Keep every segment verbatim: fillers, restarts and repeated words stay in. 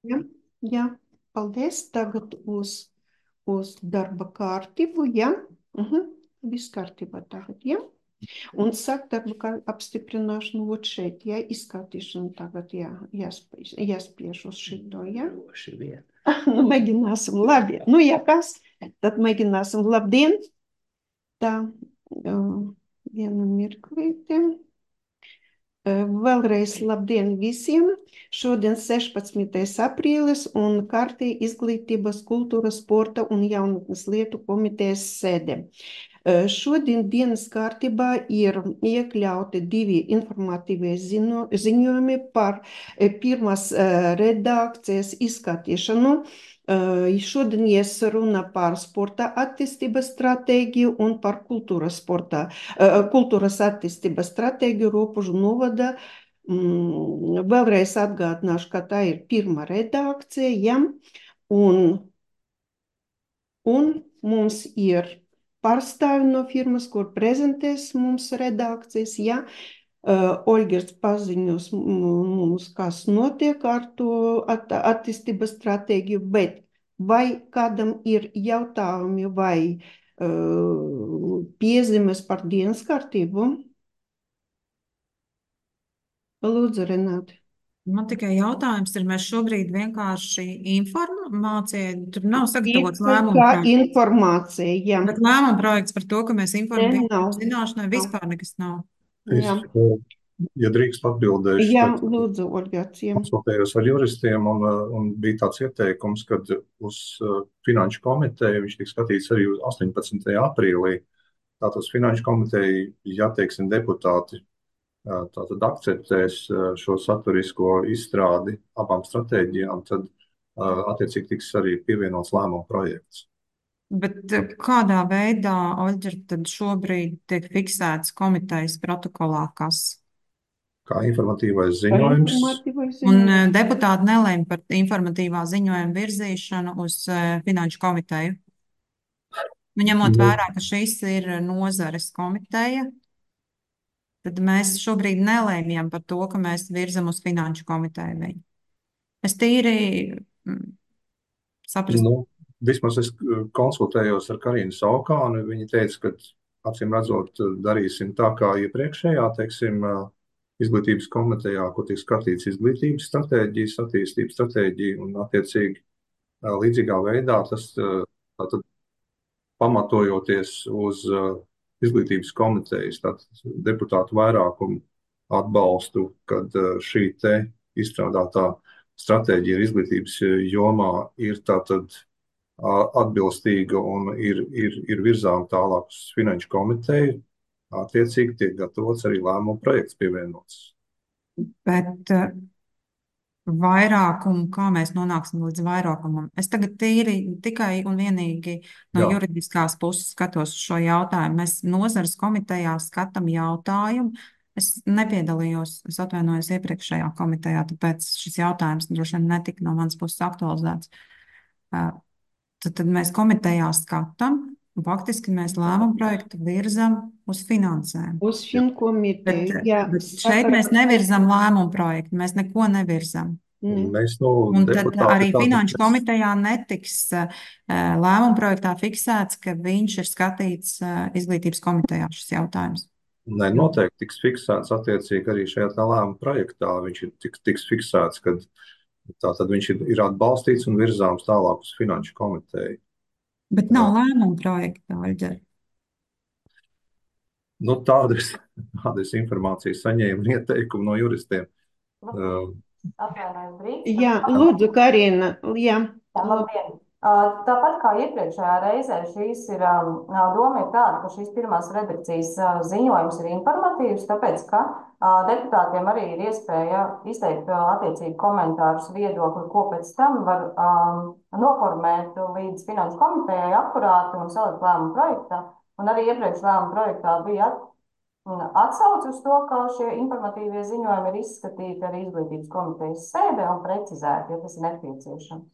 Jā, jā, paldies. Tagad uz, uz darba kārtību, jā. Mhm. Viss kārtībā tagad, jā. Un sāk darba kā apstiprināšanu vot šeit, jā, izskatīšanu tagad, jā, jāspiež, jāspiež uz šito, jā. Droši vien. Nu, mēģināsim, labi. Nu, ja kas, tad mēģināsim. Labdien! Tā, uh, vienu mirklīti. Uh, Vēlreiz labdien visiem! Šodien sešpadsmitais aprīlis un kārtī izglītības, kultūras, sporta un jaunatnes lietu komitejas sēde. Uh, Šodien dienas kārtībā ir iekļauti divi informatīvie ziņo, ziņojumi par uh, pirmās uh, redakcijas izskatīšanu. Uh, Šodien ies runa par sporta attīstības stratēģiju un par kultūras, sporta, uh, kultūras attīstības stratēģiju Ropužu novada. Mm, Vēlreiz atgādināšu, ka tā ir pirmā redakcija, ja? un, un mums ir pārstāvi no firmas, kur prezentēs mums redakcijas, ja? Uh, Olgers paziņos mums, kas notiek ar to at attīstības stratēģiju, bet vai kādam ir jautājumi vai uh, piezīmes par dienas kārtību? Lūdzu, Renāte. Man tikai jautājums ir, mēs šobrīd vienkārši informācija, tur nav sagatavots Ir lēmuma kā projekts. informācija, jā. Bet lēmuma projekts par to, ka mēs Ne, informējam nav. zināšanai, Nav. vispār nekas nav. Es, Jā, uh, ja drīkst atbildēšu, jā, tad lūdzu, Olgācija. konsultējos ar juristiem un, uh, un bija tāds ieteikums, ka uz uh, finanšu komiteju viņš tiks skatīts arī uz astoņpadsmitajā aprīlī. Tātad uz finanšu komiteju, ja teiksim deputāti uh, tātad akceptēs uh, šo saturisko izstrādi abām stratēģijām, tad uh, attiecīgi tiks arī pievienots lēmuma projekts. Bet eh, kādā veidā, Oļģer, tad šobrīd tiek fiksēts komitejas protokolā, kas? Kā informatīvais Kā ziņojums, informatīvais Un ziņojums? eh, deputāti nelēma par informatīvā ziņojuma virzīšanu uz eh, finanšu komiteju. Nu, ņemot nu, vērā, ka šis ir nozares komiteja, tad mēs šobrīd nelēmjam par to, ka mēs virzam uz finanšu komiteju viņu. Es tīri mm, saprastu. nu, vismaz es uh, konsultējos ar Karinu Saukānu. Viņa teica, ka acīm redzot, uh, darīsim tā kā iepriekšējā, teiksim, uh, izglītības komitejā, kur tiek skatīts izglītības stratēģijas, attīstības stratēģija un attiecīgi uh, līdzīgā veidā tas uh, tātad pamatojoties uz uh, izglītības komitejas tātad deputātu vairākumu atbalstu, kad uh, šī te izstrādātā stratēģija ir izglītības uh, jomā ir tātad uh, atbilstīga un ir, ir, ir virzām tālāk uz finanšu komiteju, attiecīgi tiek gatavots arī lēmuma projekts pievienots. Bet eh, vairākumu, kā mēs nonāksim līdz vairākumam? Es tagad tīri tikai un vienīgi no Jā, juridiskās puses skatos uz šo jautājumu. Mēs nozares komitejā skatām jautājumu. Es nepiedalījos, es atvainojos iepriekšējā komitejā, tāpēc šis jautājums droši vien netika no manas puses aktualizēts. Eh, Tad, tad mēs komitejā skatām, un faktiski mēs lēmumu projektu virzam uz finansēm. Uz jā. Bet, finkomiteju, jā, bet šeit mēs sakarā. nevirzam lēmumu projektu, mēs neko nevirzam. Ne. Mēs no Un tad deputāti arī tātad finanšu komitejā netiks uh, lēmuma projektā fiksēts, ka viņš ir skatīts uh, izglītības komitejā šis jautājums. ne, noteikti tiks fiksēts attiecīgi arī šajā tā lēmuma projektā. Viņš ir tiks, tiks fiksēts, ka tātad viņš ir, ir atbalstīts un virzāms tālāk uz finanšu komiteju. Bet nav lēmuma projekta, Oļģer. Nu, tādu es, tādu es informāciju saņēmu un ieteikumu no juristiem. Uh, Atvainojos, drīkst? Jā, lūdzu, Karina, jā. Jā, labdien! Uh, Tāpat kā iepriekšējā reizē, šīs ir, um, doma ir tāda, ka šīs pirmās redakcijas uh, ziņojums ir informatīvs, tāpēc, ka uh, deputātiem arī ir iespēja izteikt uh, attiecīgi komentārus, viedokli, ko pēc tam var um, noformēt līdz finanšu komitejai akurāti un salikt lēmumu projektā. Un arī iepriekš lēmumu projektā bija at, atsauce uz to, ka šie informatīvie ziņojumi ir izskatīti arī izglītības komitejas sēdē un precizēti, ja tas ir nepieciešams.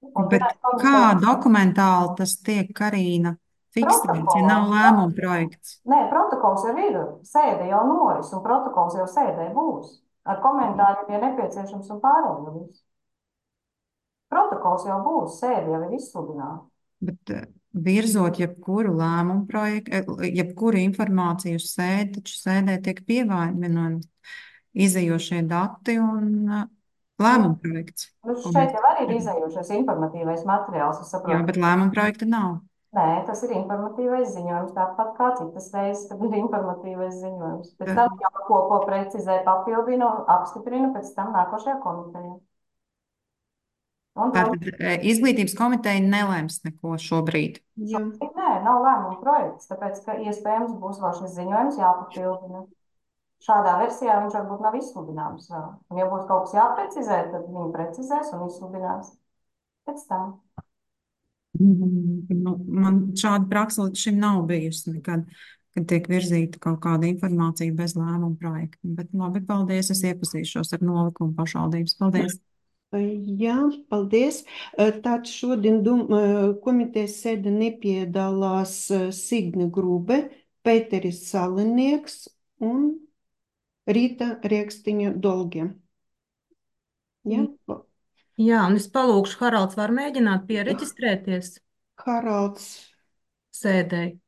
Un Bet finanšu kā komiteja dokumentāli tas tiek, Karīna, fiksēts, ja protokolā. nav lēmuma projekts? Nē, protokols jau ir, sēde jau noris, un protokols jau sēdē būs. Ar komentāriem, ja nepieciešams, un pārējo visu. protokols jau būs, sēde jau ir izsludināta. Bet eh, virzot jebkuru lēmumu projektu, eh, jebkuru informāciju uz sēdi, taču sēdē tiek pievienot izējošie dati un eh, lēmumu projekts. Nu, ko šeit mēs- jau arī ir izējošais informatīvais materiāls, es Jā, saprotu. bet lēmumu projekta nav. Nē, tas ir informatīvais ziņojums, tāpat kā citas reizes, kad ir informatīvais ziņojums. Pēc Jā. tam jau ko, ko precizē, papildina un apstiprina pēc tam nākošajā komitejā. Un, Tātad eh, izglītības komiteja nelēms neko šobrīd. Jā. Nē, nav lēmuma projekts, tāpēc, ka iespējams būs vēl šis ziņojums jāpapildina. Šādā versijā viņš varbūt nav izsludināms vēl. Un, ja būs kaut kas jāprecizē, tad viņi precizēs un izsludinās pēc tam. Nu, man šāda praksa līdz šim nav bijusi nekad, kad tiek virzīta kaut kāda informācija bez lēmuma projekta. Bet labi, paldies, es iepazīšos ar nolikumu pašvaldības. Paldies! Jā, paldies. Tātad šodien dum, komitejas sēde nepiedalās Signe Grube, Pēteris Salinieks un Rīta Riekstiņa Dolgie. Jā, Jā, un es palūkšu, Haralds var mēģināt piereģistrēties Haralds. sēdēji.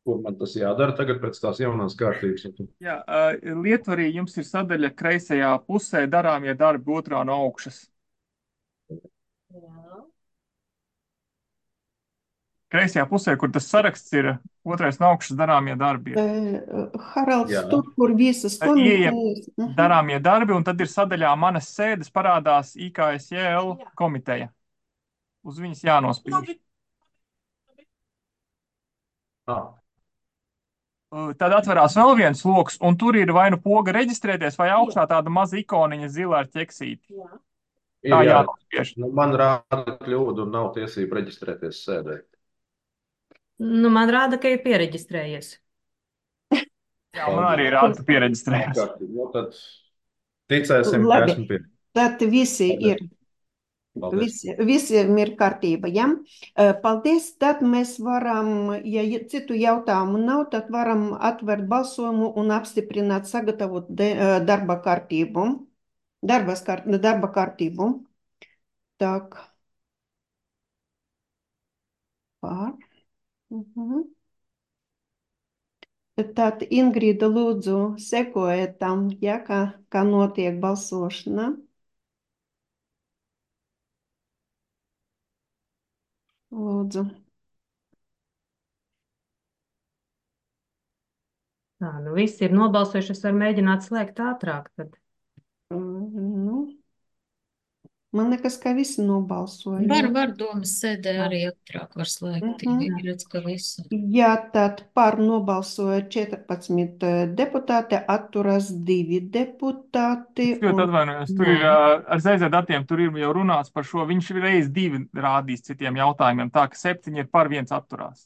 Kur man tas jādara tagad pēc tās jaunās kārtības? Jā, uh, Lietvarī jums ir sadaļa kreisajā pusē darāmie darbi otrā no augšas. Kreisajā pusē, kur tas saraksts ir, otrais no augšas darāmie darbi. ir. Eh, Haralds, Jā. tur, kur visas komitejas. Mhm. Darāmie darbi, un tad ir sadaļā manas sēdes parādās I K S J L komiteja. Uz viņas jānospiež. Ah, Uh, Tad atverās vēl viens loks, un tur ir vai nu poga reģistrēties, vai augšā tāda maza ikoniņa zila ar ķeksīti. ir, Tā jā. jānospiež. Nu, man rāda kļūdu un nav tiesība reģistrēties sēdē. Nu, man rāda, ka ir piereģistrējies. Jā, man arī rāda, ka piereģistrējās. Kārtīgi. Nu, tad ticēsim, ka Labi. esmu pie. Tad visi Paldies. ir. Paldies. Visi, visiem ir kārtība, ja? Paldies, tad mēs varam, ja citu jautājumu nav, tad varam atvērt balsojumu un apstiprināt, sagatavot de, darba kārtību. Darbas kārt, darba kārtību. Tak. Pār. Mhm. Tad Ingrīda lūdzu sekojiet tam, ja, kā, kā notiek balsošana. Lūdzu. Tā, nu visi ir nobalsojuši, es varu mēģināt slēgt ātrāk tad. Nu, man nekas, ka visi nobalsoja. Var, var domas sēdē arī ātrāk var slēgt. Mhm. Viņi redz, ka visi. Jā, tad par nobalsoja četrpadsmit deputāti, atturas divi deputāti. Es ļoti atvainojos, tur ir uh, ar Z Z datiem, tur ir jau runāts par šo. Viņš reiz divi rādīs citiem jautājumiem, tā ka septiņi ir par viens atturās.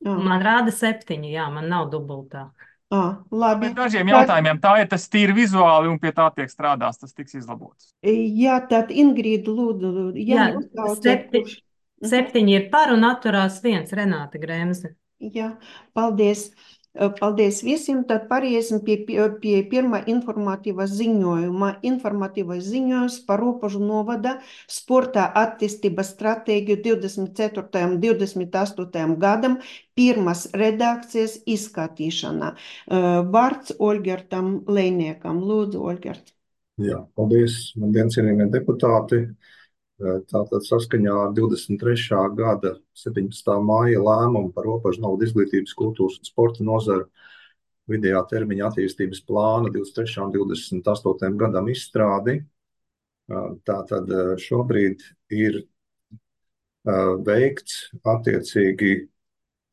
Jā, Man rāda septiņi, jā, man nav dubultā. jā, labi. Bet dažiem Tad- jautājumiem tā ir tas tīri vizuāli un pie tā tiek strādās, tas tiks izlabots. Jā, tad Ingrīda lūdzu, ja Jā, nosauciet, septi- kurš. Mhm. Septiņi ir par un atturās viens, Renāta Grēmze. Jā, paldies. Paldies visiem. Tad pāriesim pie, pie, pie pirmā informatīvā ziņojuma. Informatīvais ziņojums par Ropožu novada sporta attīstības stratēģiju divdesmit ceturtajam un divdesmit astotajam gadam. Pirmās redakcijas izskatīšana. Vārds Olgertam Lejniekam. Lūdzu, Olgert. Jā, paldies, man cienījamie deputāti. Tātad saskaņā ar divdesmit trešā gada septiņpadsmitā māja lēmumu par Ropožu novada izglītības, kultūras un sporta nozaru vidējā termiņa attīstības plāna divdesmit trešajam un divdesmit astotajam gadam izstrādi. Tātad šobrīd ir veikts attiecīgi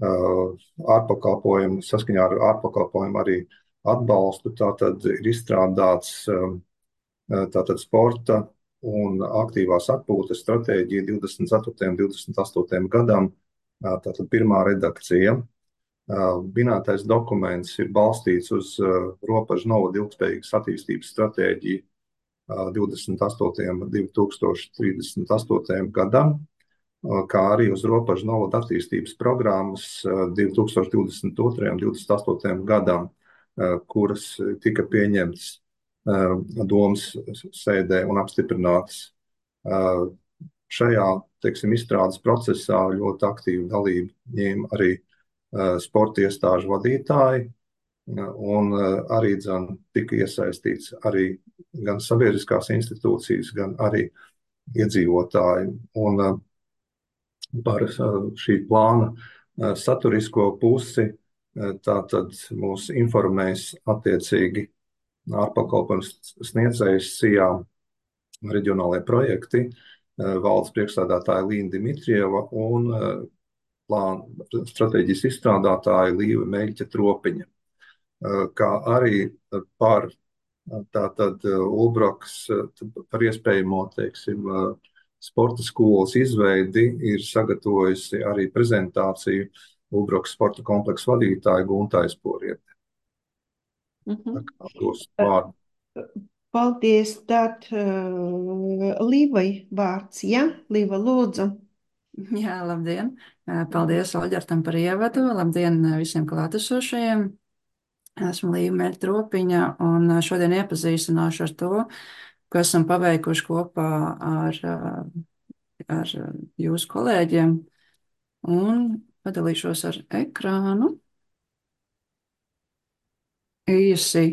ārpakalpojumu, saskaņā ar ārpakalpojumu arī atbalstu. Tātad ir izstrādāts tātad sporta un aktīvās atpūtas stratēģija divdesmit ceturtajam un divdesmit astotajam gadam, tātad pirmā redakcija. Minētais dokuments ir balstīts uz Ropožu novada ilgspējīgas attīstības stratēģiju divdesmit astotajam un divi tūkstoši trīsdesmit astotajam gadam, kā arī uz Ropožu novada attīstības programmas divi tūkstoši divdesmit otrajam un divdesmit astotajam gadam, kuras tika pieņemtas domas sēdē un apstiprinātas Šajā, teiksim, izstrādes procesā ļoti aktīvu dalību ņēma arī sporta iestāžu vadītāji, un arī dzen, tika iesaistīts arī gan sabiedriskās institūcijas, gan arī iedzīvotāji. Un par šī plāna saturisko pusi tātad mūs informēs attiecīgi ārpakalpojums sniedzējs SIA reģionālajie projekti, valdes priekšsēdētāja Līna Dimitrieva un plāna stratēģijas izstrādātāja Līva Meļķa Tropiņa, kā arī par tātad Ulbraks, par iespējamo, teiksim, sporta skolas izveidi ir sagatavojusi arī prezentāciju Ulbraks sporta kompleksu vadītāja Gunta Aizporiete. Mhm. Dos vārdu. Paldies, tad uh, Līvai vārds, ja? Līva, lūdzu. Jā, labdien. Paldies Olģertam par ievadu. Labdien visiem klātesošajiem. Esmu Līva Meļķa Tropiņa un šodien iepazīstināšu ar to, ko esam paveikuši kopā ar, ar jūsu kolēģiem, un padalīšos ar ekrānu. Īsi,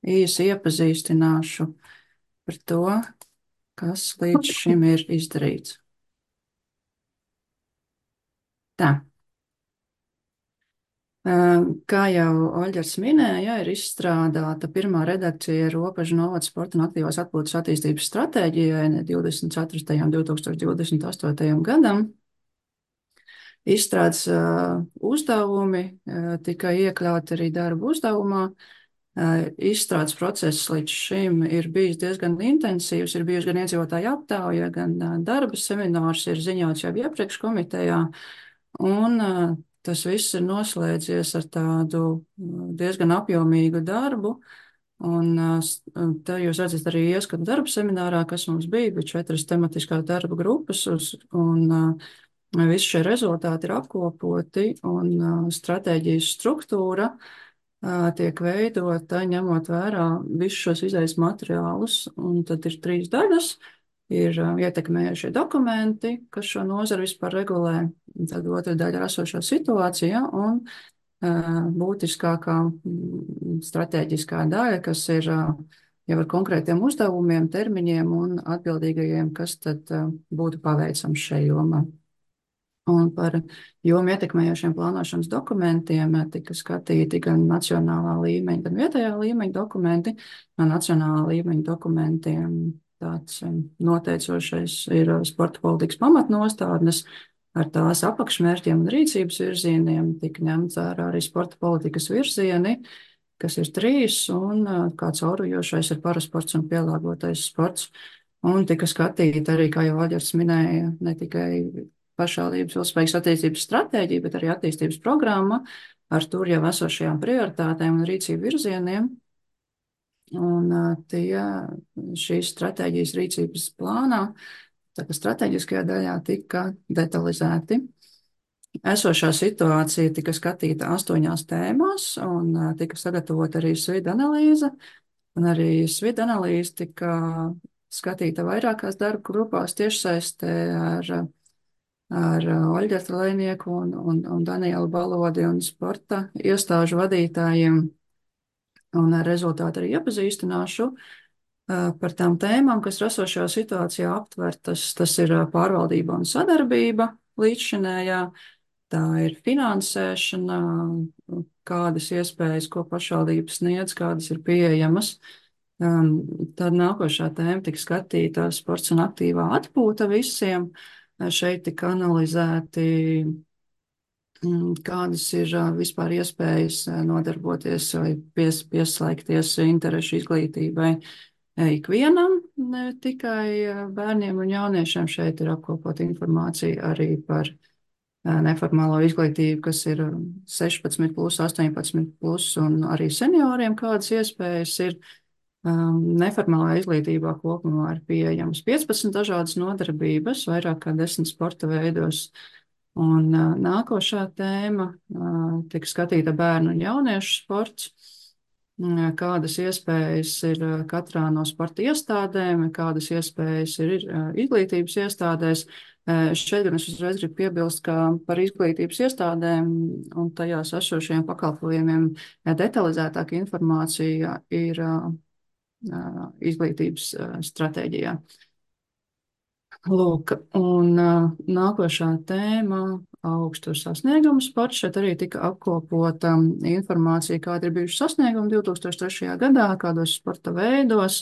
īsi iepazīstināšu par to, kas līdz šim ir izdarīts. Tā. Kā jau Oļģers minēja, ir izstrādāta pirmā redakcija Robežu novada sporta un aktīvās atpūtas attīstības stratēģijai divdesmit ceturtajam līdz dva tūkstoši divdesmit astotajam gadam. Izstrādes uh, uzdevumi uh, tika iekļauti arī darba uzdevumā. Uh, izstrādes process līdz šim ir bijis diezgan intensīvs, ir bijusi gan iedzīvotāju aptauja, gan uh, darba seminārs ir ziņots jau iepriekš komitejā, un uh, tas viss ir noslēdzies ar tādu diezgan apjomīgu darbu, un te jūs redzat arī ieskatu darba seminārā, kas mums bija, bija četras tematiskās darba grupas, uz, un visi šie rezultāti ir apkopoti, un stratēģijas struktūra tiek veidota, ņemot vērā visus šos izējas materiālus, un tad ir trīs daļas. Ir ietekmējušie dokumenti, kas šo nozaru vispār regulē, tad otra daļa ir esošā situācija un uh, būtiskākā stratēģiskā daļa, kas ir uh, jau ar konkrētiem uzdevumiem, termiņiem un atbildīgajiem, kas tad uh, būtu paveicams šajā jomā. Un par jomu ietekmējošiem plānošanas dokumentiem tika skatīti gan nacionālā līmeņa, gan vietējā līmeņa dokumenti. No nacionālā līmeņa dokumentiem tāds noteicošais ir sporta politikas pamatnostādnes ar tās apakšmērķiem un rīcības virzieniem. Tika ņemts vērā arī sporta politikas virzieni, kas ir trīs, un kā caurujošais ir parasports un pielāgotais sports. Un tika skatīta arī, kā jau Oļģers minēja, ne tikai pašvaldības ilgspējīgas attīstības stratēģija, bet arī attīstības programma ar tur jau esošajām prioritātēm un rīcību virzieniem. Un tie šīs stratēģijas rīcības plānā, tā kā stratēģiskajā daļā tika detalizēti. Esošā situācija tika skatīta astoņās tēmās un tika sagatavota arī SWID analīze. Un arī SWID analīze tika skatīta vairākās darba grupās tiešsaistē ar, ar Oļģerta Lejnieku un, un, un Danielu Balodi un sporta iestāžu vadītājiem. Un ar rezultātu arī iepazīstināšu par tām tēmām, kas esošajā situācijā aptvertas. Tas ir pārvaldība un sadarbība līdzšinējā, tā ir finansēšana, kādas iespējas, ko pašvaldības sniedz, kādas ir pieejamas. Tad nākošā tēma tika skatīta sports un aktīvā atpūta visiem. Šeit tika analizēti, kādas ir vispār iespējas nodarboties vai pies, pieslēgties interešu izglītībai ikvienam, ne tikai bērniem un jauniešiem. Šeit ir apkopot informācija arī par neformālo izglītību, kas ir sešpadsmit plus, astoņpadsmit plus, un arī senioriem kādas iespējas ir. Neformālā izglītībā kopumā ir pieejams piecpadsmit dažādas nodarbības, vairāk kā desmit sporta veidos. Un nākošā tēma tika skatīta bērnu un jauniešu sports. kādas iespējas ir katrā no sporta iestādēm, kādas iespējas ir izglītības iestādēs. Šeit gan es uzreiz gribu piebilst, ka par izglītības iestādēm un tajās esošajiem pakalpojumiem detalizētāka informācija ir izglītības stratēģijā. Lūk, un nākošā tēma augstu sasniegumu sports. Šeit arī tika apkopota informācija, kāda ir bijuši sasniegumi divs tūkstoši trešajā gadā, kādos sporta veidos,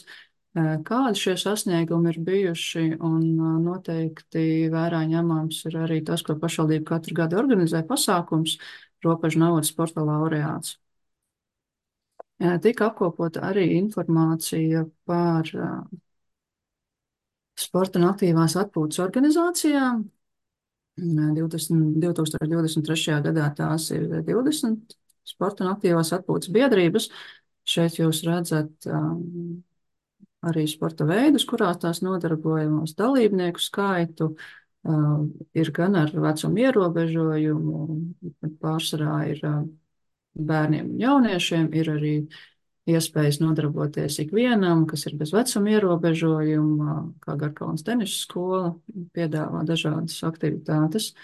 kādi šie sasniegumi ir bijuši, un noteikti vērā ņemams ir arī tas, ko pašvaldība katru gadu organizē pasākums Robežu naudas sporta laureāts. Tika apkopota arī informācija par sporta un aktīvās atpūtas organizācijām. divdesmit, divs tūkstoši divdesmit trešajā gadā tās ir divdesmit sporta un aktīvās atpūtas biedrības. Šeit jūs redzat um, arī sporta veidus, kurās tās nodarbojamos dalībnieku skaitu. Um, ir gan ar vecumu ierobežojumu, pārsvarā ir um, bērniem un jauniešiem, ir arī iespējas nodarboties ikvienam, kas ir bez vecuma ierobežojuma, kā Garkalnas tenisa skola piedāvā dažādas aktivitātes.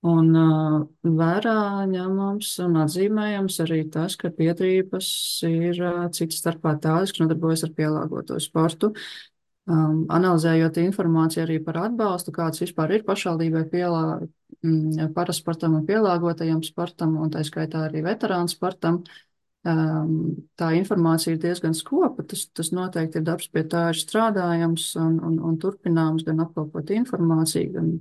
Un uh, vērā ņemams un atzīmējams arī tas, ka biedrības ir uh, cits starpā tādas, kas nodarbojas ar pielāgoto sportu. Um, analizējot informāciju arī par atbalstu, kāds vispār ir pašvaldībai pielā, mm, parasportam un pielāgotajam sportam, un tā skaitā arī veterānu sportam, Um, tā informācija ir diezgan skopa, tas, tas noteikti ir darbs, pie tā ir strādājams un, un, un turpināms gan apkopot informāciju, gan,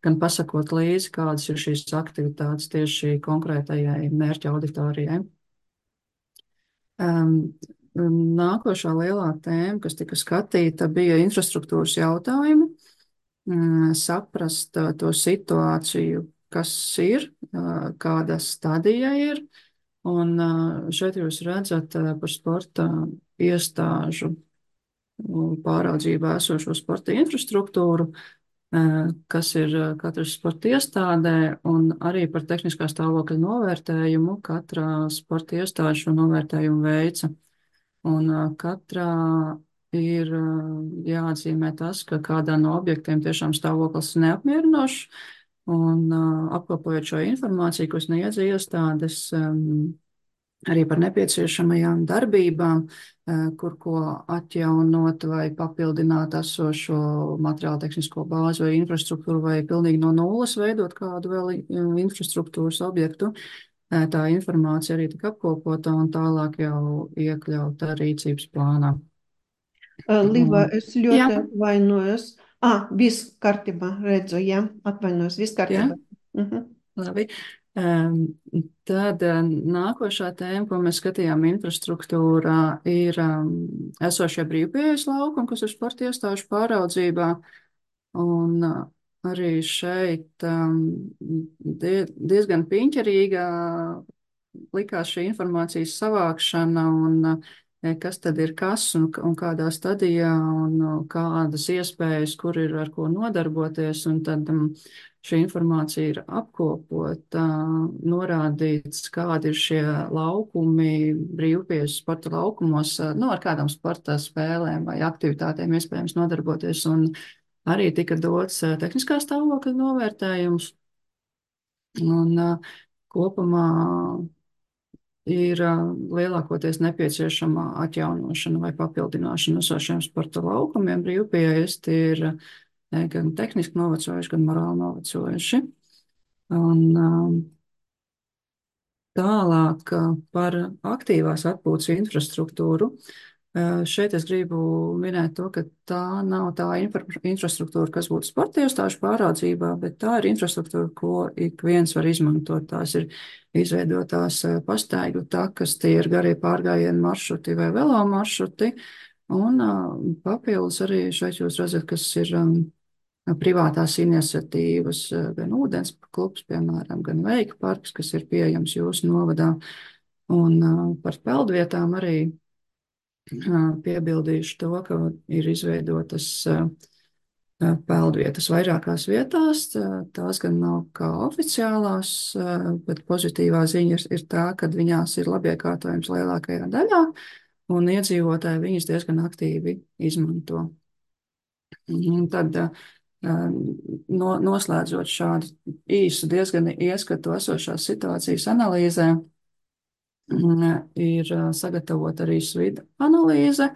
gan pasakot līdzi, kādas ir šīs aktivitātes tieši konkrētajai mērķa auditorijai. Um, nākošā lielā tēma, kas tika skatīta, bija infrastruktūras jautājumi, um, saprast uh, to situāciju, kas ir, uh, kāda stadija ir. Un šeit jūs redzat par sporta iestāžu pāraudzībā esošo sporta infrastruktūru, kas ir katras sporta iestādē, un arī par tehniskā stāvokļa novērtējumu katrā sporta iestāde šo novērtējumu veica. Un katrā ir jāatzīmē tas, ka kādā no objektiem tiešām stāvoklis neapmierinošs, un apkopojot šo informāciju, ko sniedz iestādes, arī par nepieciešamajām darbībām, kur ko atjaunot vai papildināt esošo materiālu tehnisko bāzi vai infrastruktūru, vai pilnīgi no nulles veidot kādu vēl infrastruktūras objektu. Tā informācija arī tika apkopota un tālāk jau iekļauta rīcības plānā. Liva, es ļoti Jā. atvainojos. Ah, viss kārtībā, redzu, jā, atvainojos, viss kārtībā. Mhm. Labi. Um, tad um, nākošā tēma, ko mēs skatījām infrastruktūrā, ir um, esošie brīvpieejas laukumi, kas ir sporta iestāžu pāraudzībā. Un uh, arī šeit um, die, diezgan piņķerīga likās šī informācijas savākšana un uh, kas tad ir kas un, un kādā stadijā un uh, kādas iespējas, kur ir ar ko nodarboties. Un tad um, šī informācija ir apkopota, norādīts, kādi ir šie laukumi brīvpieejas sporta laukumos, nu, ar kādām sporta spēlēm vai aktivitātēm iespējams nodarboties. Un arī tika dots tehniskā stāvokļa novērtējums. Un kopumā ir lielākoties nepieciešama atjaunošana vai papildināšana esošiem sporta laukumiem. Brīvpieejas tie ir gan tehniski novecojuši, gan morāli novecojuši. Un tālāk par aktīvās atpūtas infrastruktūru. Šeit es gribu minēt to, ka tā nav tā infrastruktūra, kas būtu sporta iestāžu pāraudzībā, bet tā ir infrastruktūra, ko ik viens var izmantot. Tās ir izveidotās pastaigu takas, tie ir garie pārgājienu maršruti vai velo maršruti. Un papildus arī šeit jūs redzat, kas ir privātās iniciatīvas, gan ūdens klubs, piemēram, gan veika parks, kas ir pieejams jūsu novadā. Un par peldvietām arī piebildīšu to, ka ir izveidotas peldvietas vairākās vietās. Tās gan nav kā oficiālās, bet pozitīvā ziņa ir, ir tā, ka viņās ir labiekārtojums lielākajā daļā, un iedzīvotāji viņas diezgan aktīvi izmanto. Un tad, no, noslēdzot šādu īsu, diezgan ieskatu esošās situācijas analīzē, ir sagatavota arī SWID analīze,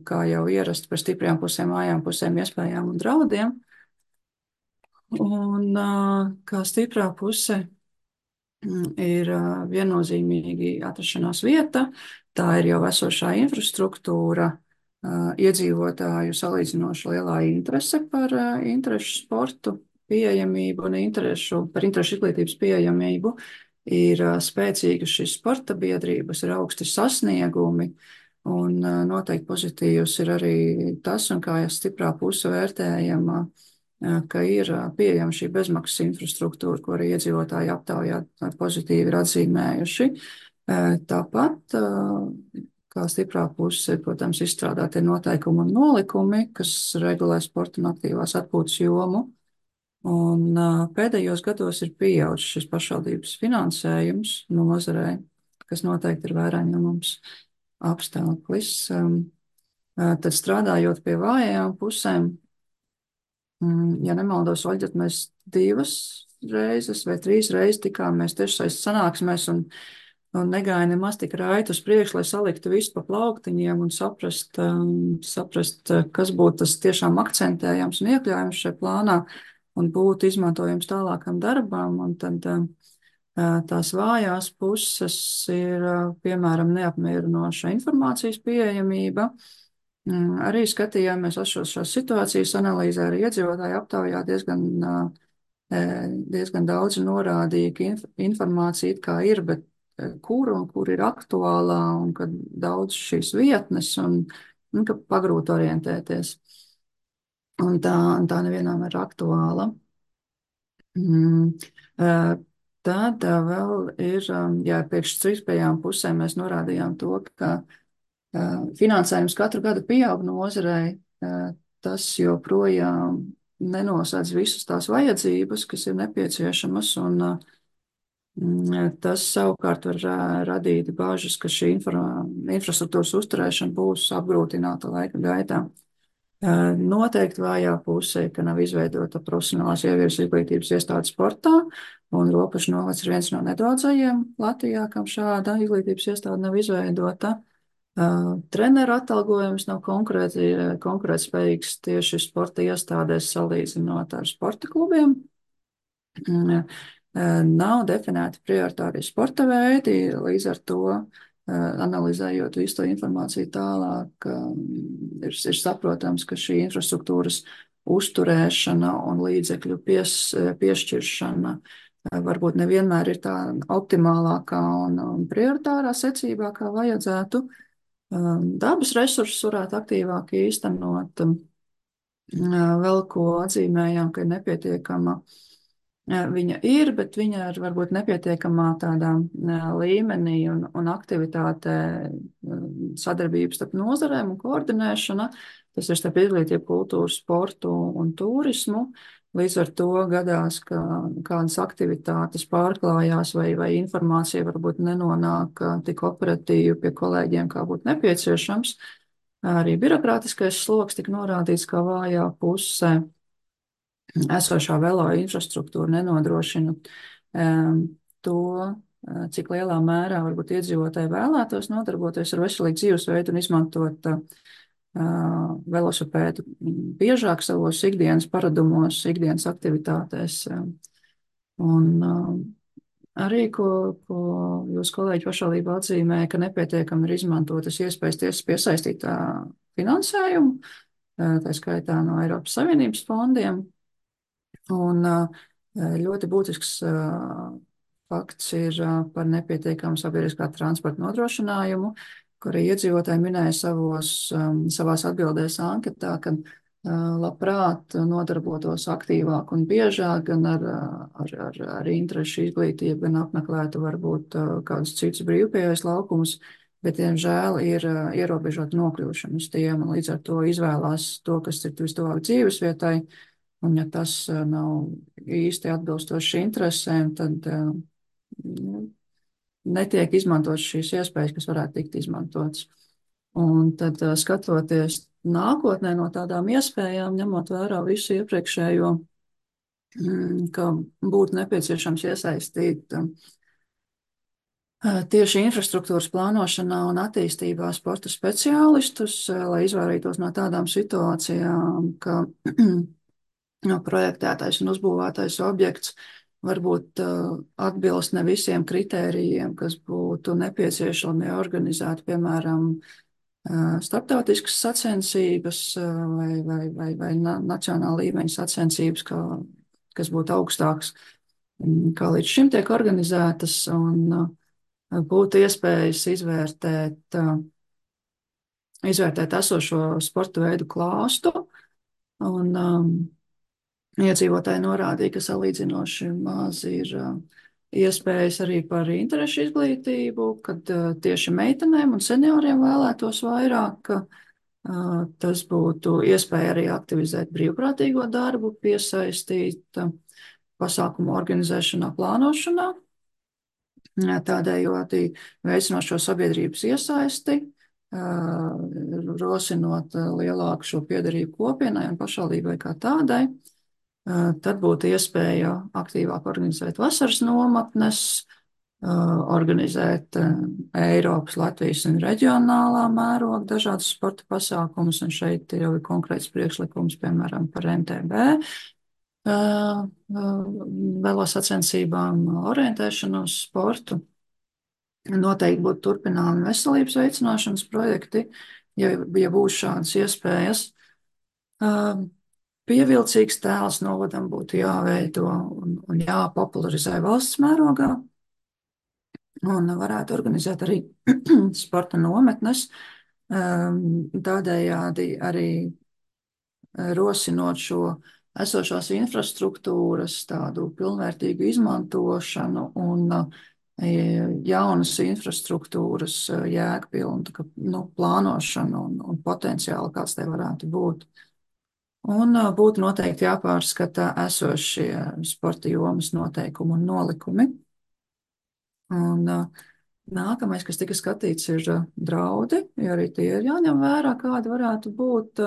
kā jau ierasti par stiprajām pusēm, vājām pusēm, iespējām un draudiem. Un kā stiprā puse ir viennozīmīgi atrašanās vieta, tā ir jau esošā infrastruktūra, iedzīvotāju salīdzinoši lielā interese par interešu sportu pieejamību un interešu, par interešu izglītības pieejamību, ir spēcīgas šīs sporta biedrības, ir augsti sasniegumi, un noteikti pozitīvs ir arī tas, un kā jau stiprā puse vērtējama, ka ir pieejama šī bezmaksas infrastruktūra, ko arī iedzīvotāji aptaujā pozitīvi ir atzīmējuši. Tāpat, kā stiprā puse, protams, izstrādātie noteikumi un nolikumi, kas regulē sporta un aktīvās atpūtas jomu. Un pēdējos gados ir pieaudzis šis pašvaldības finansējums nozarei, kas noteikti ir vērā ņemams apstākļus. Tad strādājot pie vājajām pusēm, ja nemaldos, Oļģet, mēs divas reizes vai trīs reizes tikāmies tiešsaistes sanāksmēs un, un negāja nemaz tik raiti uz priekšu, lai saliktu visu pa plauktiņiem un saprast, saprast, kas būtu tas tiešām akcentējams un iekļājums šajā plānā un būtu izmantojams tālākam darbam. Un tad tās vājās puses ir, piemēram, neapmierinoša informācijas pieejamība. Arī skatījāmies šos šās situācijas analīzē, arī iedzīvotāju aptaujā diezgan, diezgan daudz norādīja, ka inf informācija it kā ir, bet kur un kur ir aktuālā, un ka daudz šīs vietnes, un, un ka pagrūti orientēties. Un tā, tā nevienām ir aktuāla. Mm. Tad vēl ir, jā, priekš trīspējām pusēm mēs norādījām to, ka finansējums katru gadu pieaug nozarei, tas joprojām nenosēdz visas tās vajadzības, kas ir nepieciešamas, un tas savukārt var radīt bāžas, ka šī infra, infrastruktūras uzturēšana būs apgrūtināta laika gaitā. Noteikti vājā pusē, ka nav izveidota profesionālās ieviesu izglītības iestādes sportā, un Ropašu novads ir viens no nedaudzajiem Latvijā, kam šāda izglītības iestāde nav izveidota. Uh, treneru atalgojums nav konkrēti, konkrēti spējīgs tieši sporta iestādēs salīdzinot ar sporta klubiem. Uh, nav definēti prioritārie sporta veidi, līdz ar to analizējot visu to informāciju tālāk, ir, ir saprotams, ka šī infrastruktūras uzturēšana un līdzekļu pies, piešķiršana varbūt nevienmēr ir tā optimālākā un, un prioritārā secībā, kā vajadzētu. Dabas resursus varētu aktīvāk īstenot. Vēl ko atzīmējām, ka ir nepietiekama viņa ir, bet viņa ir varbūt nepietiekamā tādā līmenī un, un aktivitātē sadarbības starp nozarēm un koordinēšana. Tas ir starp izglītību, kultūru, sportu un turismu. Līdz ar to gadās, ka kādas aktivitātes pārklājās vai, vai informācija varbūt nenonāk tik operatīvi pie kolēģiem, kā būtu nepieciešams. Arī birokrātiskais sloks tika norādīts kā vājā pusē. Esošā velo infrastruktūra nenodrošina um, to, cik lielā mērā varbūt iedzīvotāji vēlētos nodarboties ar veselīgu dzīvesveidu un izmantot uh, velosipēdu biežāk savos ikdienas paradumos, ikdienas aktivitātēs. Un uh, arī, ko, ko jūs kolēģi pašvaldība atzīmē, ka nepietiekami ir izmantotas iespējas tiesas piesaistīt uh, finansējumu, uh, tā skaitā no Eiropas Savienības fondiem. Un ļoti būtisks fakts ir par nepietiekamu sabiedriskā transporta nodrošinājumu, kur iedzīvotāji minēja savos, savās atbildēs anketā, ka labprāt nodarbotos aktīvāk un biežāk, gan ar, ar, ar, ar interešu izglītību, gan apmeklētu varbūt kādus citus brīvpieejas laukumus, bet, diemžēl, ir ierobežota nokļūšana uz tiem, un līdz ar to izvēlās to, kas ir vistuvāk dzīvesvietai, un ja tas nav īsti atbilstoši interesēm, tad nu, netiek izmantotas šīs iespējas, kas varētu tikt izmantotas. Un tad skatoties nākotnē no tādām iespējām, ņemot vērā visu iepriekšējo, ka būtu nepieciešams iesaistīt tieši infrastruktūras plānošanā un attīstībā sporta speciālistus, lai izvairītos no tādām situācijām, ka projektētais un uzbūvētais objekts varbūt atbilst ne visiem kritērijiem, kas būtu nepieciešami organizēt, piemēram, starptautiskas sacensības vai, vai, vai, vai nacionāla līmeņa sacensības, kā, kas būtu augstāks, kā līdz šim tiek organizētas, un būtu iespējas izvērtēt, izvērtēt esošo sporta veidu klāstu, un um, iedzīvotāji norādīja, ka salīdzinoši maz ir uh, iespējas arī par interešu izglītību, kad uh, tieši meitenēm un senioriem vēlētos vairāk, uh, tas būtu iespēja arī aktivizēt brīvprātīgo darbu, piesaistīt uh, pasākumu organizēšanā, plānošanā, tādējādi veicinot šo sabiedrības iesaisti, rosinot lielāku šo piederību kopienai un pašvaldībai kā tādai. Tad būtu iespēja aktīvāk organizēt vasaras nometnes, organizēt Eiropas, Latvijas un reģionālā mēroga dažādas sporta pasākumus, un šeit jau ir konkrēts priekšlikums, piemēram, par M T B, velosacensībām, orientēšanu uz sportu. Noteikti būtu turpināmi veselības veicināšanas projekti, ja, ja būs šādas iespējas. Pievilcīgs tēls novadam būtu jāveido un, un jāpopularizē valsts mērogā, un varētu organizēt arī sporta nometnes, tādējādi arī rosinot šo esošās infrastruktūras tādu pilnvērtīgu izmantošanu un jaunas infrastruktūras jēgpilnu nu, plānošanu un, un potenciālu, kāds te varētu būt. Un būtu noteikti jāpārskata esošie sporta jomas noteikumi un nolikumi. Un nākamais, kas tika skatīts, ir draudi, jo arī tie ir jāņem vērā, kādi varētu būt.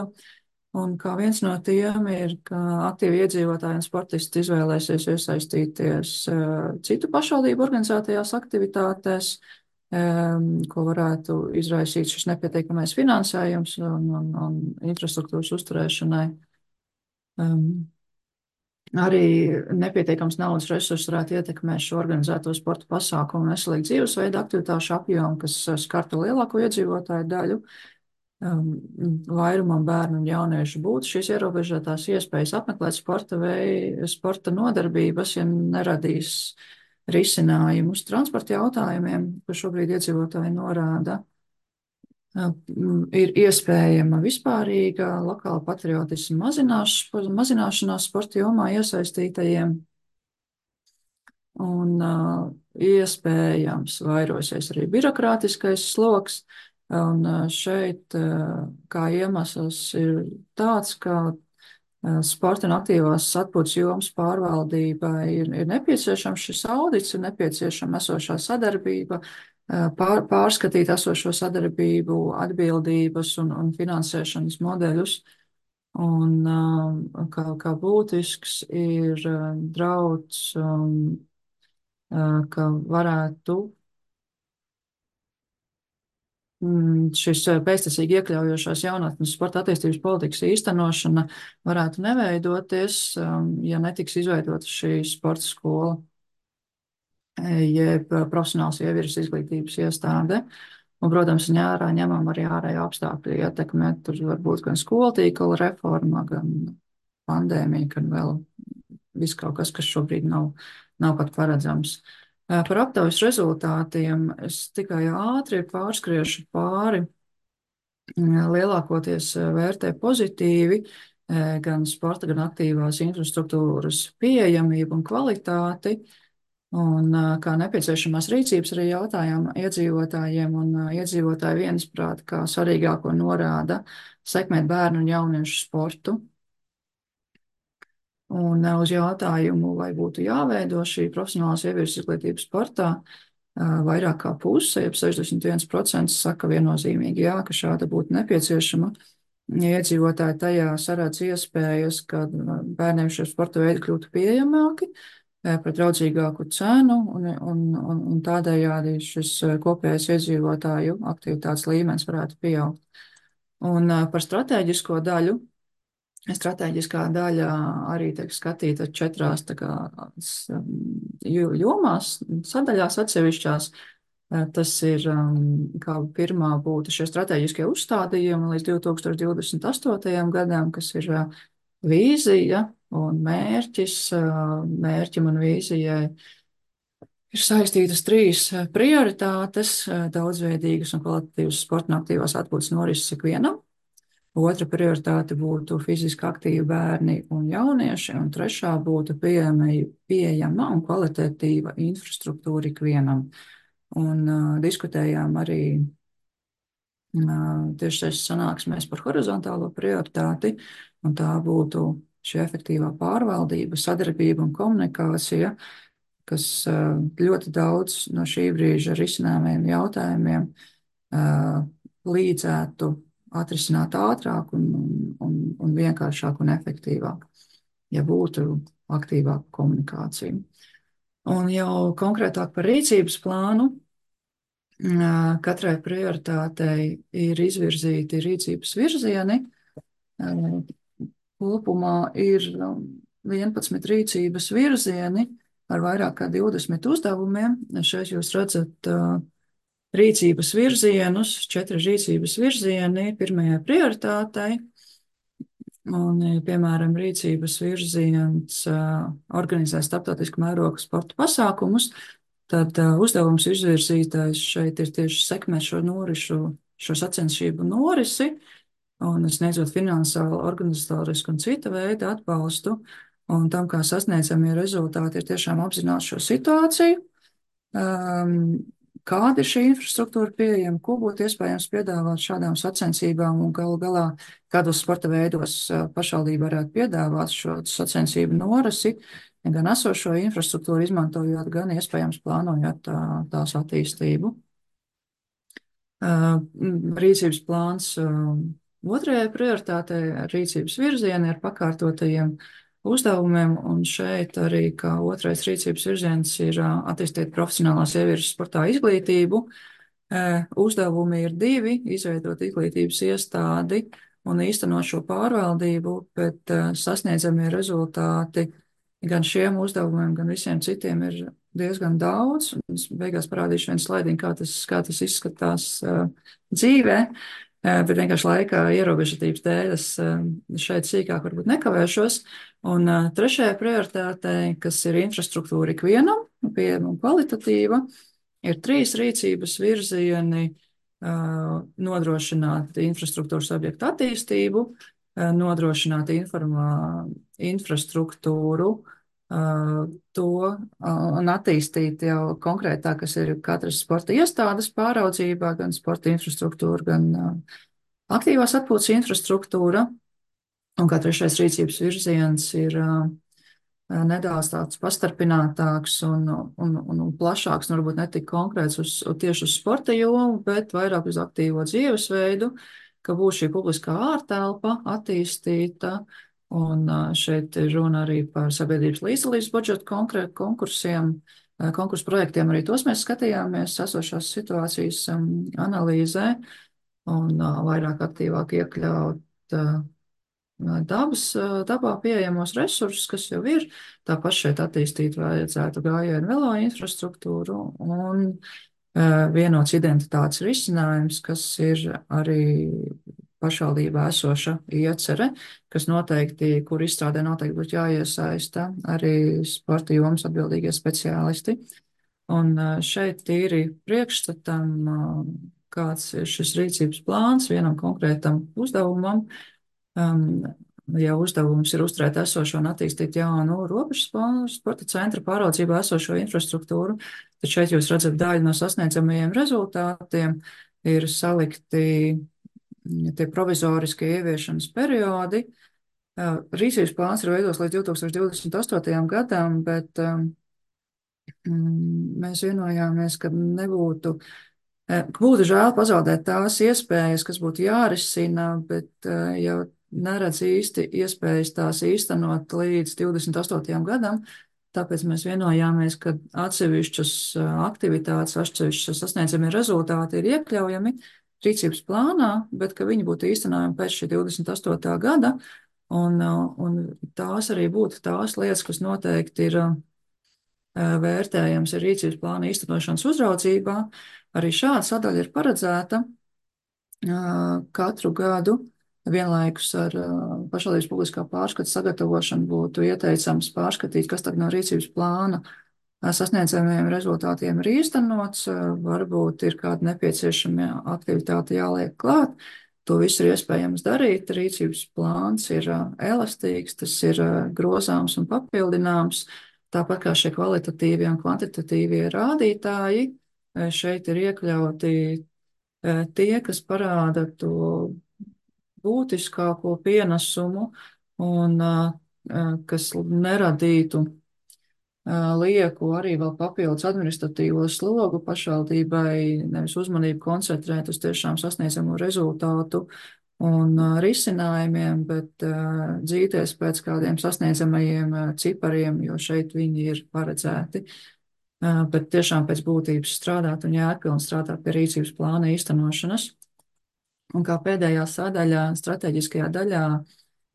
Un kā viens no tiem ir, ka aktīvi iedzīvotāji un sportisti izvēlēsies iesaistīties citu pašvaldību organizētajās aktivitātēs, ko varētu izraisīt šis nepietiekamais finansējums un, un, un infrastruktūras uzturēšanai. Um, arī nepietiekams naudas resursi varētu ietekmēt šo organizēto sporta pasākumu un veselīgu dzīvesveidu aktivitāšu apjomu, kas skartu lielāko iedzīvotāju daļu. Vairumam bērnu un jauniešu būtu šīs ierobežotās iespējas apmeklēt sporta vai sporta nodarbības, ja neradīs risinājumus transporta jautājumiem, ko šobrīd iedzīvotāji norāda. Ir iespējama vispārīga lokāla patriotisma mazināšanās sporta jomā iesaistītajiem, un uh, iespējams vairosies arī birokrātiskais sloks. Un šeit kā iemesls ir tāds, ka sporta un aktīvās atpūtas jomas pārvaldībai ir, ir nepieciešams šis audits, ir nepieciešama esošā sadarbība, pār, pārskatīt esošo sadarbību, atbildības un, un finansēšanas modeļus. Un kā, kā būtisks ir drauds, ka varētu šis pēctecīgi iekļaujošās jaunatnes sporta attīstības politikas īstenošana varētu neveidoties, ja netiks izveidota šī sporta skola, jeb profesionāls ievirs izglītības iestāde. Un, protams, ņērā ņemam arī ārējo apstākļu ietekmē, tur var būt gan skolatīkla reforma, gan pandēmija, gan vēl viss kaut kas, kas šobrīd nav, nav pat paredzams. Par aptaujas rezultātiem es tikai ātri pārskriešu pāri. Lielākoties vērtē pozitīvi gan sporta, gan aktīvās infrastruktūras pieejamību un kvalitāti. Un kā nepieciešamās rīcības arī jautājām iedzīvotājiem, un iedzīvotāji viensprāt, kā svarīgāko norāda sekmēt bērnu un jauniešu sportu. Un uz jautājumu, vai būtu jāveido šī profesionālās sieviešu izglītības sportā, vairāk kā puse, jeb sešdesmit viens procents saka viennozīmīgi jā, ka šāda būtu nepieciešama. Iedzīvotāji tajā saredz iespējas, ka bērniem šie sporta veidi kļūtu pieejamāki par draudzīgāku cenu, un, un, un, un tādējādi šis kopējais iedzīvotāju aktivitātes līmenis varētu pieaugt. Un par stratēģisko daļu. Stratēģiskā daļa arī tiek skatīta četrās tā kā, jomās, sadaļās atsevišķās. Tas ir, kā pirmā būtu šie stratēģiskie uzstādījumi līdz divi tūkstoši divdesmit astotajam gadam, kas ir vīzija un mērķis. Mērķim un vīzijai ir saistītas trīs prioritātes - daudzveidīgas un kvalitatīvas sporta un aktīvās atpūtas norises ikvienam. Otra prioritāte būtu fiziski aktīvi bērni un jaunieši, un trešā būtu pieejama, pieejama un kvalitatīva infrastruktūra ikvienam. Un uh, diskutējām arī uh, tieši šajās sanāksmēs par horizontālo prioritāti, un tā būtu šī efektīvā pārvaldība, sadarbība un komunikācija, kas uh, ļoti daudz no šī brīža risināmiem jautājumiem uh, līdzētu atrisināt ātrāk un, un, un vienkāršāk un efektīvāk, ja būtu aktīvāka komunikācija. Un jau konkrētāk par rīcības plānu, katrai prioritātei ir izvirzīti rīcības virzieni. Kopumā ir vienpadsmit rīcības virzieni ar vairāk kā divdesmit uzdevumiem. Šeit jūs redzat rīcības virzienus, četri rīcības virzieni pirmajai prioritātei. Un, piemēram, rīcības virziens organizē starptautisku mēroga sporta pasākumus, tad uzdevums izvirzītais šeit ir tieši sekmēt šo norišu, šo sacensību norisi un sniedzot finansiālu, organizatorisku un cita veida atbalstu. Un tam, kā sasniedzamie rezultāti, ir tiešām apzināt šo situāciju. Um, Kāda ir šī infrastruktūra pieejama, ko būtu iespējams piedāvāt šādām sacensībām un galu galā kādos sporta veidos pašvaldība varētu piedāvāt šo sacensību norisi, gan esošo infrastruktūru izmantojot, gan iespējams plānojot tā, tās attīstību. Rīcības plāns otrajai prioritātei rīcības virzieni ar pakārtotajiem uzdevumiem, un šeit arī kā otrais rīcības virziens ir attīstīt profesionālā sieviešu sportā izglītību. Uzdevumi ir divi - izveidot izglītības iestādi un īstenot šo pārvaldību, bet sasniedzamie rezultāti gan šiem uzdevumiem, gan visiem citiem ir diezgan daudz. Es beigās parādīšu vienu slaidiņu, kā tas, kā tas izskatās dzīvē. Bet vienkārši laika ierobežotības dēļ es šeit sīkāk varbūt nekavēšos. Un trešajai prioritātei, kas ir infrastruktūra ikvienam, pieejama un kvalitatīva, ir trīs rīcības virzieni - nodrošināt infrastruktūras objektu attīstību, nodrošināt informā, infrastruktūru, to un attīstīt jau konkrētāk, kas ir katras sporta iestādes pāraudzībā, gan sporta infrastruktūra, gan aktīvās atpūtas infrastruktūra. Un kā trešais rīcības virziens ir nedaudz tāds pastarpinātāks un, un, un, un plašāks, un varbūt ne tik konkrēts uz, tieši uz sporta jomu, bet vairāk uz aktīvo dzīvesveidu, ka būs šī publiskā ārtelpa attīstīta. Un šeit ir runa arī par sabiedrības līdzdalības budžetu konkrētu konkursiem, konkursu projektiem. Arī tos mēs skatījāmies esošās situācijas analīzē un vairāk aktīvāk iekļaut dabas, dabā pieejamos resursus, kas jau ir. Tāpat šeit attīstīt vajadzētu gājienu velo infrastruktūru un vienots identitātes risinājums, kas ir arī pašvaldībā esoša iecere, kas noteikti, kur izstrādē noteikti būtu jāiesaista arī sporta jomas atbildīgie speciālisti. Un šeit tīri priekšstatam, kāds ir šis rīcības plāns vienam konkrētam uzdevumam. Um, ja uzdevums ir uzturēt esošo un attīstīt jaunu robežu spo- sporta centra pāraudzībā esošo infrastruktūru, tad šeit jūs redzat daļu no sasniedzamajiem rezultātiem ir salikti mm, tie provizoriskie ieviešanas periodi. Uh, Rīcības plāns ir veidos līdz divi tūkstoši divdesmit astotajam gadam, bet um, mm, mēs vienojāmies, ka nebūtu, eh, ka būtu žēl pazaudēt tās iespējas, kas būtu jārisina, bet eh, jau neredz īsti iespējas tās īstenot līdz divdesmit astotajam gadam. Tāpēc mēs vienojāmies, ka atsevišķas eh, aktivitātes, atsevišķas sasniedzamie rezultāti ir iekļaujami rīcības plānā, bet ka viņi būtu īstenojami pēc šī divdesmit astotā gada. Un, eh, un tās arī būtu tās lietas, kas noteikti ir eh, vērtējams ir rīcības plāna īstenošanas uzraudzībā. Arī šāda sadaļa ir paredzēta uh, katru gadu. Vienlaikus ar uh, pašvaldības publiskā pārskata sagatavošanu būtu ieteicams pārskatīt, kas tad no rīcības plāna uh, sasniedzamajiem rezultātiem ir īstenots. Uh, varbūt ir kāda nepieciešama aktivitāte jāliek klāt. To visu ir iespējams darīt. Rīcības plāns ir uh, elastīgs, tas ir uh, grozāms un papildināms. Tāpat kā šie kvalitatīvie un kvantitatīvie rādītāji, šeit ir iekļauti tie, kas parāda to būtiskāko pienesumu un kas neradītu lieku arī vēl papildus administratīvo slogu pašvaldībai, nevis uzmanību koncentrēt uz tiešām sasniedzamo rezultātu un uh, risinājumiem, bet uh, dzīties pēc kādiem sasniedzamajiem uh, cipariem, jo šeit viņi ir paredzēti. Uh, bet tiešām pēc būtības strādāt un jēgpilni strādāt pie rīcības plāna īstenošanas. Un kā pēdējā sadaļā, strateģiskajā daļā,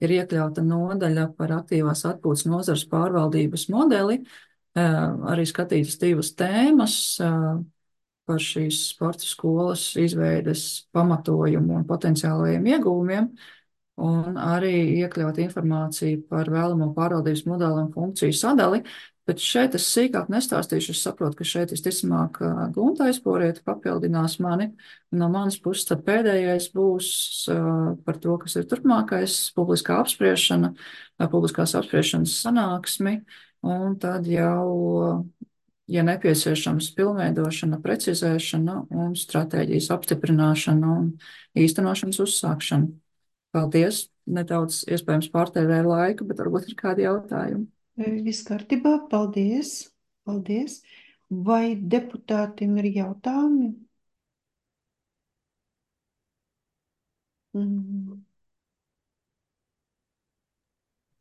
ir iekļauta nodaļa par aktīvās atpūtas nozares pārvaldības modeli, uh, arī skatītas divas tēmas. Uh, par šīs sporta skolas izveides pamatojumu un potenciālajiem ieguvumiem, un arī iekļaut informāciju par vēlamo pārvaldības modeli un funkciju sadali. Bet šeit es sīkāk nestāstīšu. Es saprotu, ka šeit visticamāk Gunta Aizporiete papildinās mani. No manas puses tad pēdējais būs uh, par to, kas ir turpmākais publiskā apspriešana, uh, publiskās apspriešanas sanāksmi, un tad jau ja nepieciešams, pilnveidošana, precizēšana un stratēģijas apstiprināšana un īstenošanas uzsākšana. Paldies! Nedaudz iespējams pārtērēju laiku, bet varbūt ir kādi jautājumi. Viss kārtībā, paldies, paldies. Vai deputātiem ir jautājumi? Mm.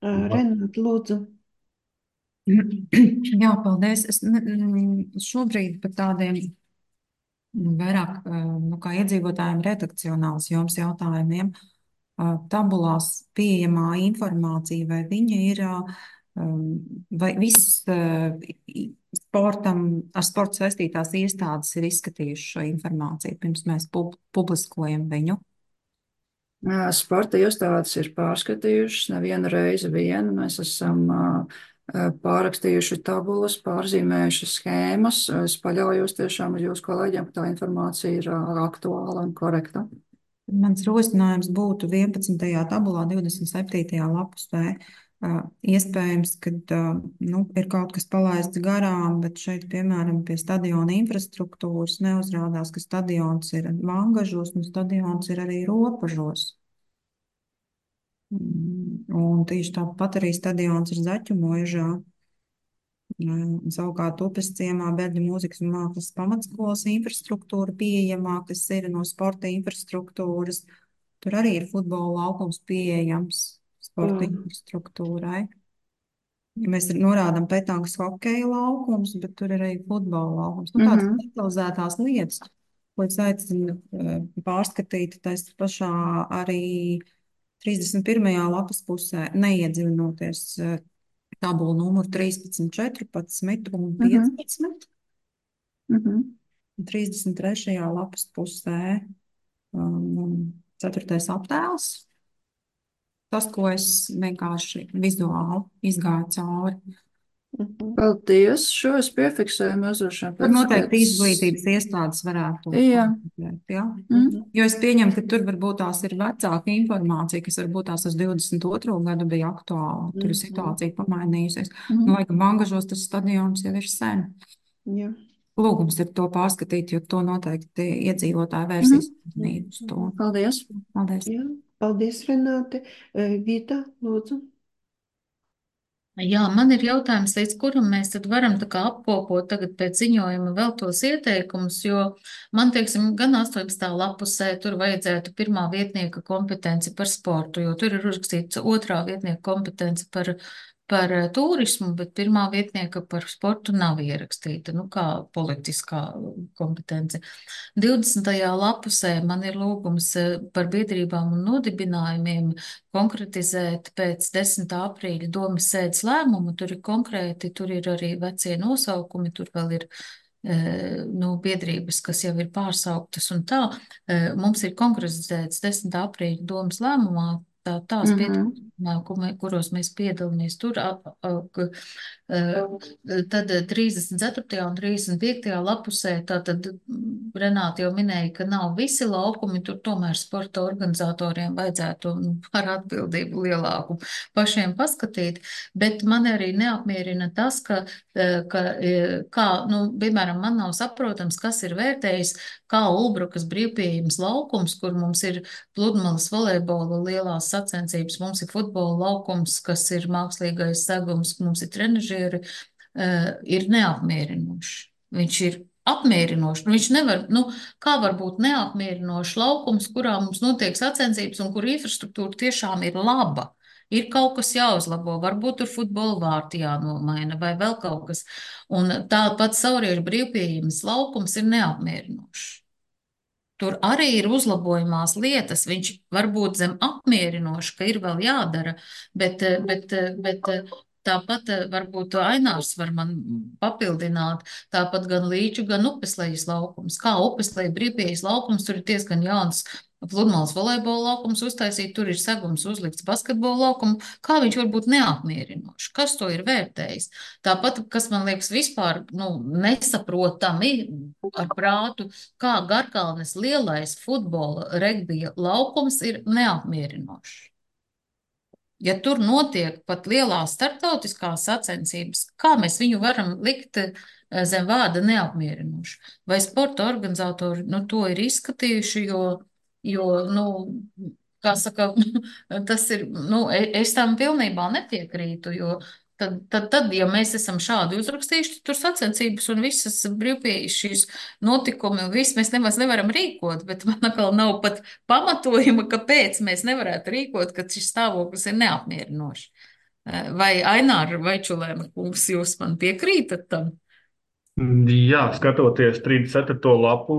Renāt, lūdzu. Jā, paldies. Es ne- šobrīd par tādiem vairāk nu, kā iedzīvotājiem redakcionāls jums jautājumiem. Tabulās pieejamā informācija, vai viņa ir, vai viss sportam, ar sportu saistītās iestādes ir izskatījuši šo informāciju, pirms mēs pub publiskojam viņu? Sporta iestādes ir pārskatījušas nevienu reizi vienu. Mēs esam uh, pārakstījuši tabulas, pārzīmējuši schēmas. Es paļaujos tiešām uz jūsu kolēģiem, ka tā informācija ir uh, aktuāla un korekta. Mans rosinājums būtu vienpadsmitajā tabulā, divdesmit septītajā lapusē. Uh, iespējams, ka uh, nu, ir kaut kas palaists garām, bet šeit, piemēram, pie stadiona infrastruktūras neuzrādās, ka stadions ir Vangažos un stadions ir arī Ropažos. Un tieši tāpat arī stadions ir Zaķumožā. Savukārt upes ciemā Bērļu mūzikas un mākslas pamatskolas infrastruktūra pieejamā, kas ir no sporta infrastruktūras. Tur arī ir futbola laukums pieejams sporta Mm. infrastruktūrai. Ja mēs norādām petangas hokeja laukums, bet tur ir arī futbola laukums. Nu, tādas Mhm. detalizētās lietas, ko es aicinu eh, pārskatīt tais pašā arī trīsdesmit pirmajā lapas pusē, neiedziļinoties eh, tabulu numuru trīspadsmit, četrpadsmit un Mhm. piecpadsmit. Mhm. Un trīsdesmit trešajā lapas pusē um, ceturtais attēls. Tas, ko es vienkārši vizuāli izgāju cauri. Mhm. Paldies, šo es piefiksēju mazliet Tur pēc, noteikti pēc... izglītības iestādes varētu Jā. komentēt, ja? Mm. Jo es pieņemu, ka tur varbūt tās ir vecāka informācija, kas varbūt tās uz divdesmit otro gadu bija aktuāla. Tur ir situācija pamainījusies. Mhm. Nu, laikam Vangažos tas stadions jau ir sen. Jā. Lūgums ir to pārskatīt, jo to noteikti iedzīvotāji Mhm. vērsīs uzmanību uz to. Paldies. Paldies. Jā. Paldies, Renāte. Eh, Vita, lūdzu. Jā, man ir jautājums, līdz kuram mēs tad varam tā kā apkopot tagad pēc ziņojuma vēl tos ieteikumus, jo man, teiksim, gan astoņpadsmitā lapusē tur vajadzētu pirmā vietnieka kompetenci par sportu, jo tur ir uzrakstīts otrā vietnieka kompetenci par, par eh, turismu, bet pirmā vietnieka par sportu nav ierakstīta, nu kā politiskā kompetence. divdesmitajā lapusē man ir lūgums eh, par biedrībām un nodibinājumiem konkretizēt pēc desmitā aprīļa domas sēdes lēmumu. Tur ir konkrēti, tur ir arī vecie nosaukumi, tur vēl ir eh, nu, biedrības, kas jau ir pārsauktas un tā. Eh, Mums ir konkretizēts desmitā aprīļa domas lēmumā tā, tās Mhm. biedrības, kuros mēs piedalāmies tur. a- a- k- eh, Tad trīsdesmit ceturtajā un trīsdesmit piektajā lapusē, tātad mm, Renāte jau minēja, ka nav visi laukumi, tur tomēr sporta organizatoriem vajadzētu nu, ar atbildību lielāku pašiem paskatīt, bet man arī neapmierina tas, ka, eh, ka eh, kā, nu, piemēram, man nav saprotams, kas ir vērtējis, kā Ulbrukas brīvpieejams laukums, kur mums ir pludmales volejbola lielās sacensības, mums ir futbola laukums, kas ir mākslīgais segums, mums ir trenažieri, eh, ir neapmierinoši. Viņš ir apmierinoši. Nu, viņš nevar, nu, kā var būt neapmierinošs laukums, kurā mums notiek sacensības un kur infrastruktūra tiešām ir laba. Ir kaut kas jāuzlabo, varbūt tur futbola vārti jānomaina vai vēl kaut kas. Un tāpat sauriešu brīvpieejams laukums ir neapmierinošs. Tur arī ir uzlabojumās lietas. Viņš var būt zem apmierinoši, ka ir vēl jādara, bet, eh, bet, eh, bet eh, tāpat eh, varbūt to Ainārs var man papildināt. Tāpat gan Līču, gan Upeslejas laukums. Kā Upesleja brīvpieejas laukums, tur ir diezgan jauns pludmales volejbola laukums uztaisīt, tur ir segums uzlikts basketbola laukumu. Kā viņš var būt neapmierinošs? Kas to ir vērtējis? Tāpat, kas man liekas vispār nu, nesaprotami ar prātu, kā Garkalnes lielais futbola regbija laukums ir neapmierinošs. Ja tur notiek pat lielās starptautiskās sacensības, kā mēs viņu varam likt eh, zem vārda neapmierinoši? Vai sporta organizatori nu, to ir izskatījuši, jo, jo nu, kā saka, tas ir, nu, e- es tam pilnībā nepiekrītu, jo tad, tad, tad, ja mēs esam šādi uzrakstījuši, tur sacensības un visas brīvpieejas šīs notikumi un viss mēs nemaz nevaram rīkot, bet man atkal nav pat pamatojuma, kāpēc mēs nevarētu rīkot, kad šis stāvoklis ir neapmierinošs. Eh, Vai Aināra Vaičulēna kungs, jūs man piekrītat tam? Jā, skatoties trīsdesmit ceturto lapu,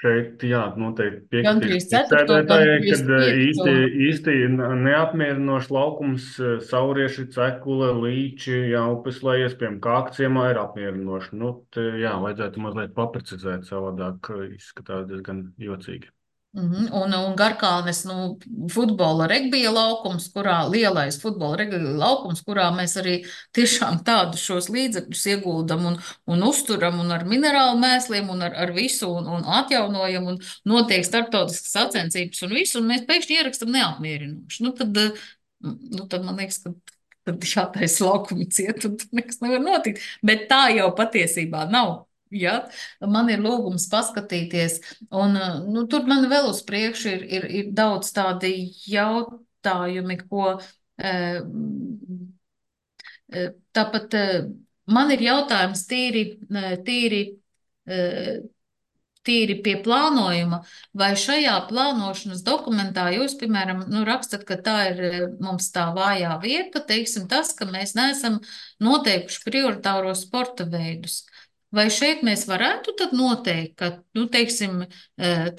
šeit, jā, noteikti Gan piekritīšu trīsdesmit ceturto, gan priekšsēdētājai, kad eh, īsti, trīsdesmit piekto. īsti neapmierinošs laukums, eh, saurieši, cekule, līči, jā, upeslejas, piemēram, kākciemā ir apmierinoši. Nu, te, jā, vajadzētu mazliet paprecizēt, savādāk eh, izskatās diezgan jocīgi. Mhm. Un, un Garkalnes nu, futbola regbija laukums, kurā lielais futbola regbija laukums, kurā mēs arī tiešām tādus šos līdzekļus ieguldam un, un uzturam un ar minerālu mēsliem un ar, ar visu un, un atjaunojam un notiek starptautiskas sacensības un visu, un mēs pēkšņi ierakstam neapmierinoši. Nu, tad, eh, nu, tad man liekas, ka tad jātaisa laukumi ciet un tur nekas nevar notikt. Bet tā jau patiesībā nav. Ja? Man ir lūgums paskatīties, un nu, tur man vēl uz priekšu ir, ir, ir daudz tādi jautājumi, ko eh, eh, tāpat eh, man ir jautājums tīri, eh, tīri, eh, tīri pie plānojuma, vai šajā plānošanas dokumentā jūs, piemēram, nu, rakstat, ka tā ir eh, mums tā vājā vieta, teiksim tas, ka mēs neesam noteikuši prioritāros sporta veidus. vai šeit mēs varētu tad noteikt, ka, nu, teiksim,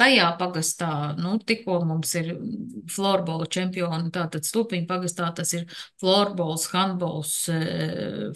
tajā pagastā, nu, tikko mums ir florbola čempioni, tātad Stupiņu pagastā tas ir florbols, handbols,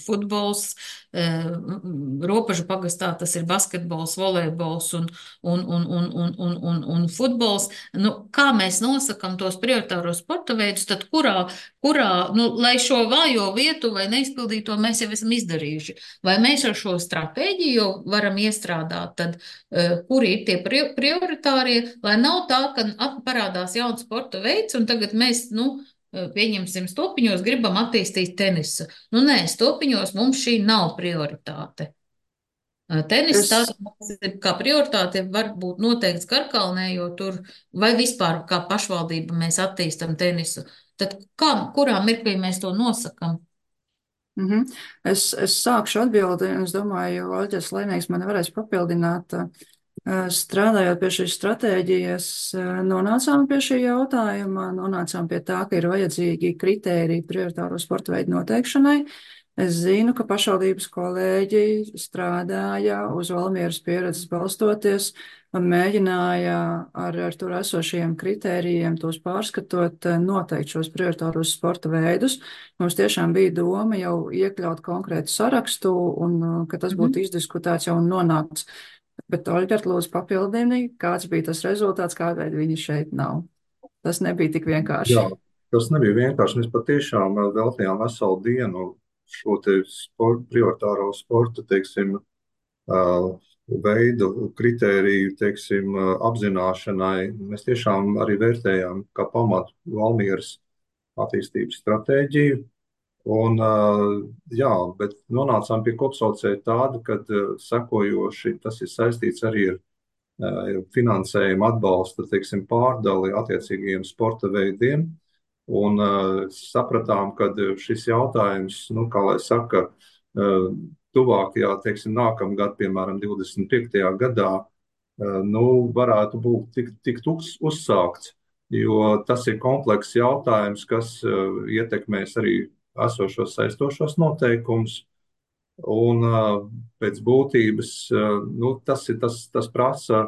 futbols, Ropažu pagastā tas ir basketbols, volejbols un, un, un, un, un, un, un, un futbols. Nu, kā mēs nosakam tos prioritāros sporta veidus, tad kurā, kurā, nu, lai šo vājo vietu vai neizpildīto mēs jau esam izdarījuši. Vai mēs ar šo stratēģiju varam iestrādāt, tad uh, kuri ir tie prioritārie, lai nav tā, ka parādās jauns sporta veids, un tagad mēs, nu, pieņemsim, Stopiņos gribam attīstīt tenisu. Nu, nē, Stopiņos mums šī nav prioritāte. Tenis Es, tās kā prioritāte var būt noteikts Karkalnē, jo tur, vai vispār kā pašvaldība mēs attīstam tenisu. Tad kā, kurā mirklī mēs to nosakam? mhm. es, es sākšu atbildi, un es domāju, Olģers Lēnīgs man varēs papildināt. Strādājot pie šīs stratēģijas, nonācām pie šī jautājuma, nonācām pie tā, ka ir vajadzīgi kritēriji prioritāro sporta veidu noteikšanai. Es zinu, ka pašvaldības kolēģi strādāja uz Valmieras pieredzes balstoties un mēģināja ar, ar tur esošajiem kritērijiem, tos pārskatot, noteikt šos prioritāros sporta veidus. Mums tiešām bija doma jau iekļaut konkrētu sarakstu un ka tas būtu izdiskutēts jau un nonākts. Bet, Olģert, lūdzu papildini, kāds bija tas rezultāts, kādēļ viņi šeit nav. Tas nebija tik vienkārši. Jā, tas nebija vienkārši. Mēs patiešām veltījām veselu dienu šo te sport, prioritāro sporta, teiksim, veidu, kritēriju, teiksim, apzināšanai. Mēs tiešām arī vērtējām kā pamatu Valmieras attīstības stratēģiju. Un, jā, bet nonācām pie kopsaucēja tāda, kad sekojoši tas ir saistīts arī ar finansējumu atbalsta, teiksim, pārdali attiecīgajiem sporta veidiem. Un uh, sapratām, ka šis jautājums, nu, kā lai saka, uh, tuvākajā, teiksim, nākamgad, piemēram, divdesmit piektajā gadā, uh, nu, varētu būt tik, tik tuks uzsākts, jo tas ir komplekss jautājums, kas uh, ietekmēs arī esošos saistošos noteikumus. Un uh, pēc būtības, uh, nu, tas ir tas, tas prasa,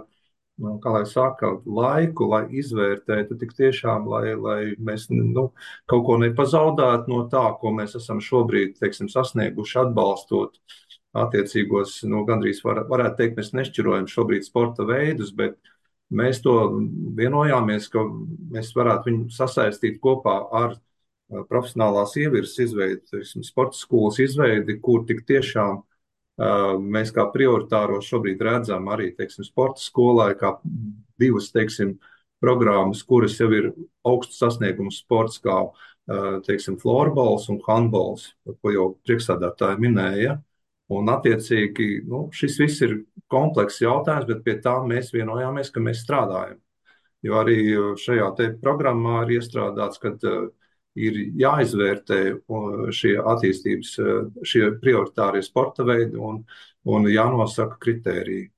nu, kā lai saka, laiku, lai izvērtētu tik tiešām, lai, lai mēs nu, kaut ko nepazaudētu no tā, ko mēs esam šobrīd, teiksim, sasnieguši atbalstot attiecīgos, nu, gandrīz var, varētu teikt, mēs nešķirojam šobrīd sporta veidus, bet mēs to vienojāmies, ka mēs varētu viņu sasaistīt kopā ar profesionālās ievirzes izveidi, teiksim, sporta skolas izveidi, kur tik tiešām mēs kā prioritāro šobrīd redzam arī, teiksim, sporta skolai kā divas, teiksim, programmas, kuras jau ir augsts sasniegums sports kā, teiksim, florbols un handbols, ko jau priekšsēdētāji minēja. Un attiecīgi, nu, šis viss ir komplekss jautājums, bet pie tā mēs vienojāmies, ka mēs strādājam. Jo arī šajā te programmā ir iestrādāts, kad ir jāizvērtē šie attīstības, šie prioritārie sporta veidi un, un jānosaka kritēriji.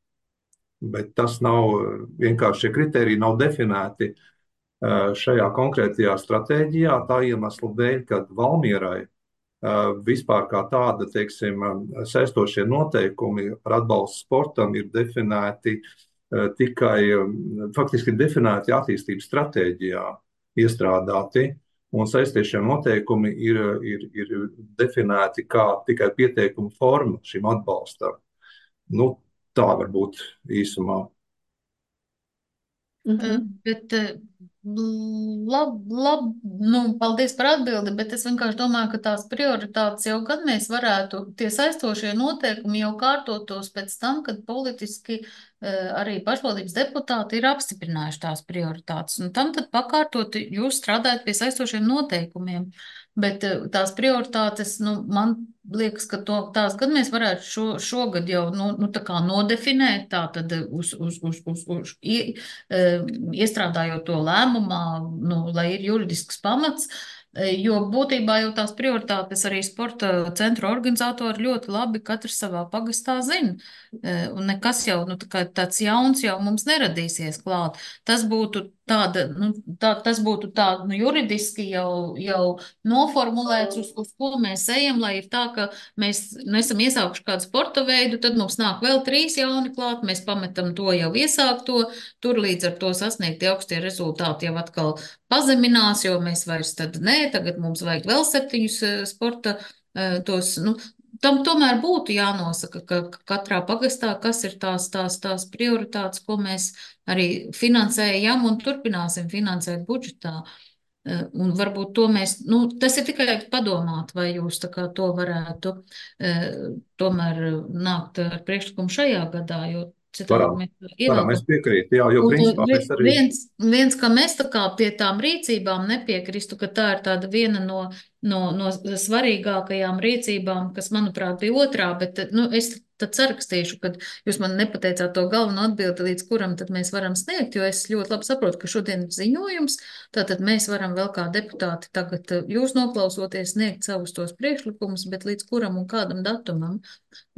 Bet tas nav, vienkārši šie kritēriji nav definēti šajā konkrētajā stratēģijā, tā iemesla dēļ, kad Valmierai vispār kā tāda, teiksim, saistošie noteikumi par atbalstu sportam ir definēti tikai, faktiski ir definēti attīstības stratēģijā iestrādāti. Un saistīšie noteikumi ir, ir, ir definēti kā tikai pieteikuma forma šim atbalstam. Nu, tā varbūt īsumā. Mhm. Bet, labi, lab, nu, paldies par atbildi, bet es vienkārši domāju, ka tās prioritātes jau gan mēs varētu, tie saistošie noteikumi jau kārtotos pēc tam, kad politiski arī pašvaldības deputāti ir apstiprinājuši tās prioritātes. Un tam tad pakārtot jūs strādājat pie saistošiem noteikumiem. Bet tās prioritātes, nu, man liekas, ka to, tās gan mēs varētu šo, šogad jau nu, nu, tā kā nodefinēt, tā tad uz, uz, uz, uz, uz ie, iestrādājot to lēmumā, nu, lai ir juridisks pamats. Jo būtībā jau tās prioritātes arī sporta centru organizatori ļoti labi katrs savā pagastā zina. Un nekas jau, nu, tā kā tāds jauns jau mums neradīsies klāt. Tas būtu tāda, nu, tā, tas būtu tā, nu, juridiski jau, jau noformulēts, uz, uz ko mēs ejam, lai ir tā, ka mēs nesam iesākuši kādu sporta veidu, tad mums nāk vēl trīs jauni klāt, mēs pametam to jau iesākto, tur līdz ar to sasniegti augstie rezultāti jau atkal pazeminās, jo mēs vairs tad nē, tagad mums vajag vēl septiņus eh, sporta eh, tos, nu, tam tomēr būtu jānosaka, ka katrā pagastā, kas ir tās, tās, tās prioritātes, ko mēs arī finansējam un turpināsim finansēt budžetā. Eh, Un varbūt to mēs, nu, tas ir tikai padomāt, vai jūs tā kā to varētu eh, tomēr nākt ar priekšlikumu šajā gadā, jo citādi Varam, mēs varam, es ievelkam. piekrītu, jā, jo Un principā vi- mēs arī, viens, viens, ka mēs tā kā pie tām rīcībām nepiekristu, ka tā ir tāda viena no, no, no svarīgākajām rīcībām, kas, manuprāt, bija otrā, bet, nu, es tad sarakstīšu, kad jūs man nepateicāt to galveno atbildi, līdz kuram tad mēs varam sniegt, jo es ļoti labi saprotu, ka šodien ir ziņojums, tātad mēs varam vēl kā deputāti tagad eh, jūs noklausoties sniegt savus tos priekšlikumus, bet līdz kuram un kādam datumam.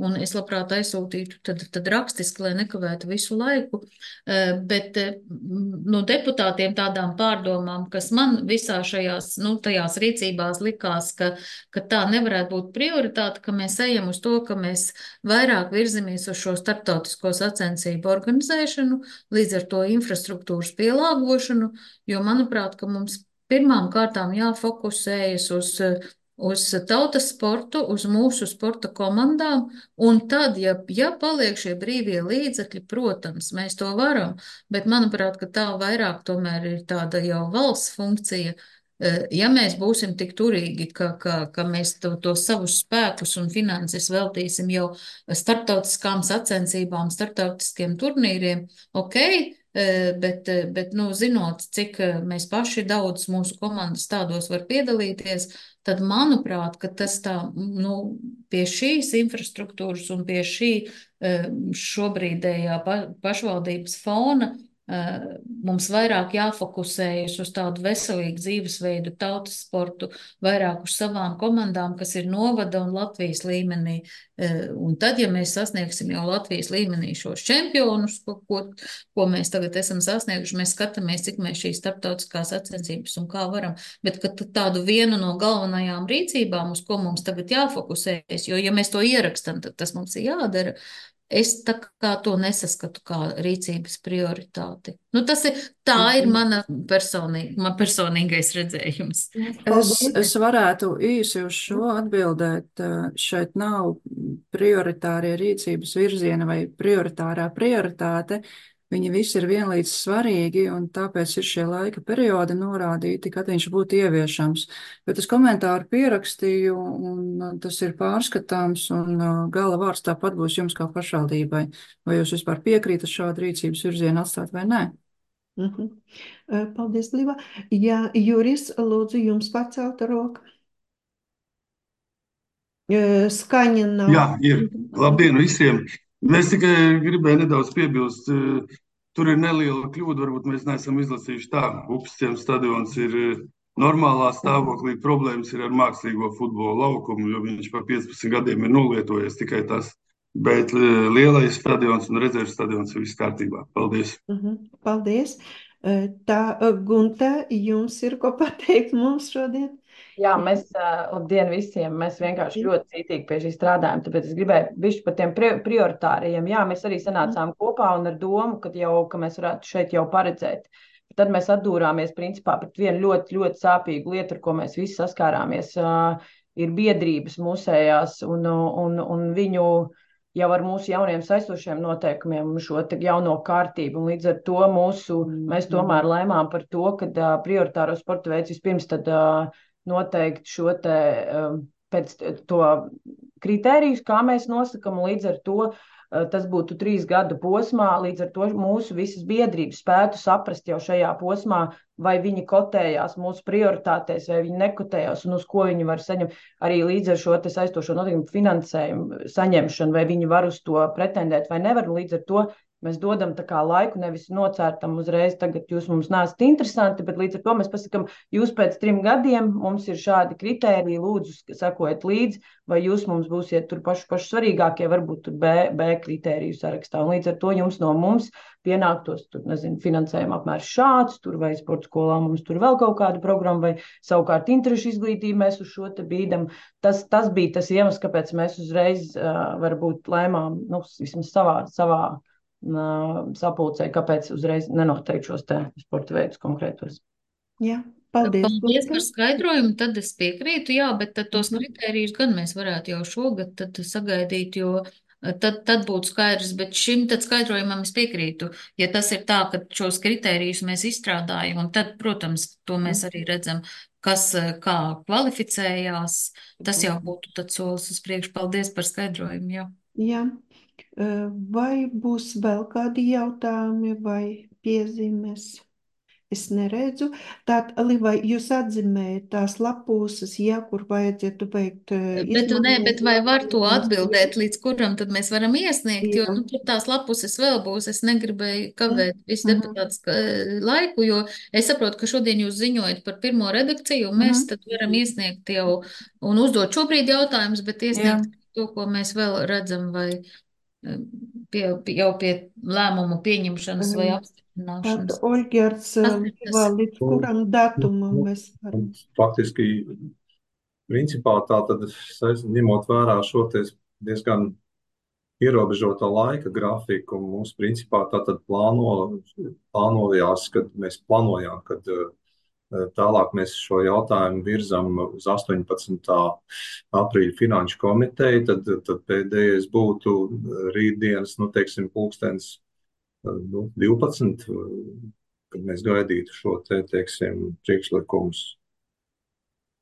Un es labprāt aizsūtītu tad, tad rakstiski, lai nekavētu visu laiku. Eh, Bet eh, m, no deputātiem tādām pārdomām, kas man visā šajās, nu, tajās rīcībās likās, ka, ka tā nevarētu būt prioritāte, ka mēs ejam uz to, ka mēs vairāk virzamies uz šo starptautisko sacensību organizēšanu, līdz ar to infrastruktūras pielāgošanu, jo manuprāt, ka mums pirmām kārtām jāfokusējas uz eh, uz tautas sportu, uz mūsu sporta komandām, un tad, ja, ja paliek šie brīvie līdzekļi, protams, mēs to varam, bet manuprāt, ka tā vairāk tomēr ir tāda jau valsts funkcija. Eh, Ja mēs būsim tik turīgi, ka, ka, ka mēs to, to savus spēkus un finanses veltīsim jau starptautiskām sacensībām, starptautiskiem turnīriem, ok, eh, bet, eh, bet nu, zinot, cik eh, mēs paši daudz mūsu komandas tādos var piedalīties, tad, manuprāt, ka tas tā, nu, pie šīs infrastruktūras un pie šī eh, šobrīdējā pa, pašvaldības fona eh, mums vairāk jāfokusējas uz tādu veselīgu dzīvesveidu, tautas sportu, vairāk uz savām komandām, kas ir novada un Latvijas līmenī. Eh, Un tad, ja mēs sasniegsim jau Latvijas līmenī šos čempionus, ko, ko, ko mēs tagad esam sasnieguši, mēs skatāmies, cik mēs šīs starptautiskās sacensības un kā varam. Bet ka t- tādu vienu no galvenajām rīcībām, uz ko mums tagad jāfokusējas, jo, ja mēs to ierakstam, tad tas mums ir jādara. Es tā kā to nesaskatu kā rīcības prioritāti. Nu, tas ir, tā ir mana personīga, man personīgais redzējums. Es, Paldies. es varētu īsi uz šo atbildēt. eh, Šeit nav prioritārie rīcības virziena vai prioritārā prioritāte. Viņi visi ir vienlīdz svarīgi, un tāpēc ir šie laika periodi norādīti, kad viņš būtu ieviešams. Bet es komentāru pierakstīju, un uh, tas ir pārskatāms, un uh, gala vārds tāpat būs jums kā pašvaldībai. Vai jūs vispār piekrītat šādu rīcības virzienu atstāt vai nē? Mhm. Eh, Paldies, Līva. Jā, Juris, lūdzu, jums pacelta roka. Eh, Skaņa nav. Jā, ir. Labdien visiem! Es tikai gribēju nedaudz piebilst. eh, Tur ir neliela kļūda, varbūt mēs neesam izlasījuši tā. Upsciems stadions ir eh, normālā stāvoklī. Problēmas ir ar mākslīgo futbola laukumu, jo viņš pa piecpadsmit gadiem ir nolietojies tikai tas. Bet eh, lielais stadions un rezerves stadions ir viss kārtībā. Paldies! Mhm. Paldies. Eh, Tā, eh, Gunta, jums ir ko pateikt mums šodien? Jā, mēs, ā, labdien visiem, mēs vienkārši ļoti cītīgi pie šī strādājam, tāpēc es gribēju bišķi par tiem pri- prioritāriem. Jā, mēs arī sanācām kopā un ar domu, ka jau, ka mēs varētu šeit jau paredzēt. Tad mēs atdūrāmies principā pret vienu ļoti, ļoti sāpīgu lietu, ar ko mēs visi saskārāmies. ā, Ir biedrības mūsējās un, un, un viņu jau ar mūsu jauniem saistošiem noteikumiem un šo te jauno kārtību. Un līdz ar to mūsu, mēs tomēr lēmām par to, ka ā, prioritāro sporta veids vispirms tad ā, noteikti šo te um, pēc t- to kritērijus, kā mēs nosakam, un līdz ar to uh, tas būtu trīs gadu posmā, līdz ar to mūsu visas biedrības spētu saprast jau šajā posmā, vai viņi kotējās mūsu prioritātēs, vai viņi nekotējās, un uz ko viņi var saņemt arī līdz ar šo te saistošo noteikumu finansējumu saņemšanu, vai viņi var uz to pretendēt vai nevar, un līdz ar to mēs dodam tā kā laiku, nevis nocērtam uzreiz, tagad jūs mums neesat interesanti, bet līdz ar to mēs pasakam, jūs pēc trim gadiem mums ir šādi kritēriji, lūdzu, sekojiet līdzi, vai jūs mums būsiet tur paši, paši svarīgākie, varbūt tur B, B kritēriju sarakstā. Un līdz ar to jums no mums pienāktos, tur, nezinu, finansējuma apmērs šāds, tur vai sporta skolā mums tur vēl kaut kāda programma, vai savukārt interešu izglītību mēs uz šo te bīdam. Tas, tas bija tas iemesls, kāpēc mēs uzreiz uh, varbūt lēmām, nu, vismaz savā, savā uh, sapulcē, kāpēc uzreiz nenoteikt šos te sporta veidus konkrētos. Jā, paldies. Paldies par skaidrojumu, tad es piekrītu, jā, bet tad tos kritērijus gan mēs varētu jau šogad tad sagaidīt, jo tad, tad būtu skaidrs, bet šim tad skaidrojumam es piekrītu. Ja tas ir tā, ka šos kritērijus mēs izstrādājam, un tad, protams, to mēs arī redzam, kas kā kvalificējās, tas jau būtu tad solis uz priekšu. Paldies par skaidrojumu, jā. Jā. Vai būs vēl kādi jautājumi vai piezīmes? Es neredzu. Tātad, Liva, jūs atzīmējat tās lapūsas, ja, kur vajadzētu veikt Bet, ne, bet vai var to atbildēt, līdz kuram tad mēs varam iesniegt, jo nu, tur tās lapuses vēl būs. Es negribēju kavēt visu deputāts laiku, jo es saprotu, ka šodien jūs ziņojat par pirmo redakciju, un mēs tad varam iesniegt jau un uzdot šobrīd jautājumus, bet iesniegt Jā. to, ko mēs vēl redzam, vai pie, jau pie lēmumu pieņemšanas vai apstiprināšanas. Tad, Oļģerts, līdz kuram datumam mēs varam? Faktiski, principā tā tad, ņemot vērā šo diezgan ierobežoto laika grafiku, mums principā tā tad plāno, plānojās, kad mēs plānojām, kad tālāk mēs šo jautājumu virzam uz astoņpadsmitā aprīļa finanšu komiteju, tad, tad pēdējais būtu rītdienas, nu, teiksim, pulkstens nu, divpadsmit, kad mēs gaidītu šo te, teiksim, priekšlikumus.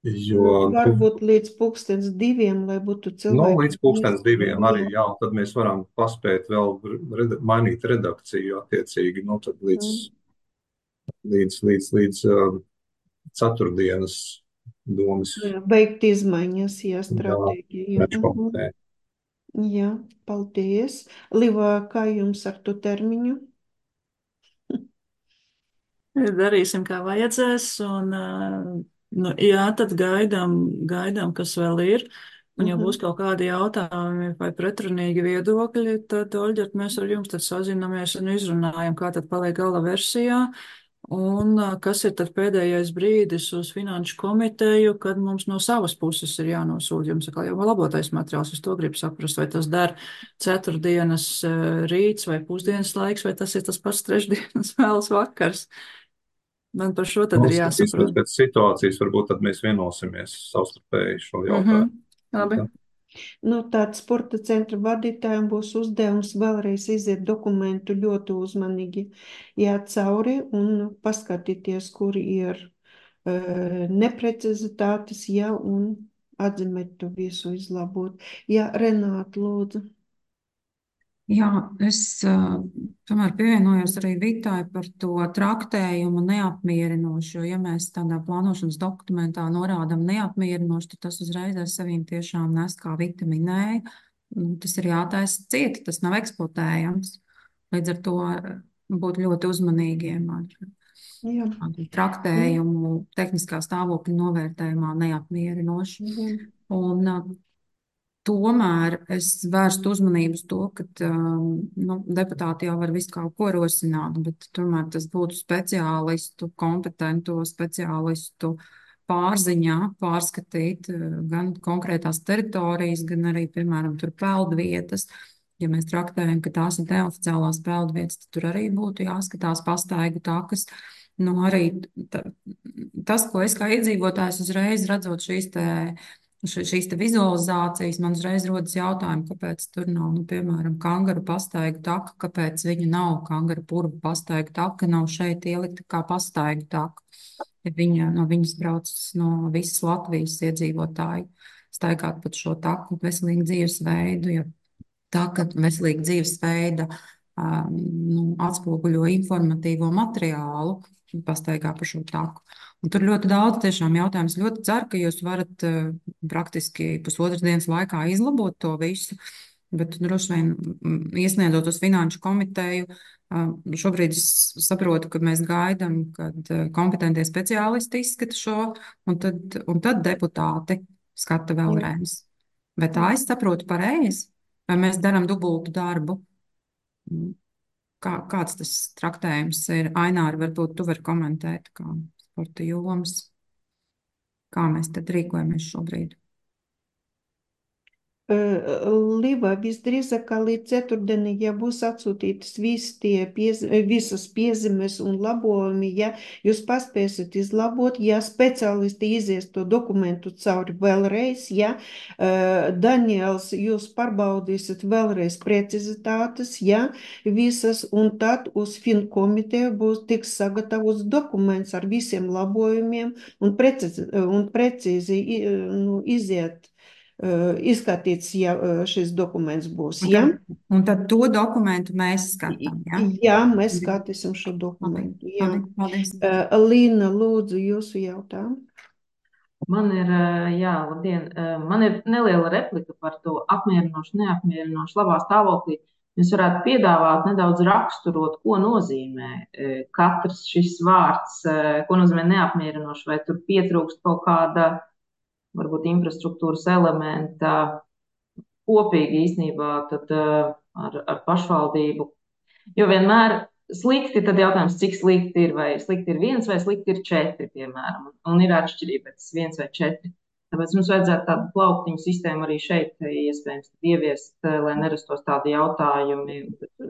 Jo, varbūt līdz pulkstens diviem, lai būtu cilvēki. Nu, līdz pulkstens diviem arī, jā, tad mēs varam paspēt vēl red, mainīt redakciju attiecīgi, nu, tad līdz, līdz, līdz, līdz uh, ceturtdienas domas. Jā, beigt izmaiņas, jā, stratēģija. Jā, Jā, paldies. Liva, kā jums ar to termiņu? Darīsim, kā vajadzēs, un, nu, jā, tad gaidām, gaidām, kas vēl ir, un ja būs kaut kādi jautājumi vai pretrunīgi viedokļi, tad, Oļģert, mēs ar jums tad sazinamies un izrunājam, kā tad paliek gala versijā, un kas ir tad pēdējais brīdis uz finanšu komiteju, kad mums no savas puses ir jānosūta jums atkal jau labotais materiāls. Es to gribu saprast, vai tas der ceturtdienas rīts vai pusdienas laiks, vai tas ir tas pats trešdienas vēlas vakars. Man par šo tad ir jāsaprot. Pēc situācijas varbūt tad mēs vienosimies savstarpēji šo jautājumu. Mm-hmm. Labi. Nu, tāds sporta centra vadītājiem būs uzdevums vēlreiz iziet dokumentu ļoti uzmanīgi iet cauri un paskatīties, kur ir uh, neprecizitātes, ja, un atzīmēt to visu izlabot. Jā, Renāta, lūdzu. Jā, es uh, tomēr pievienojos arī Vitai par to traktējumu neapmierinošu, jo ja mēs tādā plānošanas dokumentā norādam neapmierinošu, tad tas uzreiz ar saviem tiešām nes, kā Vita minēja, tas ir jātaisa cieti, tas nav eksploatējams. Līdz ar to būt ļoti uzmanīgiem ar Jā. traktējumu tehniskā stāvokļa novērtējumā neapmierinošu. Jā. Un uh, Tomēr es vērstu uzmanību uz to, ka um, nu, deputāti jau var visu kaut ko rosināt, bet tomēr tas būtu speciālistu, kompetento speciālistu pārziņā pārskatīt uh, gan konkrētās teritorijas, gan arī, piemēram, tur peldvietas. Ja mēs traktējam, ka tās ir neoficiālās peldvietas, tad tur arī būtu jāskatās pastaigu takas. Nu, arī t- tas, ko es kā iedzīvotājs uzreiz redzot šīs te šīs te vizualizācijas, man uzreiz rodas jautājumi, kāpēc tur nav, nu, piemēram, kangaru pastaigu taka, kāpēc viņa nav kangaru purvu pastaigu taka, nav šeit ielikta kā pastaigu taka. Ja viņa, no viņas brauc no visas Latvijas iedzīvotāji staigāt pat šo taku veselīgu dzīvesveidu, ja taka veselīga dzīvesveida um, nu, atspoguļo informatīvo materiālu, pastaigā pa šo taku. Un tur ļoti daudz tiešām jautājums. Ļoti ceru, ka jūs varat uh, praktiski pusotras dienas laikā izlabot to visu, Bet droši vien mm, iesniedzot uz finanšu komiteju, uh, šobrīd es saprotu, ka mēs gaidām, kad uh, kompetentie speciālisti izskata šo, un tad, un tad deputāti skata Jā. vēlreiz. Bet tā es saprotu pareizi, vai mēs darām dubultu darbu. Mm. Kā, kāds tas traktējums ir? Aināri, varbūt tu vari komentēt, kā sporta jomas, kā mēs tad rīkojamies šobrīd. Liva, visdrīzāk, kā līdz ceturtdienai, ja būs atsūtītas visi tie piez, visas piezīmes un labojumi, ja jūs paspēsiet izlabot, ja speciālisti izies to dokumentu cauri vēlreiz, ja Daniels, jūs pārbaudīsiet vēlreiz precizitātes, ja visas, un tad uz finkomiteju būs tiks sagatavots dokuments ar visiem labojumiem un precīzi, un precīzi nu, iziet izskatīts, ja šis dokuments būs, Un ja? tad, un tad to dokumentu mēs skatām, ja? Jā, mēs skatīsim šo dokumentu, jā. Labi, paldies. Līna, lūdzu, jūsu jautājumu. Man ir, jā, labdien, man ir neliela replika par to apmierinošu, neapmierinošu labā stāvoklī. Mēs varētu piedāvāt nedaudz raksturot, ko nozīmē katrs šis vārds, ko nozīmē neapmierinoši, vai tur pietrūkst kaut kāda varbūt infrastruktūras elementa kopīgi īstenībā tad, ar, ar pašvaldību. Jo vienmēr slikti, tad jautājums, cik slikti ir, vai slikti ir viens, vai slikti ir četri, piemēram. Un ir atšķirība pēc viens vai četri. Tāpēc mums vajadzētu tādu plauktiņu sistēmu arī šeit iespējams ieviest, lai nerastos tādi jautājumi.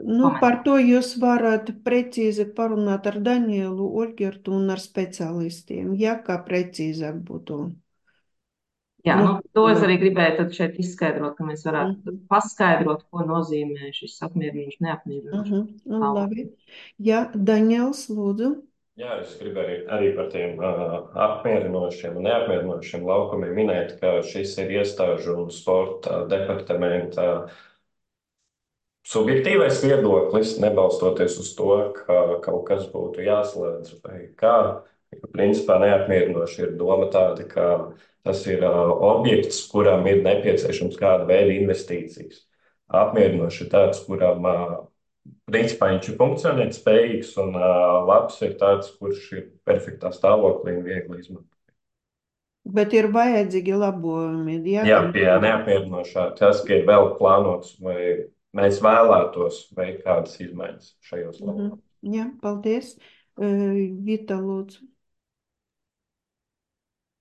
Nu, par to jūs varat precīzi parunāt ar Danielu, Olgertu un ar speciālistiem, ja kā precīzāk būtu. Jā, nu, to es arī gribēju tad šeit izskaidrot, ka mēs varētu uh -huh. paskaidrot, ko nozīmē šis apmierinošs, neapmierinošs. Uh -huh. Nu, labi. Jā, Daniels, lūdzu. Jā, es gribēju arī par tiem uh, apmierinošiem un neapmierinošiem laukumiem minēt, ka šis ir iestāžu un sporta departamenta subjektīvais viedoklis, nebalstoties uz to, ka kaut kas būtu jāslēdz vai kā. Principā neapmierinoši ir doma tāda, ka tas ir uh, objekts, kuram ir nepieciešams kāda veida investīcijas. Apmierinoši ir tāds, kuram uh, principā viņš ir funkcionēt spējīgs un uh, labs ir tāds, kurš ir perfektā stāvoklī un viegli izmantot. Bet ir vajadzīgi labojumi. Jā, Jā, pie neapmierinošā tas, ka ir vēl plānots vai mēs vēlētos veikt kādas izmaiņas šajos labojumos. Uh -huh. Jā, paldies. Uh, Vita, lūdzu.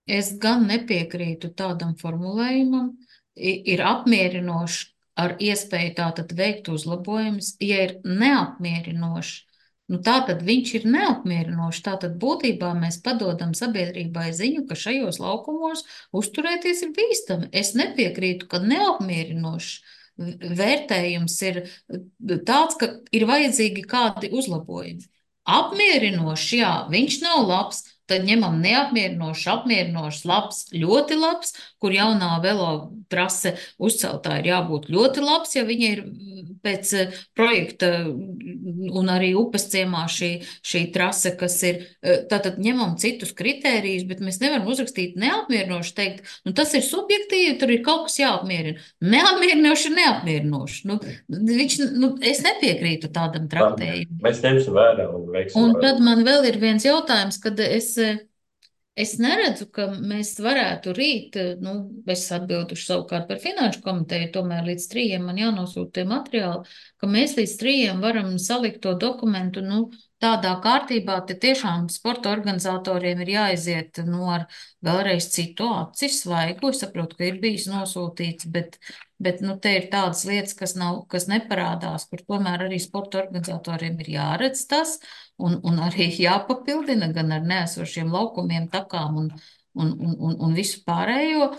Es gan nepiekrītu tādam formulējumam, ir apmierinoši ar iespēju tātad veikt uzlabojumus, ja ir neapmierinoši. Nu, tātad viņš ir neapmierinošs, tātad būtībā mēs padodam sabiedrībai ziņu, ka šajos laukumos uzturēties ir bīstami. Es nepiekrītu, ka neapmierinošs vērtējums ir tāds, ka ir vajadzīgi kādi uzlabojumi. Apmierinošs, jā, viņš nav labs, tad ņemam neapmierinošs, apmierinošs, labs, ļoti labs, kur jaunā velo trase uzceltā ir jābūt ļoti labs, ja viņa ir pēc projekta un arī upes ciemā šī, šī trase, kas ir, tātad ņemam citus kritērijus, bet mēs nevaram uzrakstīt neapmierinoši, teikt, nu tas ir subjektīvi, tur ir kaut kas jāapmierina. Neapmierinoši ir neapmierinoši. Nu, viņš, nu, es nepiekrītu tādam traktējumam. Mēs ņemsim vērā un veiksim. Un tad man vēl ir viens jautājums, kad es, es neredzu, ka mēs varētu rīt, nu, es atbilduši savukārt par finanšu komiteju, tomēr līdz trījiem man jānosūta tie materiāli, ka mēs līdz trījiem varam salikt to dokumentu, nu, tādā kārtībā, te tiešām sporta organizatoriem ir jāiziet, nu, ar vēlreiz citu aci svaigu. Es saprotu, ka ir bijis nosūtīts, bet, bet, nu, te ir tādas lietas, kas nav, kas neparādās, kur tomēr arī sporta organizatoriem ir jāredz tas, un, un arī jāpapildina gan ar neesošiem laukumiem, takām un, un, un, un, un visu pārējo.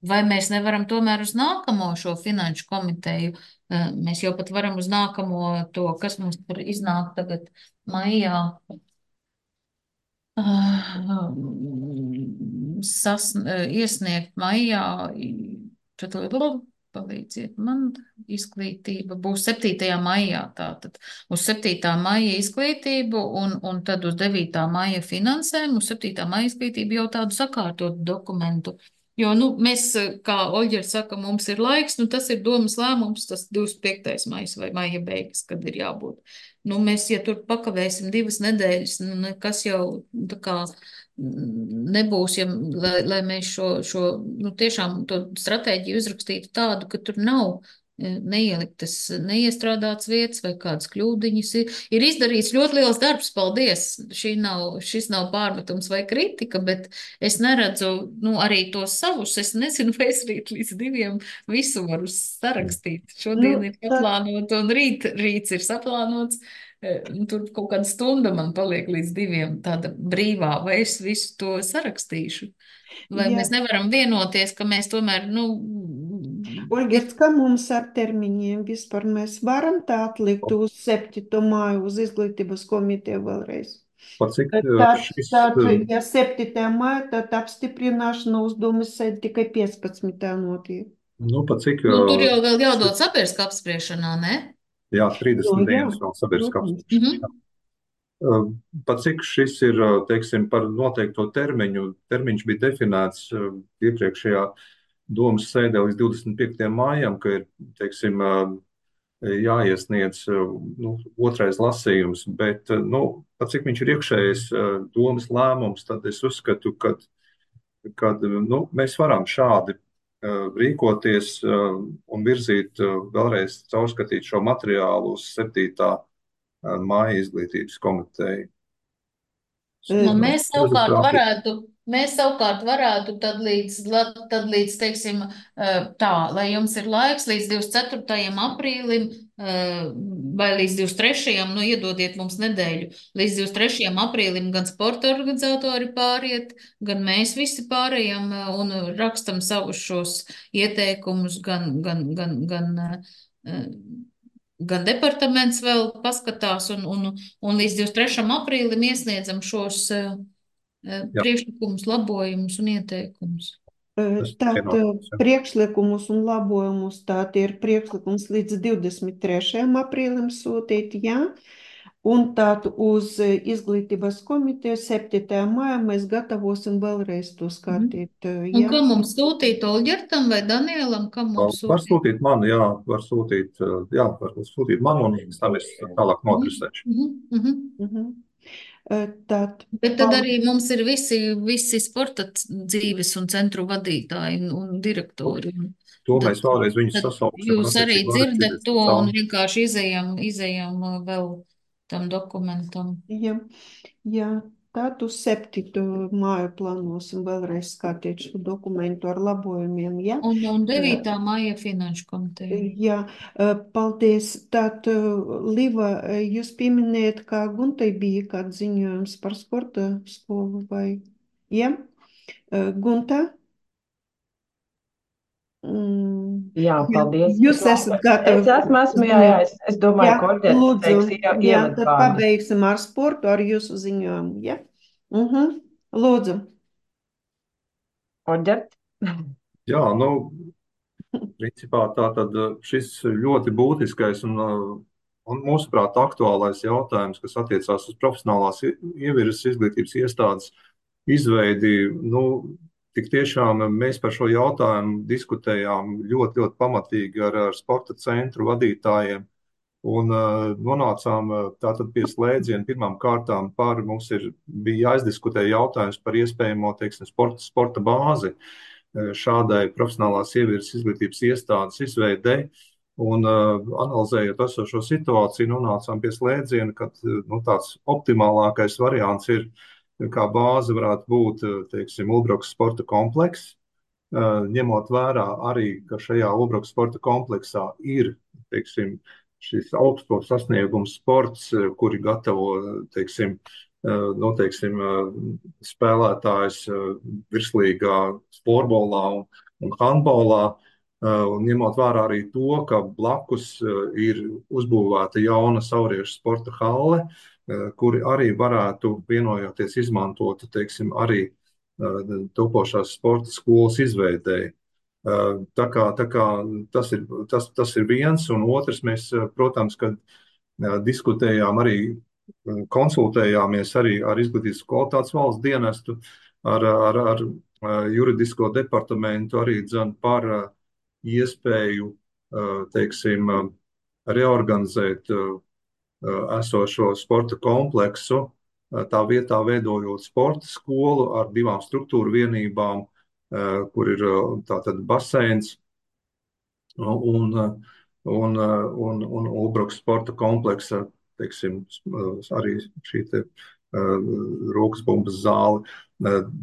Vai mēs nevaram tomēr uz nākamo šo finanšu komiteju, mēs jau pat varam uz nākamo to, kas mums tur iznāk tagad maijā, sas, iesniegt maijā, palīdziet man, izglītība būs septītajā maijā tātad. Uz septītā maija izglītību un, un tad uz devītā maija finansēm, uz septītā maija izglītību jau tādu sakārtotu dokumentu Jo, nu, mēs, kā Oļģers saka, mums ir laiks, nu, tas ir domas lēmums, tas divdesmit piektais maijs vai maija beigas, kad ir jābūt. Nu, mēs, ja tur pakavēsim divas nedēļas, nu, nekas jau tā kā nebūs, ja, lai, lai mēs šo, šo, nu, tiešām to stratēģiju uzrakstītu tādu, ka tur nav neieliktas, neiestrādāts vietas vai kādas kļūdiņas. Ir, ir izdarīts ļoti liels darbs, paldies. Šī nav, šis nav pārmetums vai kritika, bet es neredzu, nu, arī tos savus. Es nezinu, vai es rīt līdz diviem visu varu sarakstīt. Šodien Nu, ir tad, saplānota un rīt, rīts ir saplānots. Tur kaut kāda stunda man paliek līdz diviem tāda brīvā, vai es visu to sarakstīšu. Vai jā, mēs nevaram vienoties, ka mēs tomēr, nu, Oļģerts, kā mums ar termiņiem vispār mēs varam tā atlikt uz septīto māju uz izglītības komiteju vēlreiz? Par cik Tad, uh, šis, tad, uh, ja septītajā māja, tad apstiprināšana uz domas sēdi tikai piecpadsmitā notiek. nu, par cik, nu, tur jau uh, vēl jādod sabiedriskā apspriešanā, ne? jā, Nu, trīsdesmit jā, dienas vēl sabiedriskā protams. apspriešanā. Uh, Pat cik šis ir, uh, teiksim, par noteikto termiņu, termiņš bija definēts uh, iepriekšējā domas sēdē līdz divdesmit piektajam mājam, ka ir, teiksim, uh, jāiesniedz uh, nu, otrais lasījums, bet, uh, nu, pat cik viņš ir iekšējais uh, domas lēmums, tad es uzskatu, ka, kad, nu, mēs varam šādi uh, rīkoties uh, un virzīt uh, vēlreiz caurskatīt šo materiālu uz septītā māja izglītības komiteju. Nu, mēs savukārt Manuprāt, varētu, mēs savukārt varētu tad līdz, la- tad līdz, teiksim, eh, tā, lai jums ir laiks līdz divdesmit ceturtajam aprīlim eh, vai līdz divdesmit trešajam, nu, iedodiet mums nedēļu, līdz divdesmit trešajam aprīlim gan sporta organizatori pāriet, gan mēs visi pārējām eh, un rakstam savus šos ieteikumus, gan, gan, gan, gan, eh, gan departaments vēl paskatās un, un, un līdz divdesmit trešajam aprīlim iesniedzam šos uh, jā, priekšlikumus, labojumus un ieteikumus. tas Tātad vienotās, jā. priekšlikumus un labojumus tātad ir priekšlikums līdz divdesmit trešajam aprīlim sūtīt, jā. Un tātad uz izglītības komiteju septītajā mājā mēs gatavosim vēlreiz to skatīt, Un jā. kam mums sūtīt, Olģertam vai Danielam, kam mums Var sūtīt? sūtīt man, jā, var sūtīt, uh, jā, var sūtīt man, un pēc tam es tālāk nodresēšu. Mhm, mhm. Mhm. Eh, Tad, Bet tad arī mums ir visi, visi sporta dzīves un centru vadītāji un, un direktori. Un To tad, mēs vēlreiz viņus tad sasauksim. jūs arī attiecīgi dzirdat varēsim to un cauri. vienkārši izējam, izējam uh, vēl tam dokumentam. jā, jā, tad uz septīto māju plānosim vēlreiz skatīt šo dokumentu ar labojumiem, jā. Un, un devītā maija finanšu komiteja. Jā, eh, paldies. Tad, eh, Liva, eh, jūs pieminējat, kā Guntai bija kāds ziņojums par sporta skolu vai? Jā, Eh, Gunta? Mm, Jā, jā, paldies. jūs esat gatavi. Es esmu, esmu, jā, jā, es, es domāju, Jā, ka Oļģerts lūdzu, teiks jā, tad ievadvārdu. pabeigsim ar sportu, ar jūsu ziņojumu, jā? Mhm, lūdzu. Oļģert? Jā, nu, principā tā tad uh, šis ļoti būtiskais un, uh, un mūsuprāt aktuālais jautājums, kas attiecās uz profesionālās i- ievirzes izglītības iestādes izveidi, nu, tik tiešām mēs par šo jautājumu diskutējām ļoti, ļoti pamatīgi ar, ar sporta centru vadītājiem un uh, nonācām uh, tātad pie slēdziena pirmām kārtām par, mums ir, bija jāizdiskutē jautājums par iespējamo, teiksim, sporta, sporta bāzi uh, šādai profesionālās ievirzes izglītības iestādes izveidei. Un uh, analizējot esošo situāciju, nonācām pie slēdziena, ka uh, nu, tāds optimālākais variants ir, kā bāze varētu būt, uh, teiksim, Ulbrokas sporta komplekss, uh, ņemot vērā arī, ka šajā Ulbrokas sporta kompleksā ir, teiksim, šis augsto sasniegumu sports, uh, kuri gatavo, teiksim, uh, nu, teiksim, uh, spēlētājs uh, virslīgā florbolā un, un handbolā. Uh, un ņemot vērā arī to, ka blakus uh, ir uzbūvēta jauna sauriešu sporta halle, uh, kuri arī varētu vienojoties izmantot, teiksim, arī uh, topošās sporta skolas izveidēji. Uh, tā kā, tā kā tas ir, tas, tas ir viens, un otrs mēs, uh, protams, kad uh, diskutējām arī, uh, konsultējāmies arī ar Izglītības kvalitātes valsts dienestu, ar, ar, ar juridisko departamentu arī dzen par iespēju, teiksim, reorganizēt esošo sporta kompleksu, tā vietā veidojot sporta skolu ar divām struktūru vienībām, kur ir tātad baseins un, un, un, un Ulbrukas sporta kompleksa, teiksim, arī šī te rokas bumbas zāle.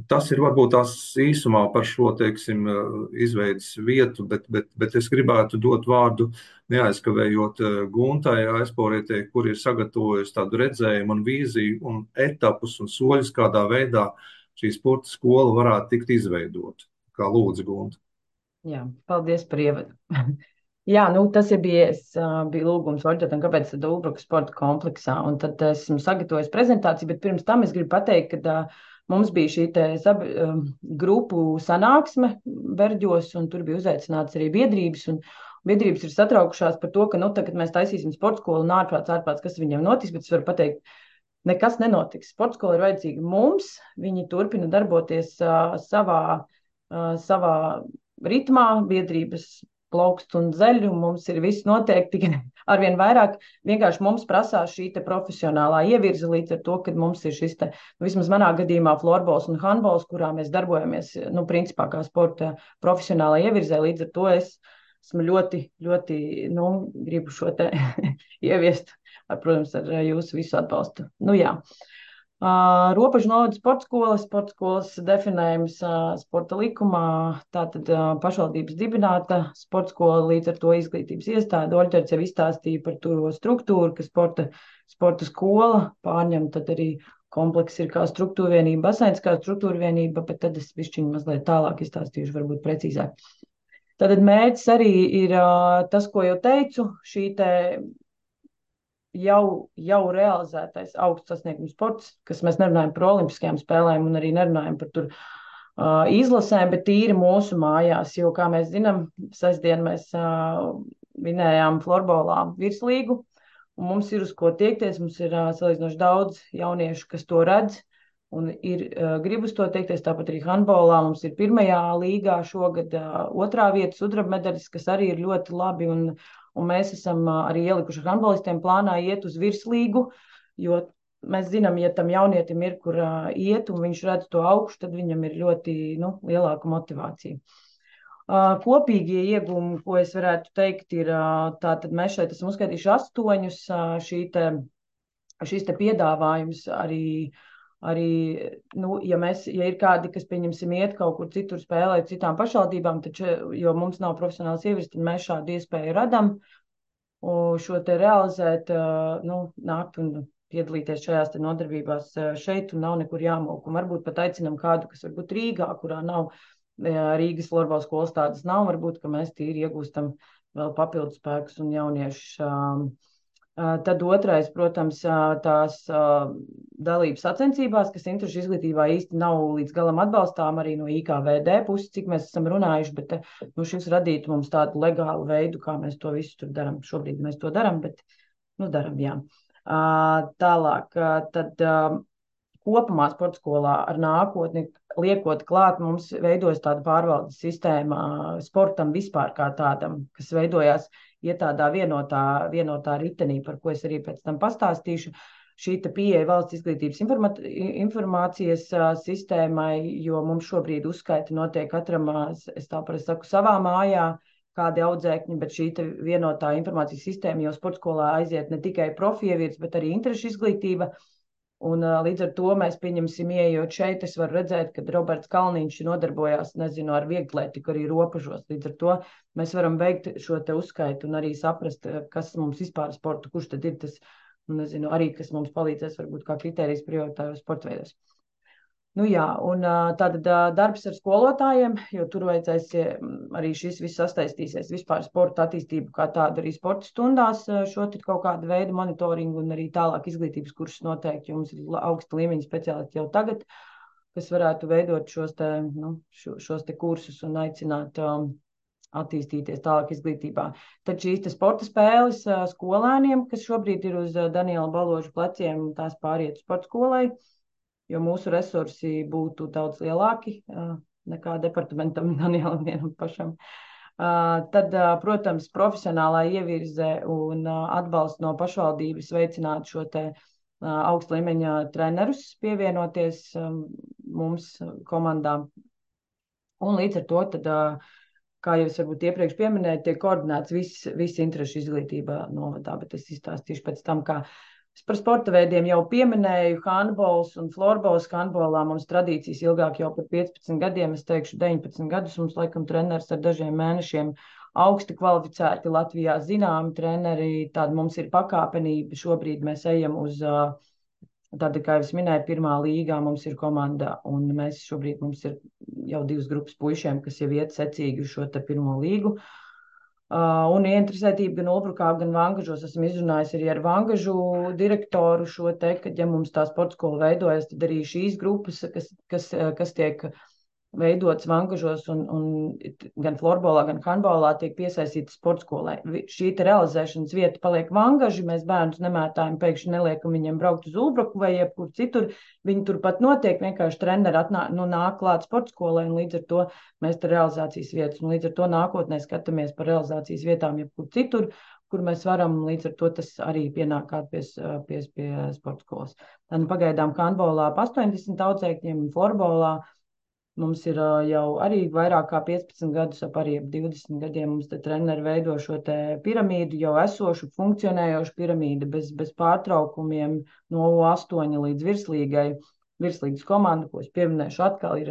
Tas ir varbūt tās īsumā par šo, teiksim, izveidas vietu, bet, bet, bet es gribētu dot vārdu neaizkavējot Guntai Aizporietei, kur ir sagatavojusi tādu redzējumu un vīziju un etapus un soļus, kādā veidā šī sporta skola varētu tikt izveidot. Kā lūdzu, Gunta. Jā, paldies par ievadu. Jā, nu tas ir bijis, bija lūgums Orģetam, kāpēc tad Ulbrukas sporta kompleksā, un tad esmu sagatavojis prezentāciju, bet pirms tam es gribu pateikt, ka mums bija šī te sab, grupu sanāksme Berģos, un tur bija uzaicināts arī biedrības, un biedrības ir satraukušās par to, ka, nu, tagad mēs taisīsim sporta skolu un ārprāts, ārprāts, kas viņam notiks, bet es varu pateikt, nekas nenotiks. Sporta skola ir vajadzīga mums, viņi turpina darboties uh, savā, uh, savā ritmā, biedrības plaukst un zeļ, un mums ir viss noteikti, tikai arvien vairāk. Vienkārši mums prasās šī te profesionālā ievirze līdz ar to, kad mums ir šis te, nu, vismaz manā gadījumā, florbols un handbols, kurā mēs darbojamies, nu, principā kā sporta profesionālā ievirzē, līdz ar to es esmu ļoti, ļoti, nu, gribu šo te ieviest, ar, protams, ar jūsu visu atbalstu. Nu, jā. Uh, Robežu novada sporta skola, sporta skolas definējums uh, sporta likumā, tātad uh, pašvaldības dibināta sporta skola, līdz ar to izglītības iestāde. Oļģerts jau izstāstīja par to struktūru, ka sporta, sporta skola pārņem, tad arī kompleks ir kā struktūra vienība, baseins kā struktūra vienība, bet tad es bišķiņu mazliet tālāk izstāstīšu, varbūt precīzāk. Tātad mērķis arī ir uh, tas, ko jau teicu, šī te Jau, jau realizētais augsts sasniegums sports, kas mēs nerunājam par olimpiskajām spēlēm un arī nerunājam par tur uh, izlasēm, bet tīri mūsu mājās, jo, kā mēs zinām, sestdien mēs uh, vinējām florbolā virslīgu, un mums ir uz ko tiekties, mums ir uh, salīdzinoši daudz jauniešu, kas to redz, un ir uh, grib uz to tiekties, tāpat arī handbolā mums ir pirmajā līgā šogad uh, otrā vieta sudraba medaļas, kas arī ir ļoti labi, un Un mēs esam arī ielikuši handbolistiem plānā iet uz virslīgu, jo mēs zinām, ja tam jaunietim ir, kur uh, iet, un viņš redz to augšu, tad viņam ir ļoti, nu, lielāka motivācija. Uh, kopīgie iegūmi, ko es varētu teikt, ir, uh, tātad mēs šeit esam uzskaitījuši astoņus, uh, šī te, šīs te piedāvājums arī, arī, nu, ja mēs, ja ir kādi, kas, pieņemsim, iet kaut kur citur spēlēt citām pašvaldībām, taču, jo mums nav profesionāls ievirs, tad mēs šādu iespēju radam, un šo te realizēt, nu, nākt un piedalīties šajās te nodarbībās šeit, un nav nekur jāmok, un varbūt pat aicinam kādu, kas varbūt Rīgā, kurā nav Rīgas florbola skolas tādas nav, varbūt, ka mēs tīri iegūstam vēl papildus spēkus un jauniešus. Tad otrais, protams, tās dalības sacensībās, kas interešu izglītībā īsti nav līdz galam atbalstām arī no I K V D puses, cik mēs esam runājuši, bet nu, šis radītu mums tādu legālu veidu, kā mēs to visu tur daram. Šobrīd mēs to daram, bet, nu, daram, jā. Tālāk, tad kopumā sporta skolā ar nākotni liekot klāt, mums veidojas tāda pārvaldes sistēma sportam vispār kā tādam, kas veidojās iet tādā vienotā, vienotā ritenī, par ko es arī pēc tam pastāstīšu. Šī te pieeja valsts izglītības informācijas sistēmai, jo mums šobrīd uzskaita notiek katram, es tā parasti saku, savā mājā, kādi audzēkņi, bet šī te vienotā informācijas sistēma jau sporta skolā aiziet ne tikai profievirts, bet arī interešu izglītība. Un līdz ar to mēs pieņemsim, ieejot šeit, es varu redzēt, ka Roberts Kalniņš nodarbojās, nezinu, ar vieglētiku arī robežos. Līdz ar to mēs varam veikt šo te uzskaitu un arī saprast, kas mums vispār sporta, kurš tad ir tas, nezinu, arī kas mums palīdzēs varbūt kā kritērijs prioritāros sporta veidos. Nu jā, un tātad darbs ar skolotājiem, jo tur vajadzēs arī šis viss sastaistīsies vispār sporta attīstību kā tādu arī sporta stundās, šo tad kaut kādu veidu monitoringu un arī tālāk izglītības kursus noteikti, jo mums ir augsta līmeņa speciālisti jau tagad, kas varētu veidot šos te, nu, šo, šos te kursus un aicināt um, attīstīties tālāk izglītībā. Tad šīs te sporta spēles uh, skolēniem, kas šobrīd ir uz uh, Daniela Baloža pleciem, tās pāriet sporta skolai, jo mūsu resursi būtu daudz lielāki, nekā departamentam Danielam vienam pašam. Tad, protams, profesionālā ievirze un atbalsts no pašvaldības veicināt šo te augsta līmeņa trenerus pievienoties mums komandām. Un līdz ar to, tad, kā jau es varbūt iepriekš pieminēju, tiek koordinēts viss, viss interešu izglītībā novadā, bet es izstāstīšu pēc tam, kā es par sporta veidiem jau pieminēju, handbols un florbols. Handbolā mums tradīcijas ilgāk jau par piecpadsmit gadiem, es teikšu deviņpadsmit gadus, mums laikam treneris ar dažiem mēnešiem augsti kvalificēti Latvijā zināmi treneri, tāda mums ir pakāpenība, šobrīd mēs ejam uz Tāda, kā jau es minēju, pirmā līgā mums ir komanda, un mēs šobrīd mums ir jau divas grupas puišiem, kas jau iet secīgi uz šo te pirmo līgu. Uh, un ieinteresētība gan Ulbrukā, gan Vangažos. Esmu izrunājis arī ar Vangažu direktoru šo te, ka, ja mums tā sporta skola veidojas, tad arī šīs grupas, kas, kas, kas tiek veidotas Vangažos un, un gan florbolā, gan handbolā tiek piesaistītas sporta skolai. Šī te realizēšanas vieta paliek Vangaži, mēs bērnus nemētājam, pēkšņi neliekam viņiem braukt uz Ulbruku vai jebkur citur. Viņi turpat notiek, vienkārši treneri atnāk, nu, nāk klāt sporta skolai, un līdz ar to mēs te realizācijas vietas, un līdz ar to nākotnē skatāmies par realizācijas vietām jebkur citur, kur mēs varam, līdz ar to tas arī pienāk kā pie, pie, pie sporta skolas. Tad pagaidām handbolā ap astoņdesmit audzēkņiem, florbolā mums ir jau arī vairāk kā piecpadsmit gadus, ap arī ap divdesmit gadiem mums te treneri veido šo te piramīdu, jau esošu, funkcionējošu piramīdu, bez, bez pārtraukumiem no U astoņi līdz virslīgai. Virslīgas komanda, ko es pieminēšu atkal, ir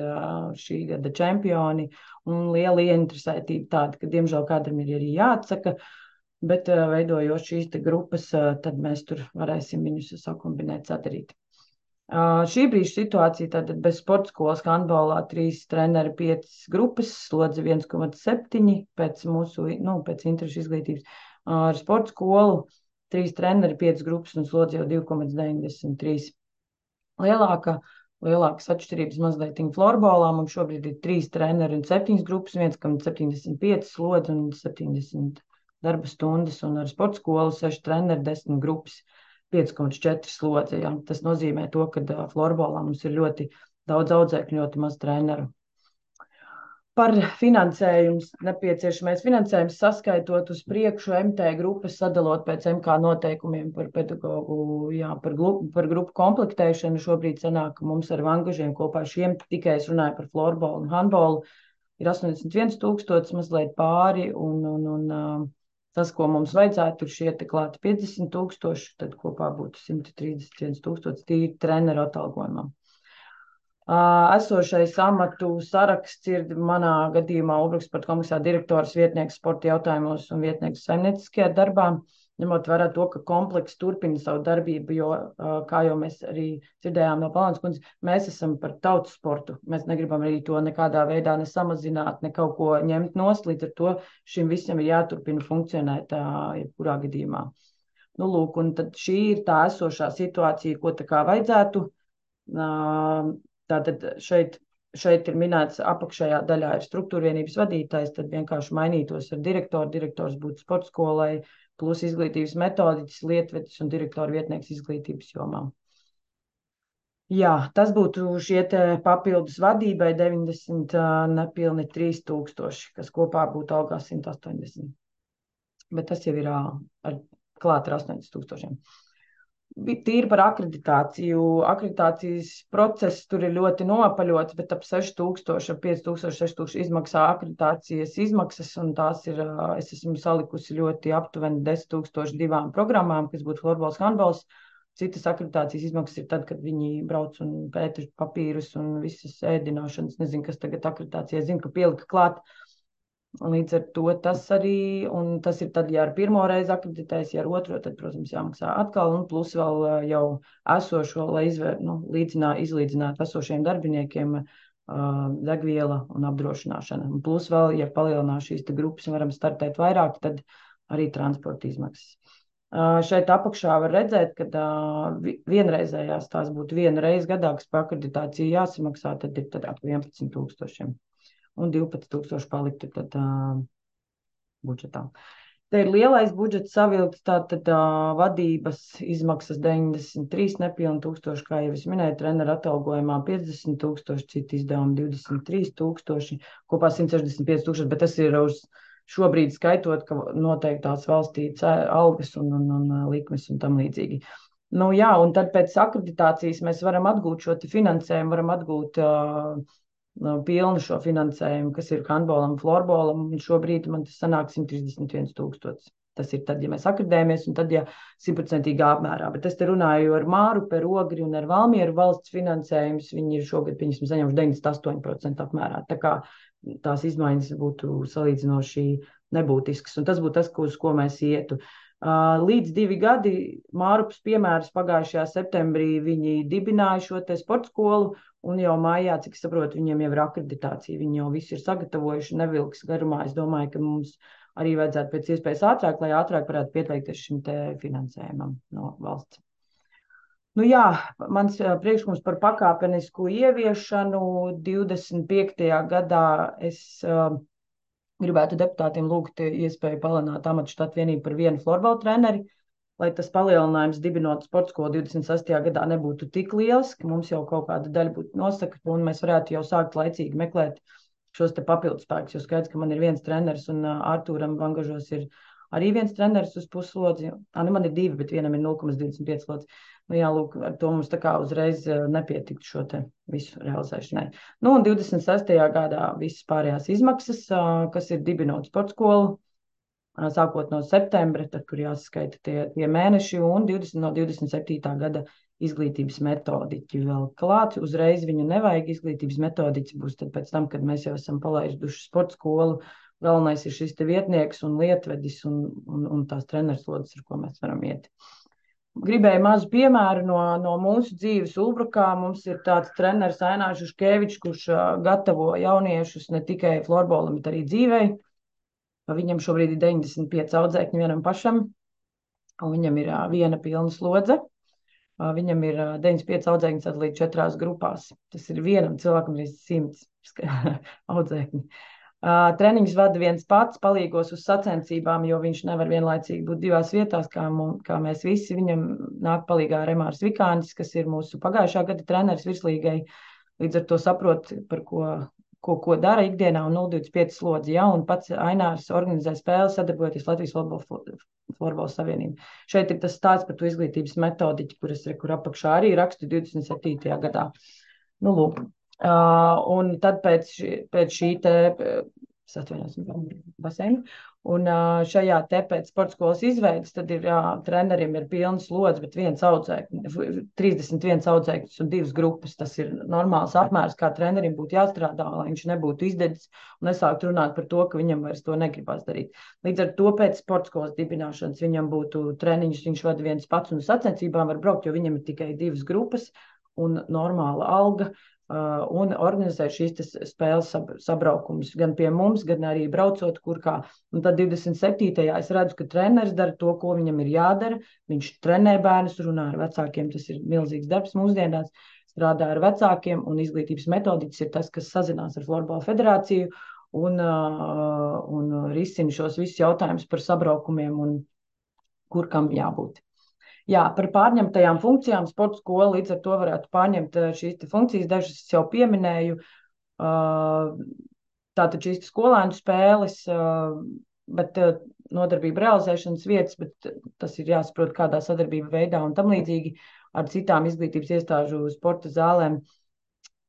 šī gada čempioni, un liela ieinteresētība tāda, ka diemžēl kādam ir arī jāatsaka, bet veidojot šīs te grupas, tad mēs tur varēsim viņus sakombinēt, sadarīt. Uh, šī brīža situācija, tātad bez sporta skolas handbolā trīs treneri, piecas grupas, slodze viens komats septiņi pēc mūsu, nu, pēc interešu izglītības. Uh, ar sporta skolu trīs treneri, piecas grupas un slodze jau divi komats deviņdesmit trīs. Lielāka, lielākas atšķirības mazliet florbolā, mums šobrīd ir trīs treneri un septiņas grupas, viens komats septiņdesmit pieci slodze un septiņdesmit darba stundas, un ar sporta skolu seši treneri, desmit grupas. pieci komats četri slodze. Ja. Tas nozīmē to, ka uh, florbolā mums ir ļoti daudz audzēkņu, ļoti maz treneru. Par finansējumu, nepieciešamais finansējums saskaitot uz priekšu M T grupas, sadalot pēc M K noteikumiem par pedagogu, jā, par, grupu, par grupu komplektēšanu. Šobrīd sanāk, ka mums ar Vangažiem kopā šiem tikai es runāju par florbolu un handbolu ir astoņdesmit viens tūkstotis, mazliet pāri, un, un, un uh, tas, ko mums vajadzētu, ir šie te klāti piecdesmit tūkstoši, tad kopā būtu simt trīsdesmit viens tūkstotis tīri treneru atalgojumam. Esošais amatu saraksts ir manā gadījumā Ulbrukas sporta kompleksā direktors, vietnieks sporta jautājumos un vietnieks saimnieciskajā darbā, ņemot vērā to, ka kompleks turpina savu darbību, jo, kā jau mēs arī dzirdējām no Palānas kundzes, mēs esam par tautas sportu. Mēs negribam arī to nekādā veidā ne samazināt, ne kaut ko ņemt nost, līdz ar to šim visam ir jāturpina funkcionēt jebkurā gadījumā. Nu, lūk, un tad šī ir tā esošā situācija, ko tā kā vajadzētu. Tātad šeit, šeit ir minēts apakšējā daļā ir struktūra vienības vadītājs, tad vienkārši mainītos ar direktoru, direktors būtu sporta skolai, plus izglītības metodiķis, lietvedis un direktora vietnieks izglītības jomā. Jā, tas būtu šie te papildus vadībai deviņdesmit, nepilni trīs tūkstoši, kas kopā būtu algā simt astoņdesmit. Bet tas jau ir ar klāt ar astoņdesmit tūkstošiem. Tīri par akreditāciju. Akreditācijas process tur ir ļoti nopaļots, bet ap seši tūkstoši, ap pieci tūkstoši, seši tūkstoši izmaksā akreditācijas izmaksas, un tās ir, es esmu salikusi ļoti aptuveni desmit tūkstoši divām programmām, kas būtu florbols, handbols. Citas akreditācijas izmaksas ir tad, kad viņi brauc un pēta papīrus un visas ēdināšanas. Nezinu, kas tagad akreditācijai zina, ka pielika klāt. Līdz ar to tas arī, un tas ir tad, ja ar pirmo reizi akreditēs, ja ar otro, tad, protams, jāmaksā atkal, un plus vēl jau esošo, lai izvēr, nu, līdzinā, izlīdzinātu esošiem darbiniekiem uh, degviela un apdrošināšana. Un plus vēl, ja palielinās šīs te grupas un varam startēt vairāk, tad arī transporta izmaksas. Uh, šeit apakšā var redzēt, ka uh, vienreizējās tās būtu viena reize gadā, kas par akreditāciju jāsamaksā, tad ir tad ap vienpadsmit tūkstošiem. Un divpadsmit tūkstoši paliktu tad uh, budžetā. Te ir lielais budžets savilkts, tātad uh, vadības izmaksas deviņdesmit trīs nepilni tūkstoši, kā jau es minēju, treneru atalgojumā piecdesmit tūkstoši, citu izdevumu divdesmit trīs tūkstoši, kopā simt sešdesmit pieci tūkstoši, bet tas ir uz šobrīd skaitot, ka noteiktās valstī algas un, un, un likmes un tam līdzīgi. Nu jā, un tad pēc akreditācijas mēs varam atgūt šo finansējumu, varam atgūt uh, pilnu šo finansējumu, kas ir handbolam, florbolam, un šobrīd man tas sanāk simt trīsdesmit viens tūkstotis. Tas ir tad, ja mēs akreditējamies, un tad, ja simtprocentīgā apmērā. Bet es te runāju ar Mārupi, ar Ogri un ar Valmieru valsts finansējumus, viņi ir šogad, pieņemsim, saņemuši deviņdesmit astoņi procenti apmērā. Tā kā tās izmaiņas būtu salīdzinoši nebūtiskas, un tas būtu tas, uz ko mēs ietu. Līdz divi gadi Mārupas piemērs pagājušajā septembrī viņi dibināja šo te sporta skolu, un jau mājā, cik saprotu, viņiem jau ir akreditācija, viņi jau visi ir sagatavojuši, nevilks garumā. Es domāju, ka mums arī vajadzētu pēc iespējas ātrāk, lai ātrāk varētu pieteikties šim te finansējumam no valsts. Nu jā, mans priekšlikums par pakāpenisku ieviešanu divdesmit piektajā gadā es uh, gribētu deputātiem lūgt iespēju palielināt amatu štatu vienību par vienu florbola treneri, lai tas palielinājums dibinot sporta skolu divdesmit sestajā gadā nebūtu tik liels, ka mums jau kaut kāda daļa būtu nosaka, un mēs varētu jau sākt laicīgi meklēt šos te papildus spēkus, jo skaidrs, ka man ir viens treneris, un Artūram Vangažos ir arī viens treneris uz puslodzi. Ā, nu man ir divi, bet vienam ir nulle komats divdesmit pieci slodzi. Nu jā, lūk, ar to mums tā kā uzreiz nepietiktu šo te visu realizēšanai. Nu, un divdesmit sestajā gadā visas pārējās izmaksas, kas ir dibinot sporta skolu, sākot no septembra, tad, kur jāsaskaita tie, tie mēneši, un divdesmit, no divdesmit septītā gada izglītības metodiķi vēl klāt. Uzreiz viņu nevajag, izglītības metodiķis būs tad pēc tam, kad mēs jau esam palaiduši sporta skolu. Galvenais ir šis te vietnieks un lietvedis un, un, un tās trenerslodes, ar ko mēs varam iet. Gribēju mazu piemēru no, no mūsu dzīves Ulbrukā. Mums ir tāds treneris Ainārs Juškevičs, kurš uh, gatavo jauniešus ne tikai florbolam, bet arī dzīvei. Viņam šobrīd ir deviņdesmit pieci audzēkņi vienam pašam, un viņam ir uh, viena pilna slodze. Uh, viņam ir uh, deviņdesmit pieci audzēkņi sadalīti četrās grupās. Tas ir vienam cilvēkam ir simts audzēkņi. Uh, treniņus vada viens pats, palīgos uz sacensībām, jo viņš nevar vienlaicīgi būt divās vietās, kā, mums, kā mēs visi. Viņam nāk palīgā Remārs Vikānis, kas ir mūsu pagājušā gada treneris virslīgai. Līdz ar to saprot, par ko, ko, ko dara ikdienā, un nulle divdesmit pieci slodzi. Ja, un pats Ainārs organizē spēles, sadarbojoties Latvijas Florbola Savienību. Šeit ir tas stāsts par to izglītības metodiķi, kuras kur apakšā arī rakstu divdesmit septītajā gadā. Nu, lūk. Uh, un tad pēc, šī, pēc šī te, es atvainojos, baseinu, un uh, šajā te pēc sporta skolas izveidas, tad ir, uh, treneriem ir pilnas slodzes, bet viens audzēknis, trīsdesmit viens audzēknis un divas grupas. Tas ir normāls apmērs, kā trenerim būtu jāstrādā, lai viņš nebūtu izdedzis un nesākt runāt par to, ka viņam vairs to negribas darīt. Līdz ar to pēc sporta skolas dibināšanas viņam būtu treniņš, viņš vada viens pats un sacensībām var braukt, jo viņam ir tikai divas grupas un normāla alga. Uh, un organizē šīs spēles sab, sabraukumus gan pie mums, gan arī braucot kur kā. Un tad divdesmit septītajā es redzu, ka treneris dara to, ko viņam ir jādara. Viņš trenē bērnus, runā ar vecākiem, tas ir milzīgs darbs mūsdienās, strādā ar vecākiem, un izglītības metodiķis ir tas, kas sazinās ar Florbola federāciju un, uh, un risina šos visus jautājumus par sabraukumiem un kur kam jābūt. Jā, par pārņemtajām funkcijām sporta skola līdz ar to varētu pārņemt šīs funkcijas, dažas es jau pieminēju, tātad šīs skolēnu spēles, bet nodarbība realizēšanas vietas, bet tas ir jāsaprot kādā sadarbība veidā un tam līdzīgi ar citām izglītības iestāžu sporta zālēm.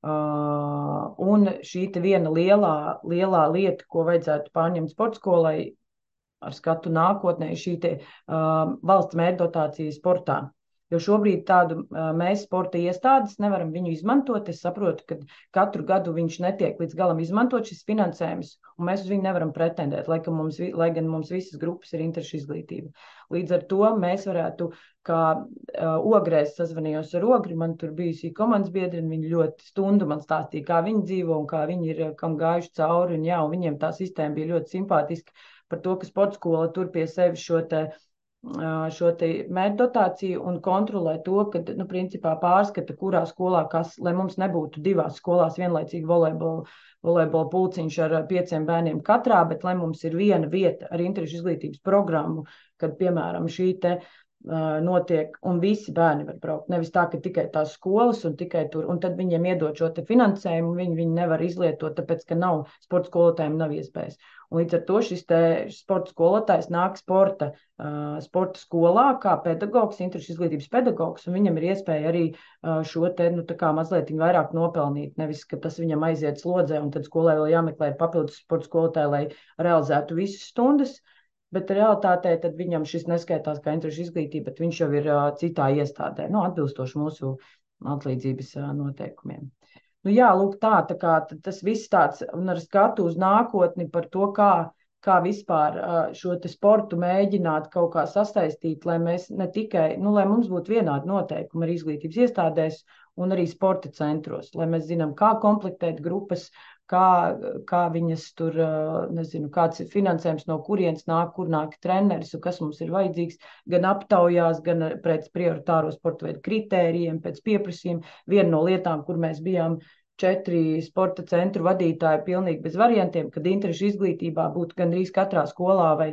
Un šī te viena lielā, lielā lieta, ko vajadzētu pārņemt sporta skolai, ar skatu nākotnē, šī te, uh, valsts mērķdotācija sportā. Jo šobrīd tādu uh, mēs sporta iestādes nevaram viņu izmantot. Es saprotu, ka katru gadu viņš netiek līdz galam izmantot šis finansējums, un mēs uz viņu nevaram pretendēt, lai, mums, lai gan mums visas grupas ir interešu izglītība. Līdz ar to mēs varētu, kā uh, Ogrēs sazvanījos ar Ogri, man tur bijusi komandas biedri, un viņi ļoti stundu man stāstīja, kā viņi dzīvo un kā viņi ir, kam gājuši cauri, un jā, un viņiem tā sistēma bija ļoti simpātiska, par to, ka sporta skola tur pie sevis šo te šo te mērķdotāciju un kontrolē to, ka, nu, principā pārskata, kurā skolā kas, lai mums nebūtu divās skolās vienlaicīgi volejbola, volejbola pulciņš ar pieciem bērniem katrā, bet lai mums ir viena vieta ar interešu izglītības programmu, kad, piemēram, šī te notiek, un visi bērni var braukt. Nevis tā, ka tikai tās skolas un tikai tur, un tad viņiem iedod šo te finansējumu, viņi, viņi nevar izlietot, tāpēc, ka nav sporta skolotājiem nav iespējas. Un līdz ar to šis te sporta skolotājs nāk sporta, uh, sporta skolā kā pedagogs, interešu izglītības pedagogs, un viņam ir iespēja arī uh, šo te, nu, tā kā mazliet vairāk nopelnīt, nevis, ka tas viņam aiziet slodzē, un tad skolai vēl jāmeklē papildus sporta skolotāji, lai realizētu visas stundas. Bet realitātē tad viņam šis neskaitās kā interešu izglītība, bet viņš jau ir uh, citā iestādē, nu, atbilstoši mūsu atlīdzības uh, noteikumiem. Nu, jā, lūk, tā, tā kā tas viss tāds, un ar skatu uz nākotni par to, kā, kā vispār uh, šo te sportu mēģināt kaut kā sasaistīt, lai mēs ne tikai, nu, lai mums būtu vienādi noteikumi arī izglītības iestādēs un arī sporta centros, lai mēs zinām, kā komplektēt grupas, Kā, kā viņas tur, nezinu, kāds ir finansējums, no kurienes nāk, kur nāk treneris un kas mums ir vajadzīgs, gan aptaujās, gan pēc prioritāro sporta veidu kritērijiem, pēc pieprasījuma. Viena no lietām, kur mēs bijām četri sporta centru vadītāji pilnīgi bez variantiem, kad interešu izglītībā būtu gandrīz katrā skolā vai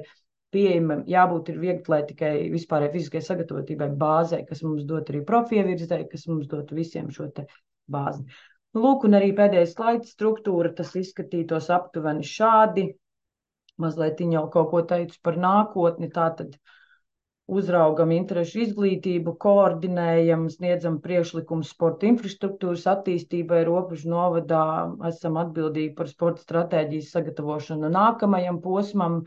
pieejama, jābūt ir viegli tikai vispārēji fiziskai sagatavotībai bāzei, kas mums dot arī profievirzē, kas mums dot visiem šo te bāzi. Lūk, un arī pēdējais slaids struktūra, tas izskatītos aptuveni šādi. Mazliet jau kaut ko teicu par nākotni, tātad uzraugam interešu izglītību, koordinējam, sniedzam priekšlikumus sporta infrastruktūras attīstībai Robežu novadā, esam atbildīgi par sporta stratēģijas sagatavošanu nākamajam posmam.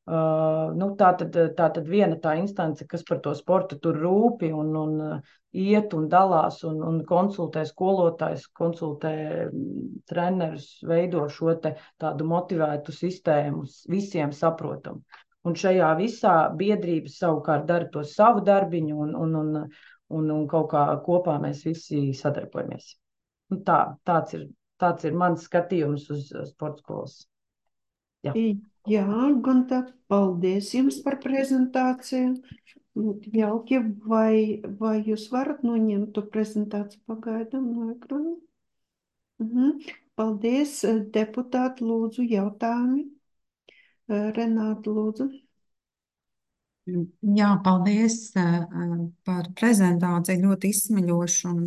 Uh, nu, tā, tad, tā tad viena tā instance, kas par to sportu tur rūpi un, un uh, iet un dalās un, un konsultē skolotājs, konsultē trenerus, veido šo te tādu motivētu sistēmu, visiem saprotam. Un šajā visā biedrības savukārt dara to savu darbiņu un, un, un, un, un kaut kā kopā mēs visi sadarbojamies. Un tā, tāds ir, tāds ir mans skatījums uz sporta skolas. Jā. Jā, Gunta, paldies jums par prezentāciju. Jauki, vai, vai jūs varat noņemt to prezentāciju pagaidām no ekrāna? Mhm. Paldies, deputāti, lūdzu, jautājumi. Renāta, lūdzu. Jā, paldies par prezentāciju, ļoti izsmeļošu un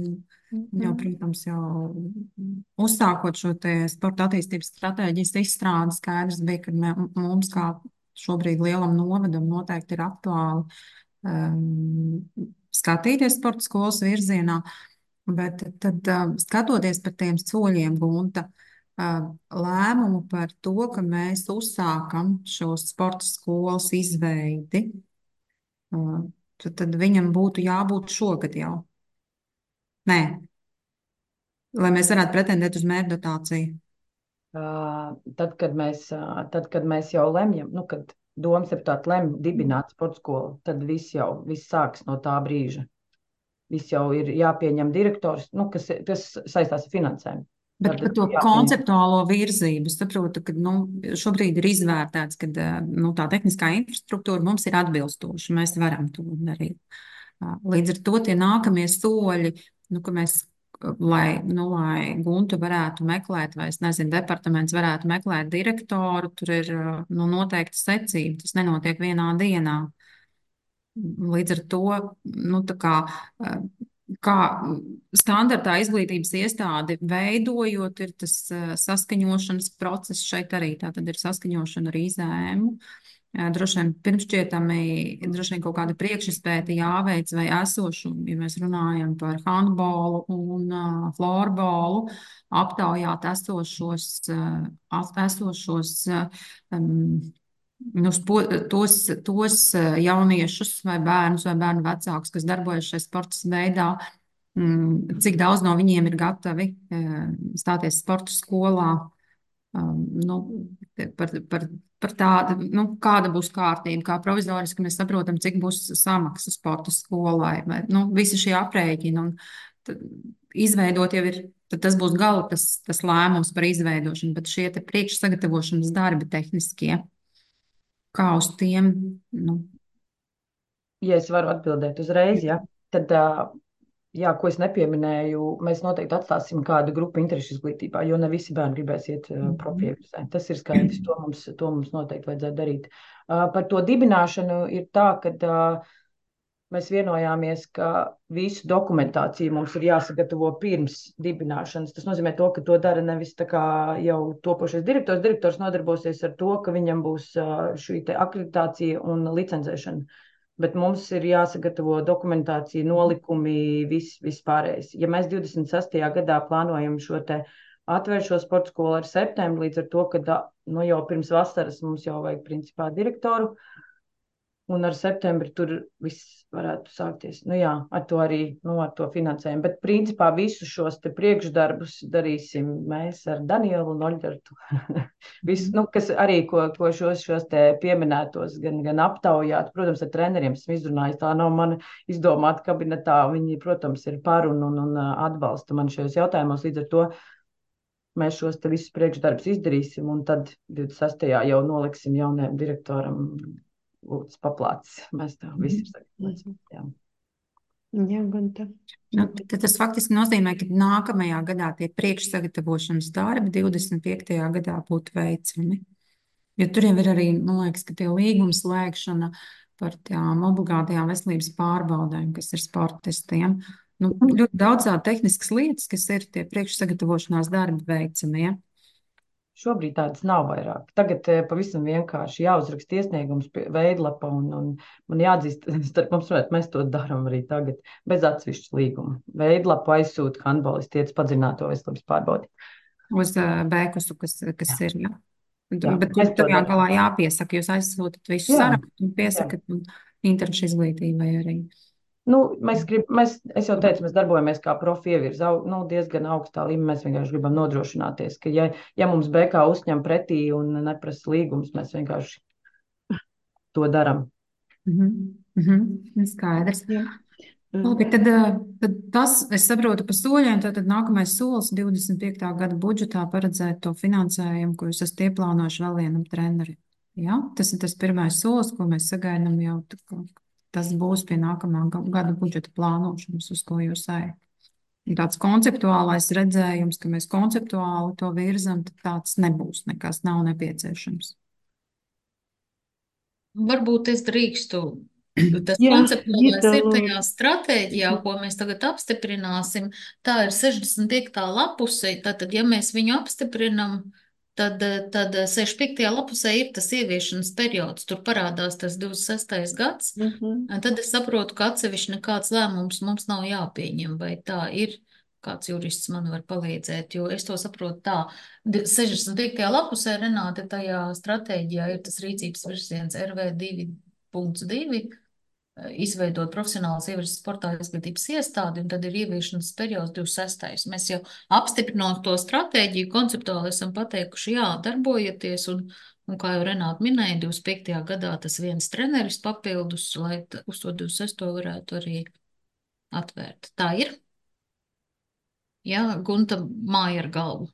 jau, protams, jau uzsākot šo te sporta attīstības stratēģijas izstrādi, skaidrs bija, ka mē, mums kā šobrīd lielam novadam noteikti ir aktuāli um, skatīties sporta skolas virzienā, bet tad um, skatoties par tiem soļiem, Gunta, um, lēmumu par to, ka mēs uzsākam šo sporta skolas izveidi, um, tad, tad viņam būtu jābūt šogad jau. Nē, lai mēs varētu pretendēt uz mērķdotāciju. Uh, tad, kad mēs, uh, tad, kad mēs jau lemjam, nu, kad domas deputāti lemj dibināt sporta skolu, tad viss jau, viss sāks no tā brīža. Viss jau ir jāpieņem direktors, nu, kas, kas saistās ar finansējumu. Bet par to konceptuālo virzību, saprotu, ka nu, šobrīd ir izvērtēts, ka nu, tā tehniskā infrastruktūra mums ir atbilstoša, mēs varam to darīt. Līdz ar to tie nākamie soļi, nu, ka mēs, lai, nu, lai Gunta varētu meklēt, vai es nezinu, departaments varētu meklēt direktoru, tur ir nu, noteikti secība, tas nenotiek vienā dienā. Līdz ar to, nu, tā kā, kā standartā izglītības iestādi veidojot, ir tas saskaņošanas process šeit arī, tā tad ir saskaņošana ar izēmu. Droši vien pirmšķietami, droši vien kaut kāda priekšizpēta jāveic vai esošu, ja mēs runājam par handbolu un uh, florbolu, aptaujāt esošos, uh, esošos um, nu, spo, tos, tos jauniešus vai bērnus vai bērnu vecākus, kas darbojas šajā sporta veidā, um, cik daudz no viņiem ir gatavi uh, stāties sporta skolā. Um, nu, par, par, par tādu, nu, kāda būs kārtība, kā provizoriski mēs saprotam, cik būs samaksa sporta skolai, vai, nu, visi šie aprēķini, un tad, izveidot jau ir, tad tas būs gala tas, tas lēmums par izveidošanu, bet šie te priekšsagatavošanas darbi tehniskie, kā uz tiem, nu, Ja es varu atbildēt uzreiz, ja, tad, ā, jā, ko es nepieminēju, mēs noteikti atstāsim kādu grupu interešu izglītībā, jo ne visi bērni gribēs iet ā, profievizē. Tas ir skaidrs, to mums, to mums noteikti vajadzētu darīt. Ā, Par to dibināšanu ir tā, ka ā, mēs vienojāmies, ka visu dokumentāciju mums ir jāsagatavo pirms dibināšanas. Tas nozīmē to, ka to dara nevis tā kā jau topošais direktors. Direktors nodarbosies ar to, ka viņam būs ā, šī te akreditācija un licencēšana. Bet mums ir jāsagatavo dokumentācija, nolikumi, viss, viss pārējais. Ja mēs divdesmit sestajā gadā plānojam šo te atvērt šo sporta skolu ar septembri, līdz ar to, ka da, nu, jau pirms vasaras mums jau vajag principā direktoru, un ar septembri tur viss varētu sākties. Nu jā, ar to arī, nu, ar to finansējumu. Bet principā visus šos te priekšdarbus darīsim mēs ar Danielu un Oļģertu. Viss, nu, kas arī, ko, ko šos, šos te pieminētos, gan, gan aptaujāt, protams, ar treneriem esmu izrunājis, tā nav mana izdomāta kabinetā, viņi, protams, ir par un, un, un atbalsta man šajos jautājumos, līdz ar to mēs šos te visus priekšdarbus izdarīsim, un tad divdesmit sestajā jau noliksim jaunajam direktoram lūdzu paplācis. Mēs tā visi ir sagatavots. Jā. Jā, Gunta. Nu, tad tas faktiski nozīmē, ka nākamajā gadā tie priekšsagatavošanas darbi divdesmit piektajā gadā būtu veicami. Jo tur jau ir arī, man liekas, ka tie līguma slēgšana par tām obligātajām veselības pārbaudēm, kas ir sportistiem. Nu, ļoti daudz tādas tehniskas lietas, kas ir tie priekšsagatavošanās darbi veicamie. Šobrīd tādas nav vairāk. Tagad eh, pavisam vienkārši jāuzraksta iesniegums pie veidlapa un, un man jāatzīst, starp mums, runāt, mēs to darām arī tagad, bez atsevišķas līguma. Veidlapu aizsūta handbolisti iet padziļināto veselības pārbaudi. Uz uh, bēkusu, kas, kas Jā. ir, jā. Jā, Bet mēs to tur jā, darām. galā jāpiesaka, jūs aizsūtat visu Jā, sarakstu un piesakat interešu izglītībai arī. Nu, mēs grib, mēs, es jau teicu, mēs darbojamies kā profievirza, au- nu, diezgan augstā līmenī. Mēs vienkārši gribam nodrošināties, ka ja, ja mums B K uzņem pretī un neprasa līgumus, mēs vienkārši to darām. Mhm. Mhm. Skaidrs. Jā. Labi, tad, eh, tad tas, es saprotu pa soļiem, tad nākamais solis divdesmit piektā gada budžetā paredzēt to finansējumu, ko jūs esat ieplānojuši vēl vienam trenerim. Jā, tas ir tas pirmais solis, ko mēs sagaidām jau, tā kā tas būs pie nākamā ga- gada budžeta plānošanas, uz ko jūs ejat. Un tāds konceptuālais redzējums, ka mēs konceptuāli to virzam, tad tāds nebūs, nekas nav nepieciešams. Varbūt es drīkstu. Tas Jā, konceptuālais Gita, ir tajā lūdzu. stratēģijā, ko mēs tagad apstiprināsim. Tā ir sešdesmit piekta lapuse. Tātad, ja mēs viņu apstiprinam, tad, tad sešdesmit piektajā lapusē ir tas ieviešanas periods. Tur parādās tas divdesmit sestais gads. Mhm. Tad es saprotu, ka atsevišķi nekāds lēmums mums nav jāpieņem, vai tā ir. Kāds jurists man var palīdzēt, jo es to saprotu tā. Di- sešdesmit piektajā lapusē, Renāte, tajā stratēģijā ir tas rīcības virziens R V divi punkts divi, izveidot profesionālas ievirzes sportā izglītības iestādi, un tad ir ieviešanas periods divdesmit sestais. Mēs jau apstiprinot to stratēģiju, konceptuāli esam pateikuši, jā, darbojieties, un, un kā jau Renāte minēja, divdesmit piektajā gadā tas viens treneris papildus, lai t- uz to divdesmit sesto varētu arī atvērt. Tā ir? Jā, Gunta māja ar galvu.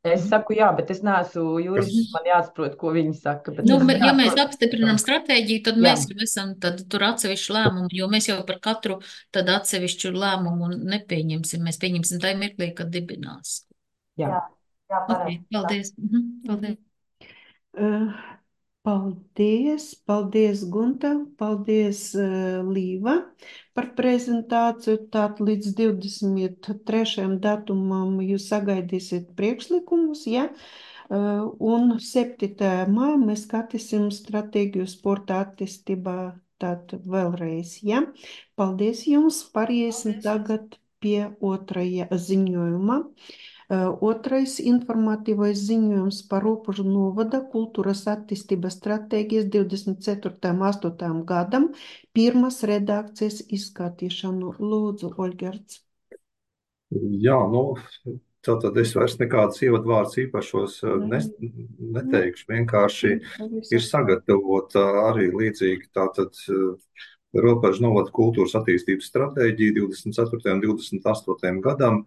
Es saku jā, bet es neesmu jurists, Kas? man jāsaprot, ko viņi saka. Bet Nu, es, me- jā, ja mēs protams, apstiprinām stratēģiju, tad jā, mēs jau esam tad tur atsevišķu lēmumu, jo mēs jau par katru tad atsevišķu lēmumu nepieņemsim. Mēs pieņemsim tajā mirklī, kad dibinās. jā. Jā, jā, Ok, pareizi. paldies. Mhm, paldies. Uh, Paldies, paldies, Gunta, paldies, uh, Līva, par prezentāciju. Tātad līdz divdesmit trešajam datumam jūs sagaidīsiet priekšlikumus, ja? Uh, un septītajā maijā mēs skatīsim stratēģiju sporta attīstībā. Tātad vēlreiz, ja? Paldies jums, pāriesim Paldies. tagad pie otrajā ziņojuma. Uh, Otrais informatīvais ziņojums par Ropužu novada kultūras attīstības stratēģijas divdesmit ceturtajam astotajam gadam pirmas redakcijas izskatīšanu. Lūdzu, Oļģerts. Jā, nu, tātad es vairs nekādas ievadvārds īpašos eh, nes, neteikšu. Vienkārši ir sagatavota arī līdzīgi tātad eh, Robežu novada kultūras attīstības stratēģija divdesmit ceturtajam un divdesmit astotajam gadam,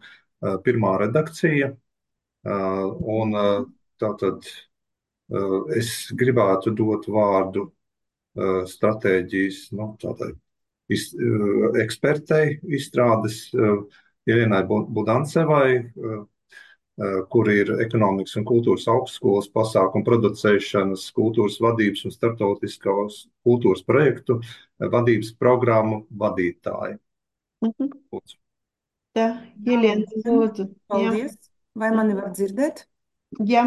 eh, pirmā redakcija. Eh, Un eh, tātad eh, es gribētu dot vārdu stratēģijas nu, tādai iz, ekspertei izstrādes Irenai Budancevai, kur ir ekonomikas un kultūras augstskolas pasākumu producēšanas, kultūras vadības un starptautiskās kultūras projektu vadības programmu vadītāja. Mhm. Lūdzu. Tā, Jelena, lūdzu. Jā. Paldies. Vai mani var dzirdēt? Jā.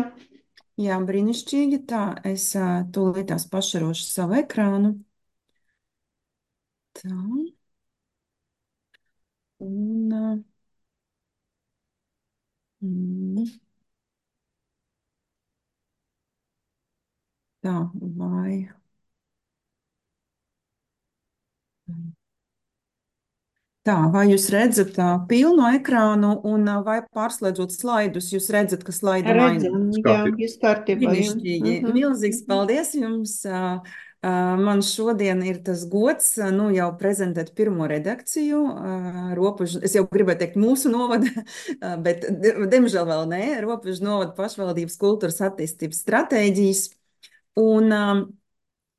Jā, brīnišķīgi. Tā, es ā, tūlītās pašarošu savu ekrānu. Tā. Un, ā, mm, tā, vai. Tā, vai jūs redzat ā, pilnu ekrānu un ā, vai pārslēdzot slaidus, jūs redzat, ka slaidi mainās? Redzam, jā, viss kārtībā. Jā. Brīnišķīgi. Mhm. Milzīgs paldies jums. Ā, ā, Man šodien ir tas gods, ā, nu jau prezentēt pirmo redakciju. ā, Robežu, es jau gribēju teikt mūsu novada, ā, bet di- diemžēl vēl nē, Robežu novada pašvaldības kultūras attīstības stratēģijas. Un ā,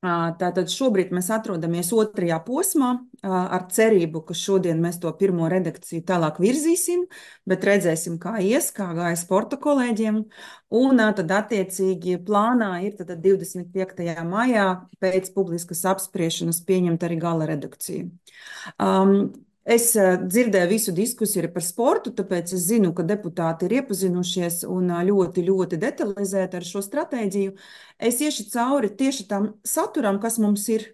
ā, tātad šobrīd mēs atrodamies otrajā posmā ā, ar cerību, ka šodien mēs to pirmo redakciju tālāk virzīsim, bet redzēsim, kā ies, kā gāja sporta kolēģiem. Un ā, tad attiecīgi plānā ir tad divdesmit piektajā maijā pēc publiskas apspriešanas pieņemt arī gala redakciju. Um, Es ā, dzirdēju visu diskusiju arī par sportu, tāpēc es zinu, ka deputāti ir iepazinušies un ā, ļoti, ļoti detalizēti ar šo stratēģiju. Es iešu cauri tieši tam saturam, kas mums ir,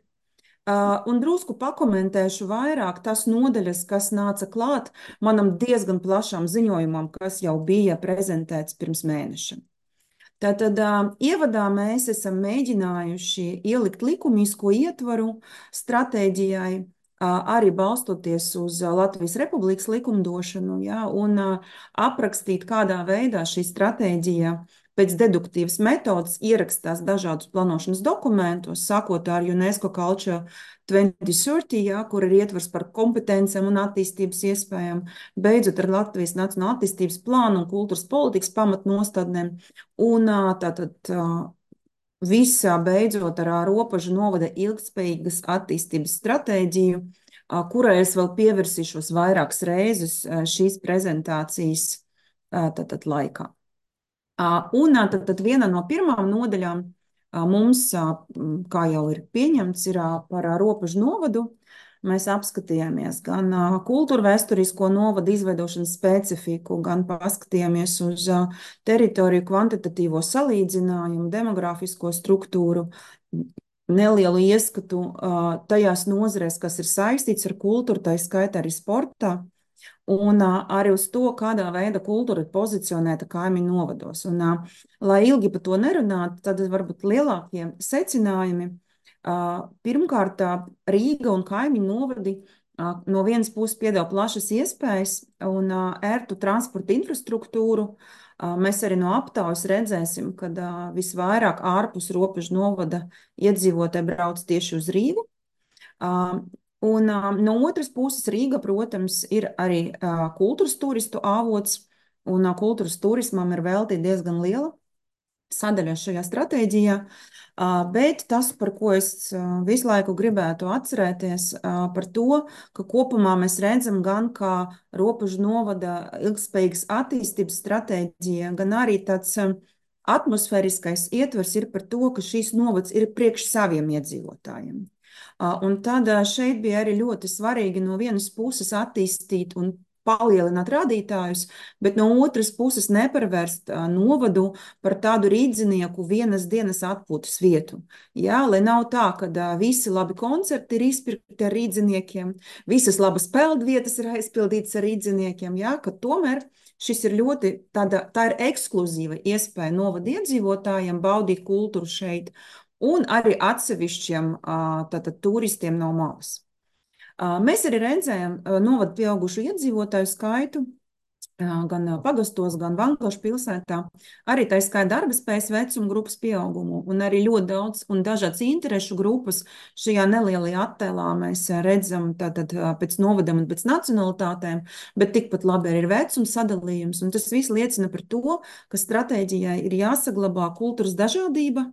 ā, un drusku pakomentēšu vairāk tās nodaļas, kas nāca klāt manam diezgan plašam ziņojumam, kas jau bija prezentēts pirms mēneša. Tātad ā, ievadā mēs esam mēģinājuši ielikt likumisko ietvaru stratēģijai, ā, arī balstoties uz ā, Latvijas Republikas likumdošanu, ja, un ā, aprakstīt, kādā veidā šī stratēģija pēc deduktīvas metodas ierakstās dažādus plānošanas dokumentos, sākot ar UNESCO Culture twenty thirty, ja, kur ir ietvers par kompetencēm un attīstības iespējām, beidzot ar Latvijas Nacionālo attīstības plānu un kultūras politikas pamatnostādnēm, un ā, tātad ā, visā beidzot ar ā, Robežu novada ilgtspējīgas attīstības stratēģiju, ā, kurai es vēl pievērsīšos vairākas reizes ā, šīs prezentācijas ā, tātad laikā. Ā, Un ā, tad, tad viena no pirmām nodaļām ā, mums, ā, m, kā jau ir pieņemts, ir ā, par ā, Robežu novadu. Mēs apskatījāmies gan ā, kultūrvēsturisko novadu izveidošanas specifiku, gan paskatījāmies uz ā, teritoriju kvantitatīvo salīdzinājumu, demogrāfisko struktūru, nelielu ieskatu ā, tajās nozarēs, kas ir saistīts ar kultūru, tā skaitā arī sportā. Un ā, arī uz to, kādā veidā kultūra ir pozicionēta kaimiņu novados. Un, ā, lai ilgi par to nerunātu, tad varbūt lielākie secinājumi. Ā, Pirmkārt, ā, Rīga un kaimiņu novadi ā, no vienas puses piedāvā plašas iespējas un ā, ērtu transporta infrastruktūru. Ā, Mēs arī no aptaujas redzēsim, ka visvairāk ārpus Robežu novada iedzīvotāji brauc tieši uz Rīgu. Ā, Un ā, no otras puses Rīga, protams, ir arī ā, kultūras turistu avots, un ā, kultūras turismam ir veltīta diezgan liela sadaļa šajā stratēģijā. Ā, Bet tas, par ko es ā, visu laiku gribētu atcerēties, ā, par to, ka kopumā mēs redzam gan kā Robežu novada ilgtspējīgas attīstības stratēģija, gan arī tāds ā, atmosfēriskais ietvers ir par to, ka šīs novads ir priekš saviem iedzīvotājiem. Ā, Un tad ā, šeit bija arī ļoti svarīgi no vienas puses attīstīt un palielināt rādītājus, bet no otras puses neparvērst ā, novadu par tādu rīdzinieku vienas dienas atpūtas vietu. Jā, lai nav tā, ka ā, visi labi koncerti ir izpirkti ar rīdziniekiem, visas labas peldvietas ir aizpildītas ar rīdziniekiem, jā, ka tomēr šis ir ļoti tāda, tā ir ekskluzīva iespēja novada iedzīvotājiem baudīt kultūru šeit, un arī atsevišķiem ā, tātad turistiem no malas. Ā, Mēs arī redzējām ā, novada pieaugušo iedzīvotāju skaitu ā, gan ā, pagastos, gan Vankošu pilsētā, arī tā skaitā darba spējas vecuma grupas pieaugumu, un arī ļoti daudz un dažādas interešu grupas šajā nelielajā attēlā mēs ā, redzam tātad ā, pēc novadam un pēc nacionalitātēm, bet tikpat labi arī ir vecuma sadalījums, un tas viss liecina par to, ka stratēģijai ir jāsaglabā kultūras dažādība,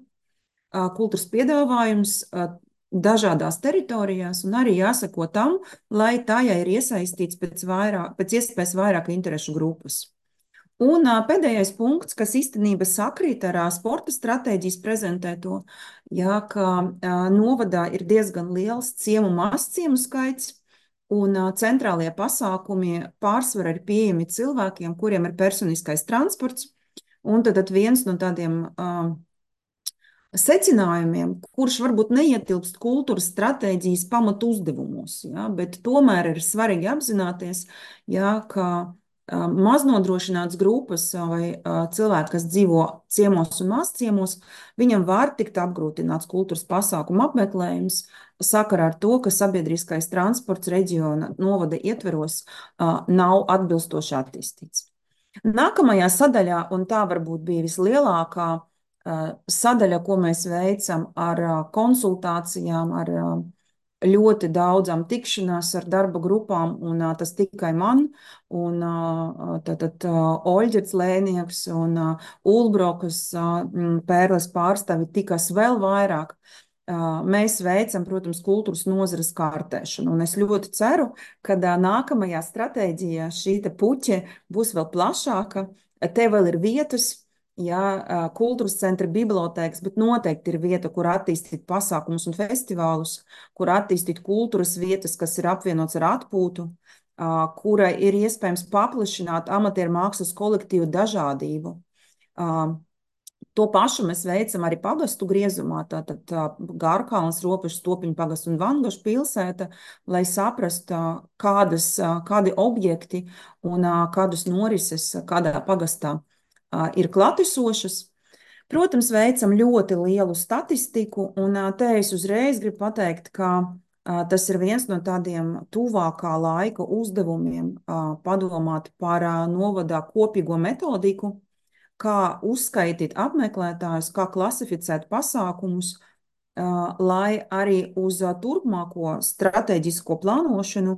ā, kultūras piedāvājums, ā, dažādās teritorijās un arī jāsako tam, lai tajā ir iesaistīts pēc, vairāk, pēc iespējas vairāk interešu grupas. Un ā, pēdējais punkts, kas īstenībā sakrīt ar ā, sporta stratēģijas prezentēto, jā, ka ā, novadā ir diezgan liels ciemu mazciemu skaits, un ā, centrālie pasākumi pārsvarā ir pieejami cilvēkiem, kuriem ir personiskais transports, un tad, tad viens no tādiem uh, secinājumiem, kurš varbūt neietilpst kultūras stratēģijas pamatu uzdevumos, ja, bet tomēr ir svarīgi apzināties, ja, ka uh, maznodrošināts grupas vai uh, cilvēki, kas dzīvo ciemos un mazciemos, viņam var tikt apgrūtināts kultūras pasākumu apmeklējums sakarā ar to, ka sabiedriskais transports reģiona novada ietveros uh, nav atbilstoši attīstīts. Nākamajā sadaļā, un tā varbūt bija vislielākā uh, sadaļa, ko mēs veicam ar uh, konsultācijām, ar uh, ļoti daudzām tikšanās ar darba grupām, un uh, tas tikai man, un uh, tātad uh, Oļģerts Lēnieks un uh, Ulbrokas uh, Pērles pārstāvi tikas vēl vairāk. Uh, mēs veicam, protams, kultūras nozares kārtēšanu, un es ļoti ceru, ka uh, nākamajā stratēģijā šī te puķe būs vēl plašāka. Te vēl ir vietas, jā, uh, kultūras centra bibliotēkas, bet noteikti ir vieta, kur attīstīt pasākumus un festivālus, kur attīstīt kultūras vietas, kas ir apvienots ar atpūtu, uh, kura ir iespējams paplašināt amatieru mākslas kolektīvu dažādību. Uh, To pašu mēs veicam arī pagastu griezumā, tātad tā, Gārkalns, Ropašas, Topiņu pagastu un Vangašu pilsēta, lai saprastu, kādas, kādi objekti un kādas norises kādā pagastā ir klātesošas. Protams, veicam ļoti lielu statistiku, un te es uzreiz gribu pateikt, ka tas ir viens no tādiem tuvākā laika uzdevumiem padomāt par novadā kopīgo metodiku, kā uzskaitīt apmeklētājus, kā klasificēt pasākumus, uh, lai arī uz uh, turpmāko strateģisko plānošanu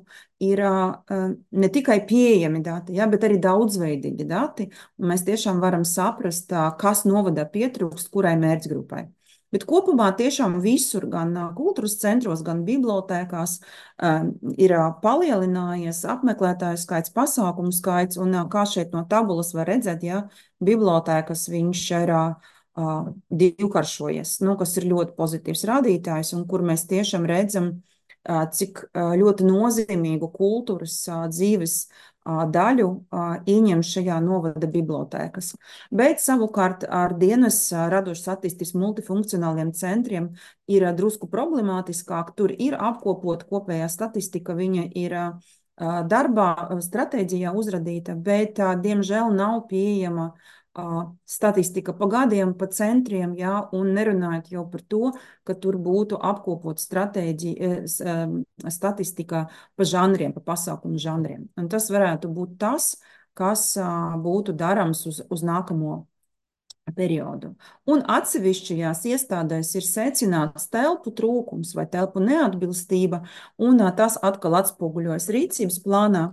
ir uh, ne tikai pieejami dati, ja, bet arī daudzveidīgi dati, un mēs tiešām varam saprast, uh, kas novadā pietrūkst kurai mērķgrupai. Bet kopumā tiešām visur, gan uh, kultūras centros, gan bibliotēkās, uh, ir uh, palielinājies apmeklētāju skaits, pasākumu skaits, un uh, kā šeit no tabulas var redzēt, ja, bibliotēkas viņš ir uh, divkaršojies, nu, kas ir ļoti pozitīvs rādītājs, un kur mēs tiešām redzam, uh, cik uh, ļoti nozīmīgu kultūras uh, dzīves uh, daļu uh, ieņem šajā novada bibliotēkas. Bet savukārt ar dienas uh, radošas attīstības multifunkcionāliem centriem ir uh, drusku problemātiskāk, tur ir apkopot kopējā statistika, viņa ir uh, darbā, stratēģijā uzradīta, bet, diemžēl, nav pieejama statistika pa gadiem, pa centriem, jā, un nerunājot jau par to, ka tur būtu apkopot stratēģija, statistika pa žanriem, pa pasākumu žanriem. Un tas varētu būt tas, kas būtu darams uz, uz nākamo periodu. Un atsevišķajās iestādēs ir secināts telpu trūkums vai telpu neatbilstība, un tas atkal atspoguļojas rīcības plānā,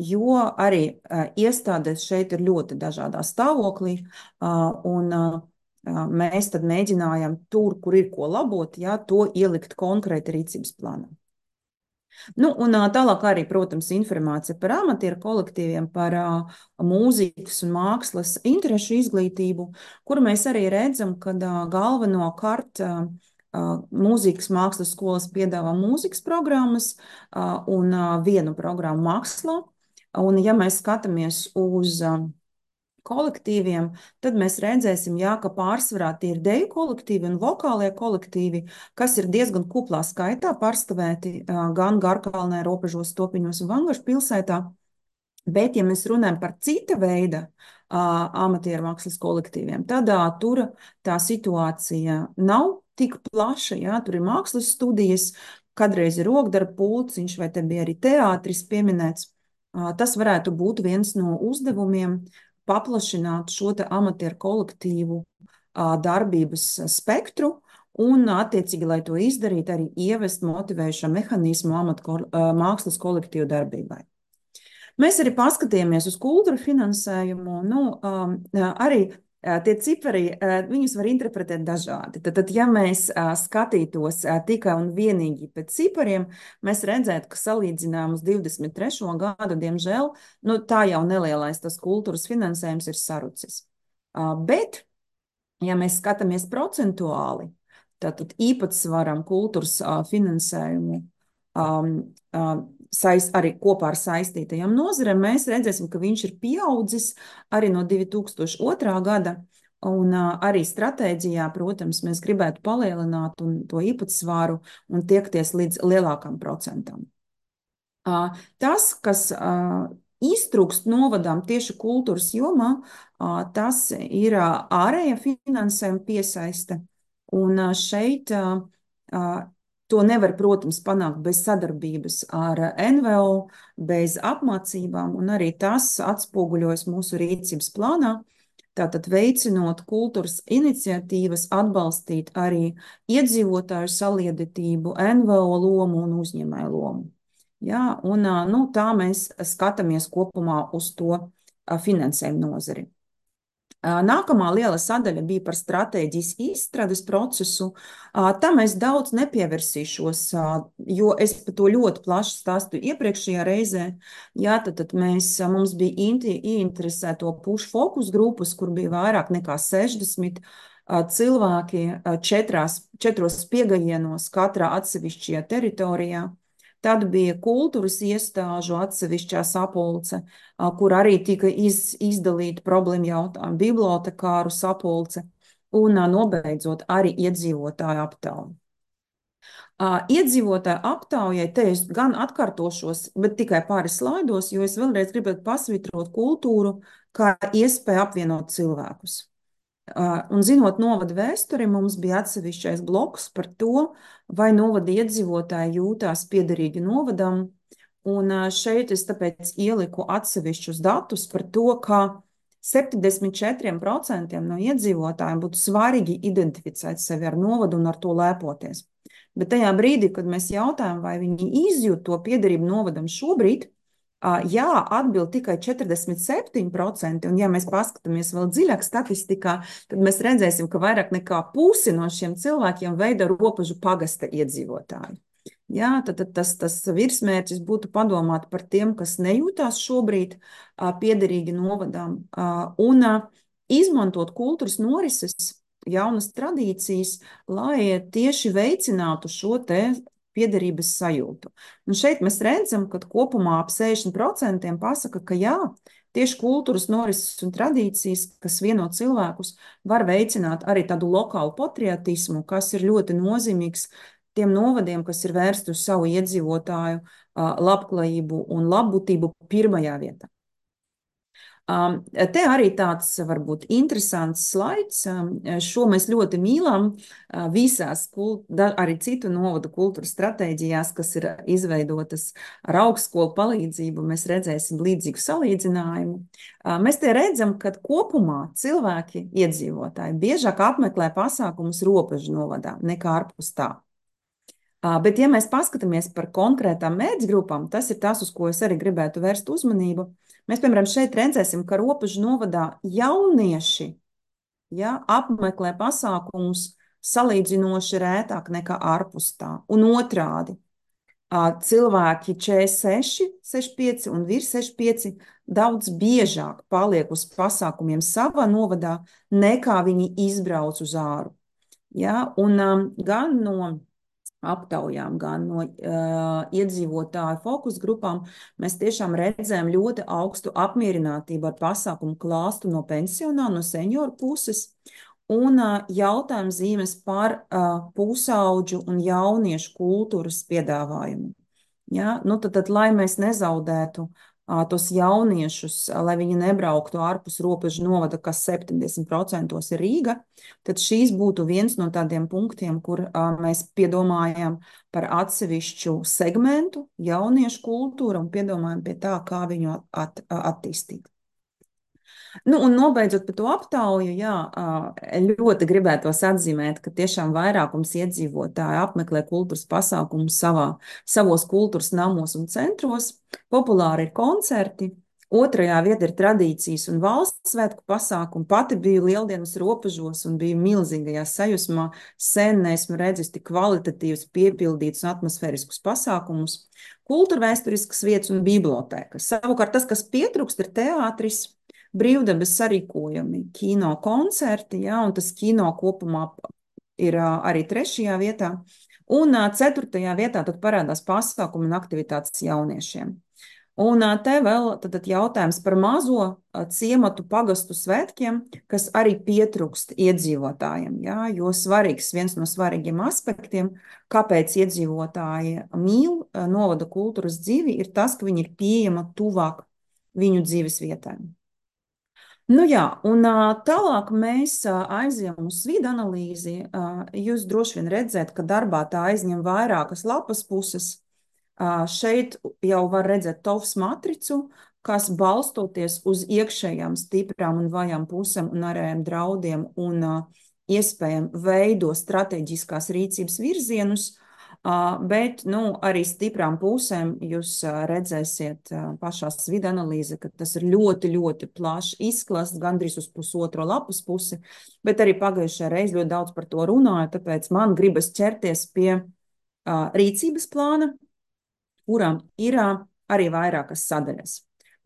jo arī iestādēs šeit ir ļoti dažādā stāvoklī, un mēs tad mēģinājam tur, kur ir ko labot, ja, to ielikt konkrēti rīcības plānā. Nu, un tālāk arī, protams, informācija par amatieru kolektīviem, par uh, mūzikas un mākslas interešu izglītību, kur mēs arī redzam, ka uh, galvenokārt uh, uh, mūzikas mākslas skolas piedāvā mūzikas programmas uh, un uh, vienu programmu mākslā. Un ja mēs skatāmies uz uh, kolektīviem, tad mēs redzēsim, jā, ka pārsvarā tie ir deju kolektīvi un vokālie kolektīvi, kas ir diezgan kuplā skaitā pārstāvēti gan Garkalnē, Ropažos, Topiņos un Vangašu pilsētā. Bet, ja mēs runājam par cita veida amatieru mākslas kolektīviem, tad tur tā situācija nav tik plaša, jā, tur ir mākslas studijas, kādreiz ir rokdarba pulciņš, vai te bija arī teātris pieminēts. Tas varētu būt viens no uzdevumiem, paplašināt šo te amatieru kolektīvu darbības spektru un, attiecīgi, lai to izdarītu, arī ievest motivējušo mehānismu amatu mākslas kolektīvu darbībai. Mēs arī paskatījāmies uz kultūra finansējumu, nu, arī Tie cipari, viņus var interpretēt dažādi. Tad, tad ja mēs skatītos tikai un vienīgi pēc cipariem, mēs redzētu, ka salīdzinām uz divdesmit trešo gadu, diemžēl, nu, tā jau nelielais tas kultūras finansējums ir sarucis. Bet, ja mēs skatāmies procentuāli, tātad īpatsvaram kultūras finansējumu um, um, saist, arī kopā ar saistītajām nozarēm, mēs redzēsim, ka viņš ir pieaudzis arī no divi tūkstoši otrā gada, un uh, arī stratēģijā, protams, mēs gribētu palielināt un to īpatsvaru un tiekties līdz lielākam procentam. Uh, tas, kas uh, iztrūkst novadām tieši kultūras jomā, uh, tas ir uh, ārēja finansējuma piesaiste, un uh, šeit uh, uh, to nevar, protams, panākt bez sadarbības ar N V O, bez apmācībām, un arī tas atspoguļojas mūsu rīcības plānā. Tātad veicinot kultūras iniciatīvas, atbalstīt arī iedzīvotāju saliedētību, N V O lomu un uzņēmēju lomu. Jā, un nu, tā mēs skatāmies kopumā uz to finansējumu nozari. Nākamā liela sadaļa bija par stratēģijas izstrādes procesu. Tam es daudz nepievērsīšos, jo es par to ļoti plaši stāstīju iepriekšējā reizē. Jā, tad, tad mēs, mums bija ieinteresēto pušu fokus grupas, kur bija vairāk nekā sešdesmit cilvēki četrās, četros piegājienos katrā atsevišķajā teritorijā. Tad bija kultūras iestāžu atsevišķā sapulce, kur arī tika iz, izdalīta problēma jautājuma, bibliotekāru sapulce un nobeidzot arī iedzīvotāju aptauju. Iedzīvotāju aptaujai, te es gan atkārtošos, bet tikai pāris slaidos, jo es vēlreiz gribētu pasvitrot kultūru kā iespēju apvienot cilvēkus. Un zinot novada vēsturi, mums bija atsevišķais bloks par to, vai novada iedzīvotāji jūtās piederīgi novadam, un šeit es tāpēc ieliku atsevišķus datus par to, ka septiņdesmit četri procenti no iedzīvotājiem būtu svarīgi identificēt sevi ar novadu un ar to lepoties. Bet tajā brīdī, kad mēs jautājam, vai viņi izjūt to piederību novadam šobrīd, jā, atbild tikai četrdesmit septiņi procenti, un ja mēs paskatāmies vēl dziļāk statistikā, tad mēs redzēsim, ka vairāk nekā pusi no šiem cilvēkiem veido Ropažu pagasta iedzīvotāji. Jā, tad, tad tas, tas virsmērķis būtu padomāt par tiem, kas nejūtās šobrīd piederīgi novadām, un izmantot kultūras norises, jaunas tradīcijas, lai tieši veicinātu šo te piederības sajūtu. Un šeit mēs redzam, ka kopumā ap sešdesmit procenti pasaka, ka jā, tieši kultūras norises un tradīcijas, kas vieno cilvēkus, var veicināt arī tādu lokālu patriotismu, kas ir ļoti nozīmīgs tiem novadiem, kas ir vērsti uz savu iedzīvotāju labklājību un labbūtību pirmajā vietā. Te arī tāds varbūt interesants slaids, šo mēs ļoti mīlam visās arī citu novadu kultūras stratēģijās, kas ir izveidotas ar augstskolu palīdzību, mēs redzēsim līdzīgu salīdzinājumu. Mēs te redzam, ka kopumā cilvēki, iedzīvotāji, biežāk apmeklē pasākumus Ropažu novadā nekā ārpus tā. Bet, ja mēs paskatāmies par konkrētām mērķgrupām, tas ir tas, uz ko es arī gribētu vērst uzmanību. Mēs, piemēram, šeit redzēsim, ka Ropažu novadā jaunieši ja, apmeklē pasākumus salīdzinoši rētāk nekā ārpus tā. Un otrādi, cilvēki četrdesmit seši, sešdesmit pieci un virs sešdesmit pieci daudz biežāk paliek uz pasākumiem savā novadā, nekā viņi izbrauc uz āru. Ja, un um, gan no aptaujām, gan no uh, iedzīvotāju fokus grupām, mēs tiešām redzējām ļoti augstu apmierinātību ar pasākumu klāstu no pensionāru, no senioru puses, un uh, jautājums zīmes par uh, pusauģu un jauniešu kultūras piedāvājumu. Ja? Nu, tad, tad, lai mēs nezaudētu uh, tos jauniešus, uh, lai viņi nebrauktu ārpus Ropažu novada, kas septiņdesmit procenti ir Rīga, tad šīs būtu viens no tādiem punktiem, kur uh, mēs piedomājam par atsevišķu segmentu, jauniešu kultūru un piedomājam pie tā, kā viņu at, attīstīt. Nu, un nobeidzot par to aptauju, jā, ļoti gribētos atzīmēt, ka tiešām vairākums iedzīvotāji apmeklē kultūras pasākumus savā, savos kultūras namos un centros. Populāri ir koncerti, Otrajā vietā ir tradīcijas un valsts svētku pasākumi. Pati biju Lieldienas robežos un biju milzīgajā sajūsmā. Sen neesmu redzis tik kvalitatīvus, piepildītus un atmosfēriskus pasākumus. Kultūrvēsturiskas vietas un bibliotēkas. Savukārt tas, kas pietrūkst, ir teātris, brīvdabas sarīkojumi, kino koncerti, ja, un tas kino kopumā ir arī trešajā vietā. Un ceturtajā vietā tad parādās pasākumi un aktivitātes jauniešiem. Un te vēl tad jautājums par mazo ciematu pagastu svētkiem, kas arī pietrūkst iedzīvotājiem, ja, jo svarīgs, viens no svarīgiem aspektiem, kāpēc iedzīvotāji mīl novada kultūras dzīvi, ir tas, ka viņi ir pieejama tuvāk viņu dzīves vietām. Nu jā, un tālāk mēs aizjām uz vidu analīzi. Jūs droši vien redzēt, ka darbā tā aizņem vairākas lapas puses. Šeit jau var redzēt tovs matricu, kas balstoties uz iekšējām stiprām un vājām pusēm un ārējiem draudiem un iespējām veido strateģiskās rīcības virzienus, bet nu, arī stiprām pusēm jūs redzēsiet pašās vidu analīze, ka tas ir ļoti, ļoti plašs izklasts, gandrīz uz pusotro lapas pusi, bet arī pagājušajā reiz ļoti daudz par to runāju, tāpēc man gribas ķerties pie rīcības plāna, kurām ir arī vairākas sadaļas.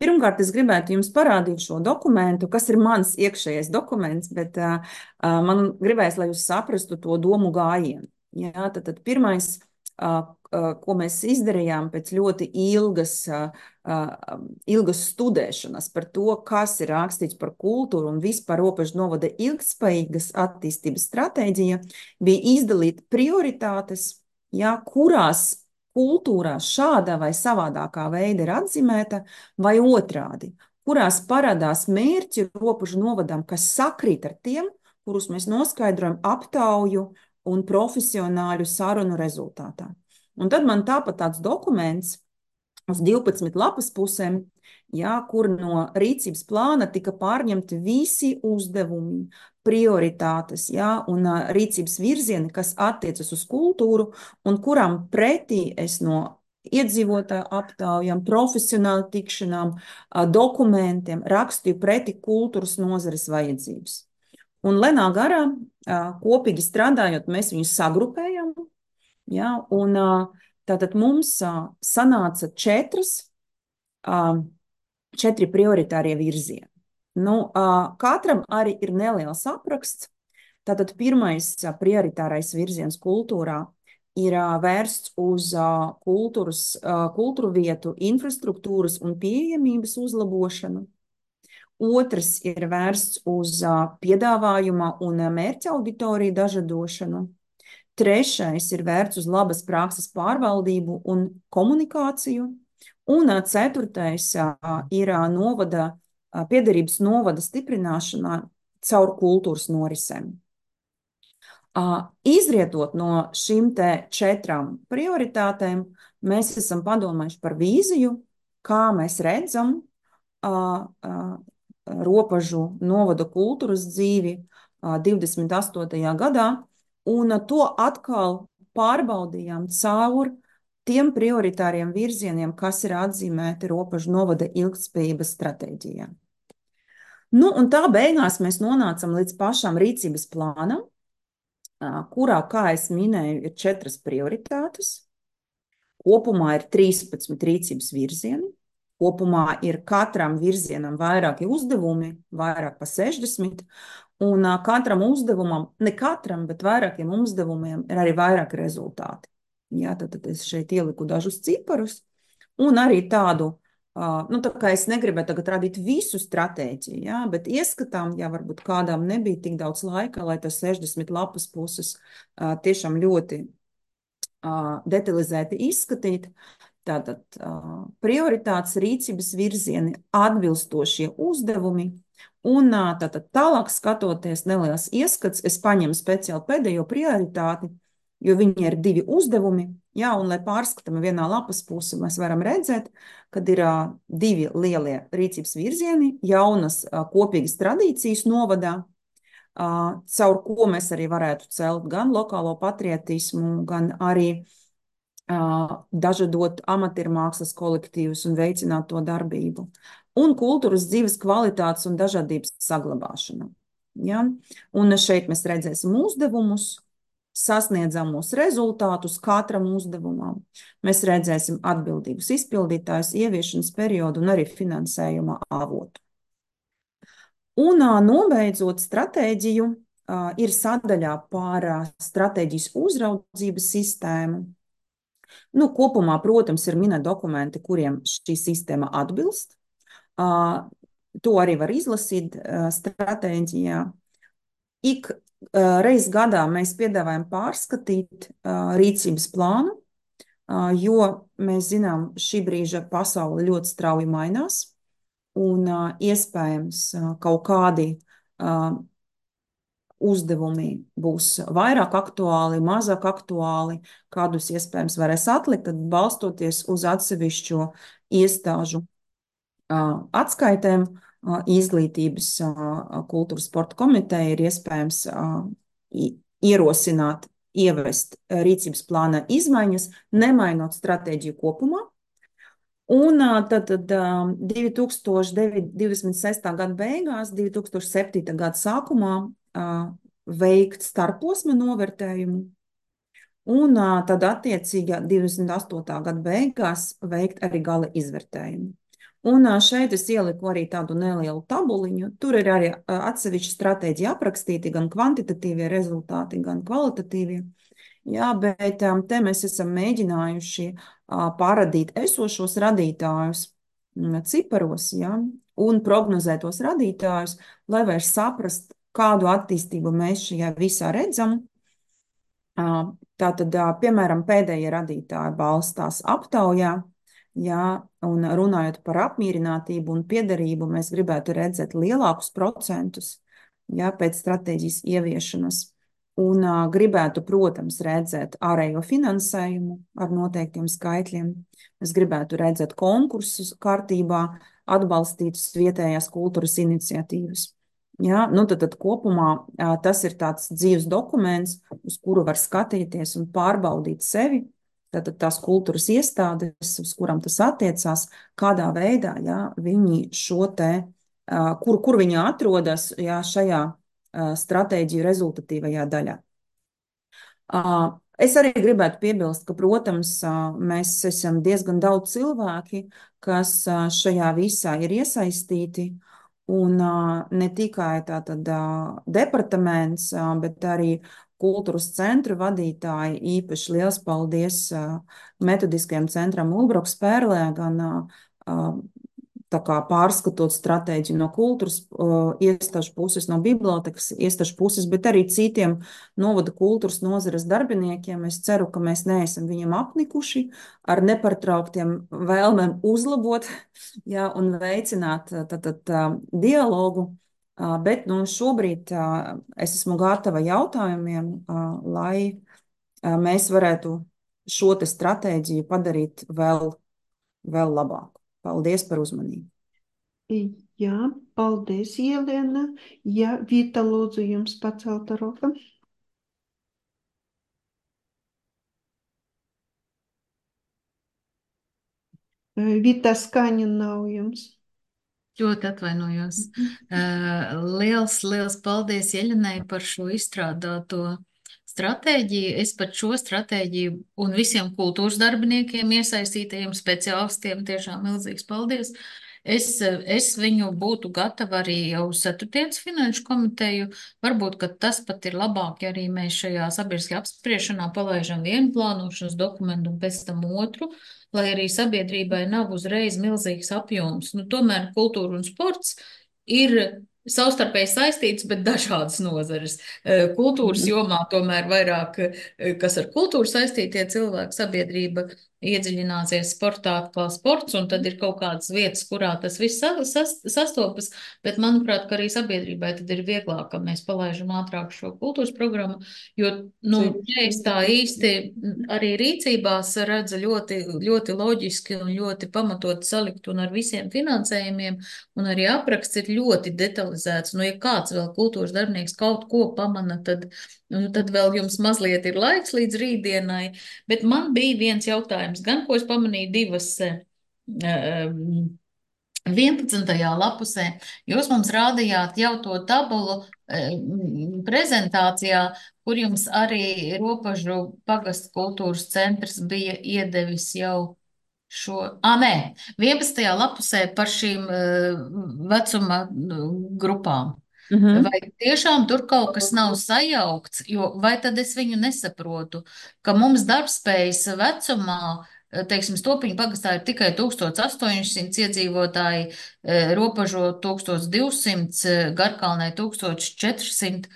Pirmkārt, es gribētu jums parādīt šo dokumentu, kas ir mans iekšējais dokuments, bet uh, man gribēs, lai jūs saprastu to domu gājienu. Jā, tad, tad pirmais, uh, uh, ko mēs izdarījām pēc ļoti ilgas, uh, uh, ilgas studēšanas par to, kas ir rakstīts par kultūru un vispār robežu novada ilgtspējīgas attīstības stratēģija, bija izdalīt prioritātes, jā, kurās kultūrā šādā vai savādākā veida ir atzīmēta, vai otrādi, kurās parādās mērķi robežu novadam, kas sakrīt ar tiem, kurus mēs noskaidrojam aptauju un profesionāļu sarunu rezultātā. Un tad man tāpat tāds dokuments uz divpadsmit lapas pusēm, jā, kur no rīcības plāna tika pārņemti visi uzdevumi, prioritātes, jā, un uh, rīcības virzieni, kas attiecas uz kultūru, un kuram pretī es no iedzīvotāju aptaujām, profesionāli tikšanām, uh, dokumentiem rakstīju pretī kultūras nozares vajadzības. Un lenā garā, uh, kopīgi strādājot, mēs viņus sagrupējam, jā, un uh, tātad mums uh, sanāca četras, uh, četri prioritārie virzieni. Nu, katram arī ir neliels apraksts. Tātad pirmais prioritārais virziens kultūrā ir vērsts uz kultūras, kultūru vietu, infrastruktūras un pieejamības uzlabošanu. Otrs ir vērsts uz piedāvājuma un mērķa auditoriju dažadošanu. Trešais ir vērsts uz labas prakses pārvaldību un komunikāciju. Un ceturtais ir novada piederības novada stiprināšanā caur kultūras norisēm. Izrietot no šīm te četrām prioritātēm, mēs esam padomājuši par vīziju, kā mēs redzam robežu novada kultūras dzīvi divdesmit astotajā gadā, un to atkal pārbaudījām caur tiem prioritāriem virzieniem, kas ir atzīmēti robežu novada ilgtspējības stratēģijā. Nu, un tā beigās mēs nonācam līdz pašam rīcības plānam, kurā, kā es minēju, ir četras prioritātes. Kopumā ir trīspadsmit rīcības virzieni. Kopumā ir katram virzienam vairāki uzdevumi, vairāk pa sešdesmit, un katram uzdevumam, ne katram, bet vairākiem uzdevumiem ir arī vairāki rezultāti. Jā, tad, tad es šeit ieliku dažus ciparus, un arī tādu, nu, tā kā es negribēju tagad radīt visu stratēģiju, jā, bet ieskatām, ja varbūt kādām nebija tik daudz laika, lai tas sešdesmit lapas puses tiešām ļoti detalizēti izskatīt, tātad prioritātes, rīcības virzieni, atbilstošie uzdevumi, un tātad tālāk skatoties neliels ieskats, es paņemu speciāli pēdējo prioritāti, jo viņi ir divi uzdevumi, jā, un lai pārskatām vienā lapas pusi, mēs varam redzēt, kad ir uh, divi lielie rīcības virzieni, jaunas uh, kopīgas tradīcijas novadā, uh, caur ko mēs arī varētu celt gan lokālo patriotismu, gan arī uh, dažādot amatiermākslas kolektīvus un veicināt to darbību. un kultūras dzīves kvalitātes un dažādības saglabāšana. Ja? Un šeit mēs redzēsim uzdevumus, sasniedzamos rezultātus katram uzdevumam. Mēs redzēsim atbildīgus izpildītājus, ieviešanas periodu un arī finansējuma avotu. Un nobeidzot stratēģiju, ir sadaļā par stratēģijas uzraudzības sistēmu. Nu, kopumā, protams, ir minēti dokumenti, kuriem šī sistēma atbilst. To arī var izlasīt stratēģijā. Ik reiz gadā mēs piedāvājam pārskatīt rīcības plānu, jo mēs zinām, šī brīža pasaule ļoti strauji mainās un iespējams kaut kādi uzdevumi būs vairāk aktuāli, mazāk aktuāli, kādus iespējams varēs atlikt, tad balstoties uz atsevišķo iestāžu atskaitēm, izglītības kultūras sporta komiteja ir iespējams ierosināt, ievest rīcības plāna izmaiņas, nemainot stratēģiju kopumā. Un tad, tad divi tūkstoši divdesmit sestā gada beigās, divi tūkstoši septītā gada sākumā veikt starposma novērtējumu un tad attiecīgi divdesmit astotā gada beigās veikt arī gala izvērtējumu. Un šeit es ieliku arī tādu nelielu tabuliņu. Tur ir arī atsevišķi stratēģija aprakstīti, gan kvantitatīvie rezultāti, gan kvalitatīvie. Jā, bet te mēs esam mēģinājuši paradīt esošos radītājus ciparos, jā, un prognozētos radītājus, lai vairs saprast, kādu attīstību mēs šajā visā redzam. Tātad, piemēram, pēdējie radītāji balstās aptaujā. Jā, un runājot par apmierinātību un piederību, mēs gribētu redzēt lielākus procentus, jā, pēc stratēģijas ieviešanas. Un uh, gribētu, protams, redzēt ārējo finansējumu ar noteiktiem skaitļiem. Mēs gribētu redzēt konkursus kārtībā, atbalstītus vietējās kultūras iniciatīvas. Jā, nu tad, tad kopumā uh, tas ir tāds dzīves dokuments, uz kuru var skatīties un pārbaudīt sevi. Tātad tās kultūras iestādes, uz kurām tas attiecās, kādā veidā, jā, viņi šo te, kur, kur viņi atrodas, jā, šajā stratēģiju rezultatīvajā daļā. Es arī gribētu piebilst, ka, protams, mēs esam diezgan daudz cilvēki, kas šajā visā ir iesaistīti, un ne tikai tātad departaments, bet arī kultūras centru vadītāji. Īpaši liels paldies metodiskajam centram Ulbroks Pērlē, gan tā kā pārskatot stratēģiju no kultūras iestāžu puses, no bibliotekas iestāžu puses, bet arī citiem novada kultūras nozares darbiniekiem. Es ceru, ka mēs neesam viņiem apnikuši ar nepārtrauktiem vēlmēm uzlabot, jā, un veicināt tātad dialogu. Bet nu, šobrīd es esmu gatava jautājumiem, lai mēs varētu šo te stratēģiju padarīt vēl, vēl labāku. Paldies par uzmanību. Jā, paldies, Jelena. Jā, Vita, lūdzu, jums pacelta roka. Vita, skaņa nav jums. Ļoti atvainojos. Uh, liels, liels paldies Jeļenai par šo izstrādāto stratēģiju. Es par šo stratēģiju un visiem kultūras darbiniekiem, iesaistītajiem speciālistiem tiešām milzīgs paldies. Es, es viņu būtu gatava arī jau ceturtdienas finanšu komiteju. Varbūt, ka tas pat ir labāk, ja arī mēs šajā sabiedriskajā apspriešanā palaižam vienu plānošanas dokumentu un pēc tam otru, lai arī sabiedrībai nav uzreiz milzīgs apjoms. Nu, tomēr kultūra un sports ir savstarpēji saistīts, bet dažādas nozares. Kultūras jomā tomēr vairāk, kas ar kultūru saistītie cilvēki, sabiedrība iedziļināsies sportā kā sports, un tad ir kaut kādas vietas, kurā tas viss sastopas, bet manuprāt, ka arī sabiedrībai tad ir vieglāk, ka mēs palaižam ātrāk šo kultūras programmu, jo, nu, es tā īsti arī rīcībās redzu ļoti, ļoti loģiski un ļoti pamatot salikt un ar visiem finansējumiem, un arī apraksts ir ļoti detalizēts. Nu, ja kāds vēl kultūras darbinieks kaut ko pamana, tad, nu, tad vēl jums mazliet ir laiks līdz rītdienai, bet man bija viens jautājums, gan ko es pamanīju divas um, vienpadsmitajā lapusē jūs mums rādījāt jau to tabulu eh, m, prezentācijā, kur jums arī Ropažu pagastu kultūras centrs bija iedevis jau šo, ah, nē, vienpadsmitajā lapusē par šīm eh, vecuma nu, grupām. Mhm. Vai tiešām tur kaut kas nav sajaukts, jo vai tad es viņu nesaprotu, ka mums darbspējas vecumā, eh, teiksim, Stopiņu pagastā ir tikai tūkstoš astoņsimt iedzīvotāji, eh, Ropažo tūkstoš divsimt, eh, Garkalnē tūkstoš četrsimt.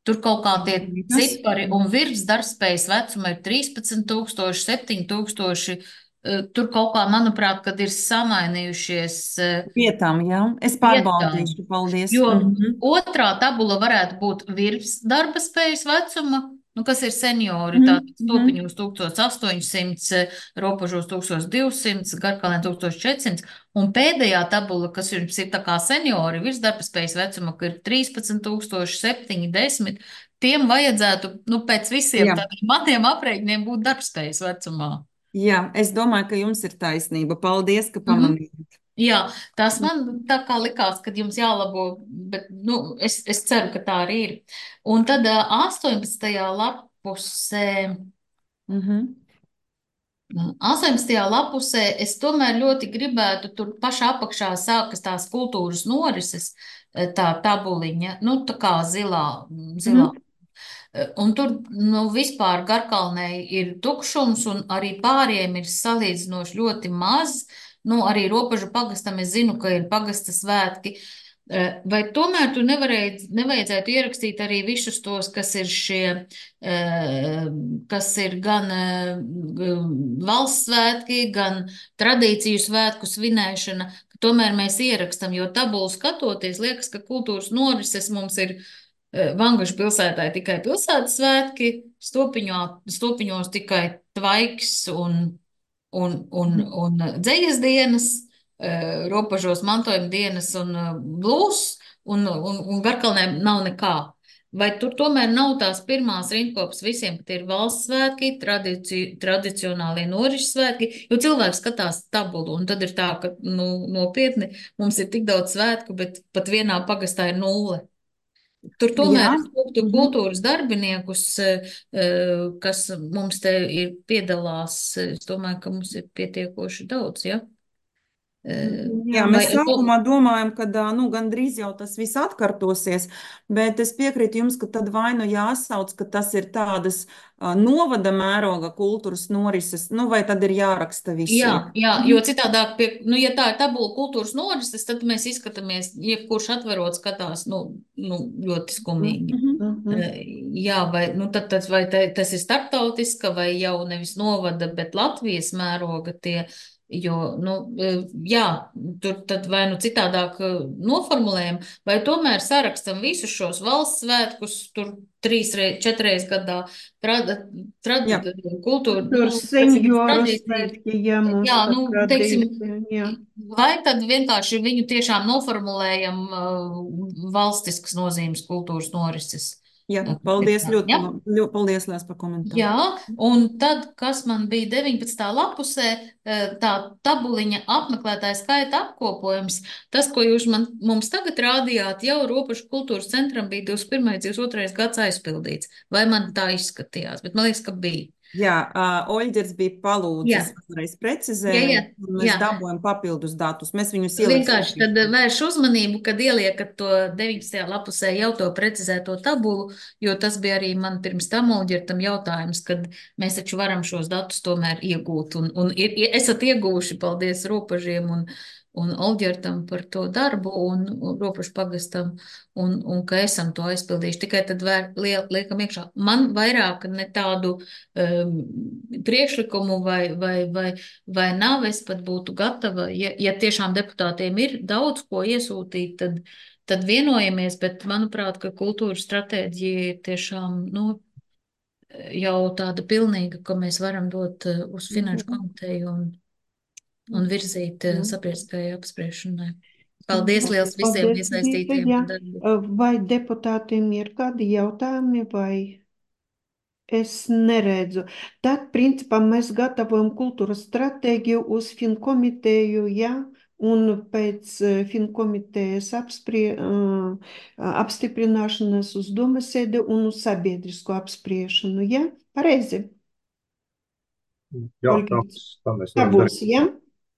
Tur kaut kā tie Tas cipari un virs darbspējas vecuma ir trīspadsmit tūkstoši, septiņi tūkstoši. Eh, Tur kaut kā, manuprāt, kad ir samainījušies eh, vietām, jā. Es vietām. pārbaudīšu, paldies. Jo Mhm. otrā tabula varētu būt virs darba spējas vecuma, nu, kas ir seniori, Mhm, tātad mhm. Stopiņos tūkstoš astoņsimt, Ropažos tūkstoš divsimt, Garkalnē tūkstoš četrsimt, un pēdējā tabula, kas jums ir tā kā seniori, virs darba spējas vecuma, ka ir trīspadsmit tūkstoši, septiņi, desmit, tiem vajadzētu, nu, pēc visiem Jā. tādiem maniem aprēķiniem būt darbspējas vecumā. Jā, es domāju, ka jums ir taisnība. Paldies, ka Mhm. pamanījāt. Jā, tas man tā kā likās, ka jums jālabo, bet, nu, es, es ceru, ka tā arī ir. Un tad ā, astoņpadsmitajā lapusē, Mhm. astoņpadsmitajā lapusē es tomēr ļoti gribētu, tur pašā apakšā sākas tās kultūras norises, eh, tā tabuliņa, nu, tā kā zilā, zilā. Mhm. Eh, Un tur, nu, vispār Garkalnē ir tukšums, un arī pāriem ir salīdzinoši ļoti maz. Nu, arī Ropažu pagastam es zinu, ka ir pagasta svētki. Eh, Vai tomēr tu nevarēji, nevajadzētu ierakstīt arī visus tos, kas ir šie, eh, kas ir gan eh, g- valsts svētki, gan tradīciju svētku svinēšana, ka tomēr mēs ierakstam, jo tabulu skatoties, liekas, ka kultūras norises mums ir eh, Vangašu pilsētā ir tikai pilsētas svētki, Stopiņā, Stopiņos tikai tvaiks un, un, un, un dzejas dienas, eh, Ropažos mantojuma dienas un eh, blūs, un, un, un Garkalnē nav nekā. Vai tur tomēr nav tās pirmās rindkopas visiem, ka tie ir valsts svētki, tradici, tradicionālie norišu svētki, jo cilvēks skatās tabulu, un tad ir tā, ka, nu, nopietni, mums ir tik daudz svētku, bet pat vienā pagastā ir nulle. Tur tomēr Jā. es lūgtu Mhm. kultūras darbiniekus, eh, eh, kas mums te ir piedalās. Es domāju, ka mums ir pietiekoši daudz, ja? Eh, Jā, Vai, mēs sākumā domājam, ka ā, nu, gandrīz jau tas viss atkārtosies, bet es piekrītu jums, ka tad vai nu jāsauc, ka tas ir tādas ā, novada mēroga kultūras norises, nu vai tad ir jāraksta jā, visiem. jā, jo citādāk, pie, nu, ja tā ir tabula kultūras norises, tad mēs izskatāmies, jebkurš atverot skatās, nu, nu ļoti skumīgi. Mhm. Eh, Jā, vai, nu, tad, tad, vai te, tas ir starptautiska vai jau nevis novada, bet Latvijas mēroga tie, jo, nu, eh, jā, tur tad vai nu citādāk eh, noformulējam, vai tomēr sarakstam visus šos valsts svētkus, tur trīs, rei- četreiz gadā, trad, trad, Jā. kultūra, Tur nu, kas ir senioru tradīcija. svētki, jā, mums Jā, par nu, teiksim, tradīciju, jā. vai tad vienkārši viņu tiešām noformulējam uh, valstiskas nozīmes kultūras norises? Jā, paldies ļoti, Jā. ļoti paldies, Lēs, par komentāru. Jā, un tad, kas man bija deviņpadsmitā lapusē, eh, tā tabuliņa apmeklētāja skaita apkopojums, tas, ko jūs man, mums tagad rādījāt, jau Ropažu kultūras centram bija divdesmit pirmais, divdesmit otrais gads aizpildīts. Vai man tā izskatījās? Bet man liekas, ka bija. Jā, uh, Oļģers bija Jā. palūdzis vēlreiz Jā, jā, precizēt, un mēs jā. dabūjam papildus datus. Mēs viņus ieliksim. Vienkārši tad vērš uzmanību, kad ieliekat to deviņpadsmitajā lapusē jau to precizēto tabulu, jo tas bija arī man pirms tam Olģertam jautājums, kad mēs taču varam šos datus tomēr iegūt. Un, un ir, ir- esat ieguvuši, paldies Ropažiem un, un Olģertam par to darbu un, un Ropažu pagastam, un, un ka esam to aizpildījuši. Tikai tad vēr, lie- liekam iekšā. Man vairāk ne tādu um, priekšlikumu vai, vai, vai vai nav, es pat būtu gatava, ja, ja tiešām deputātiem ir daudz ko iesūtīt, tad, tad vienojamies, bet manuprāt, ka kultūras stratēģija ir tiešām, nu, jau tāda pilnīga, ka mēs varam dot eh, uz finanšu komiteju un, un virzīt eh, sabiedriskajai apspriešanai. Paldies liels visiem Paldies, Zita, iesaistītiem jā. par darbu. Vai deputātiem ir kādi jautājumi vai? Es neredzu. Tad, principā, mēs gatavojam kultūras stratēģiju uz finkomiteju, jā, un pēc uh, finkomitejas apsprie, uh, apstiprināšanas uz domasēdi un uz sabiedrisko apspriešanu, ja? Pareizi? Jā, tā, Olgīts. tā mēs Tā varam būs, darīt. ja?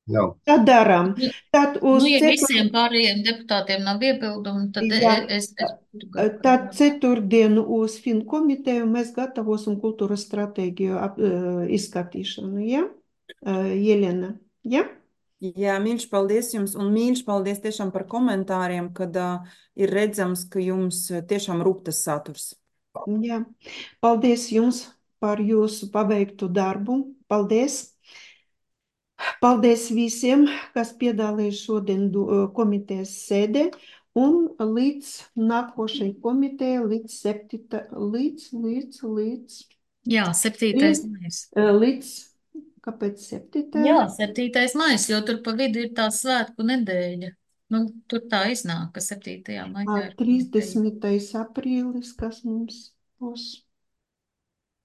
Jā. Tā darām. Nu, Tad uz nu, ja cetur... visiem pārējiem deputātiem nav iebildumu, tad Jā, es, es, es tad ceturtdienu uz finkomiteju mēs gatavosim kultūras stratēģiju ap, uh, izskatīšanu, ja? Uh, Jelena, ja? Jā, mīļš, paldies jums, un mīļš, paldies tiešām par komentāriem, kad uh, ir redzams, ka jums tiešām rūp tas saturs. Jā, paldies jums par jūsu paveiktu darbu. Paldies! Paldies visiem, kas piedalījās šodien komitejas sēdē, un līdz nākošai komitejai, līdz septīta, līdz, līdz, līdz. Jā, septītais maijs. Līdz, kāpēc septītais? Jā, septītais maijs, jo tur pa vidu ir tā svētku nedēļa. Nu, tur tā iznāk, ka septītajā maijā ir trīsdesmitais aprīlis, kas mums būs.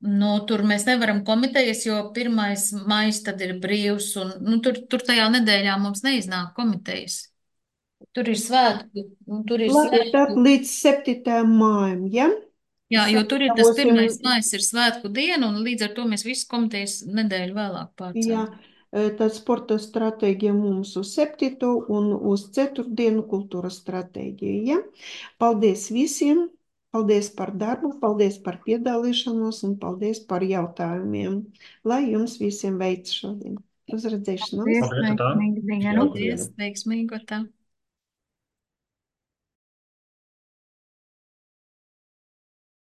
Nu, tur mēs nevaram komitejas, jo pirmais maijs tad ir brīvs, un nu, tur, tur tajā nedēļā mums neiznāk komitejas. Tur ir svētki, un tur ir Labi, tad svētki. līdz septītajam mājam, ja? Jā, jo tur ir tas Sagatavosim- pirmais maijs ir svētku diena, un līdz ar to mēs visu komitejas nedēļu vēlāk Jā, pārcēlam. tad sporta stratēģija mums uz septīto un uz ceturtdienu kultūras stratēģija, ja? Paldies visiem! Paldies par darbu, paldies par piedalīšanos un paldies par jautājumiem. Lai jums visiem veids šodien. Uz redzēšanos. Paldies, veiksmīgu dienu. Paldies, veiksmīgu tā.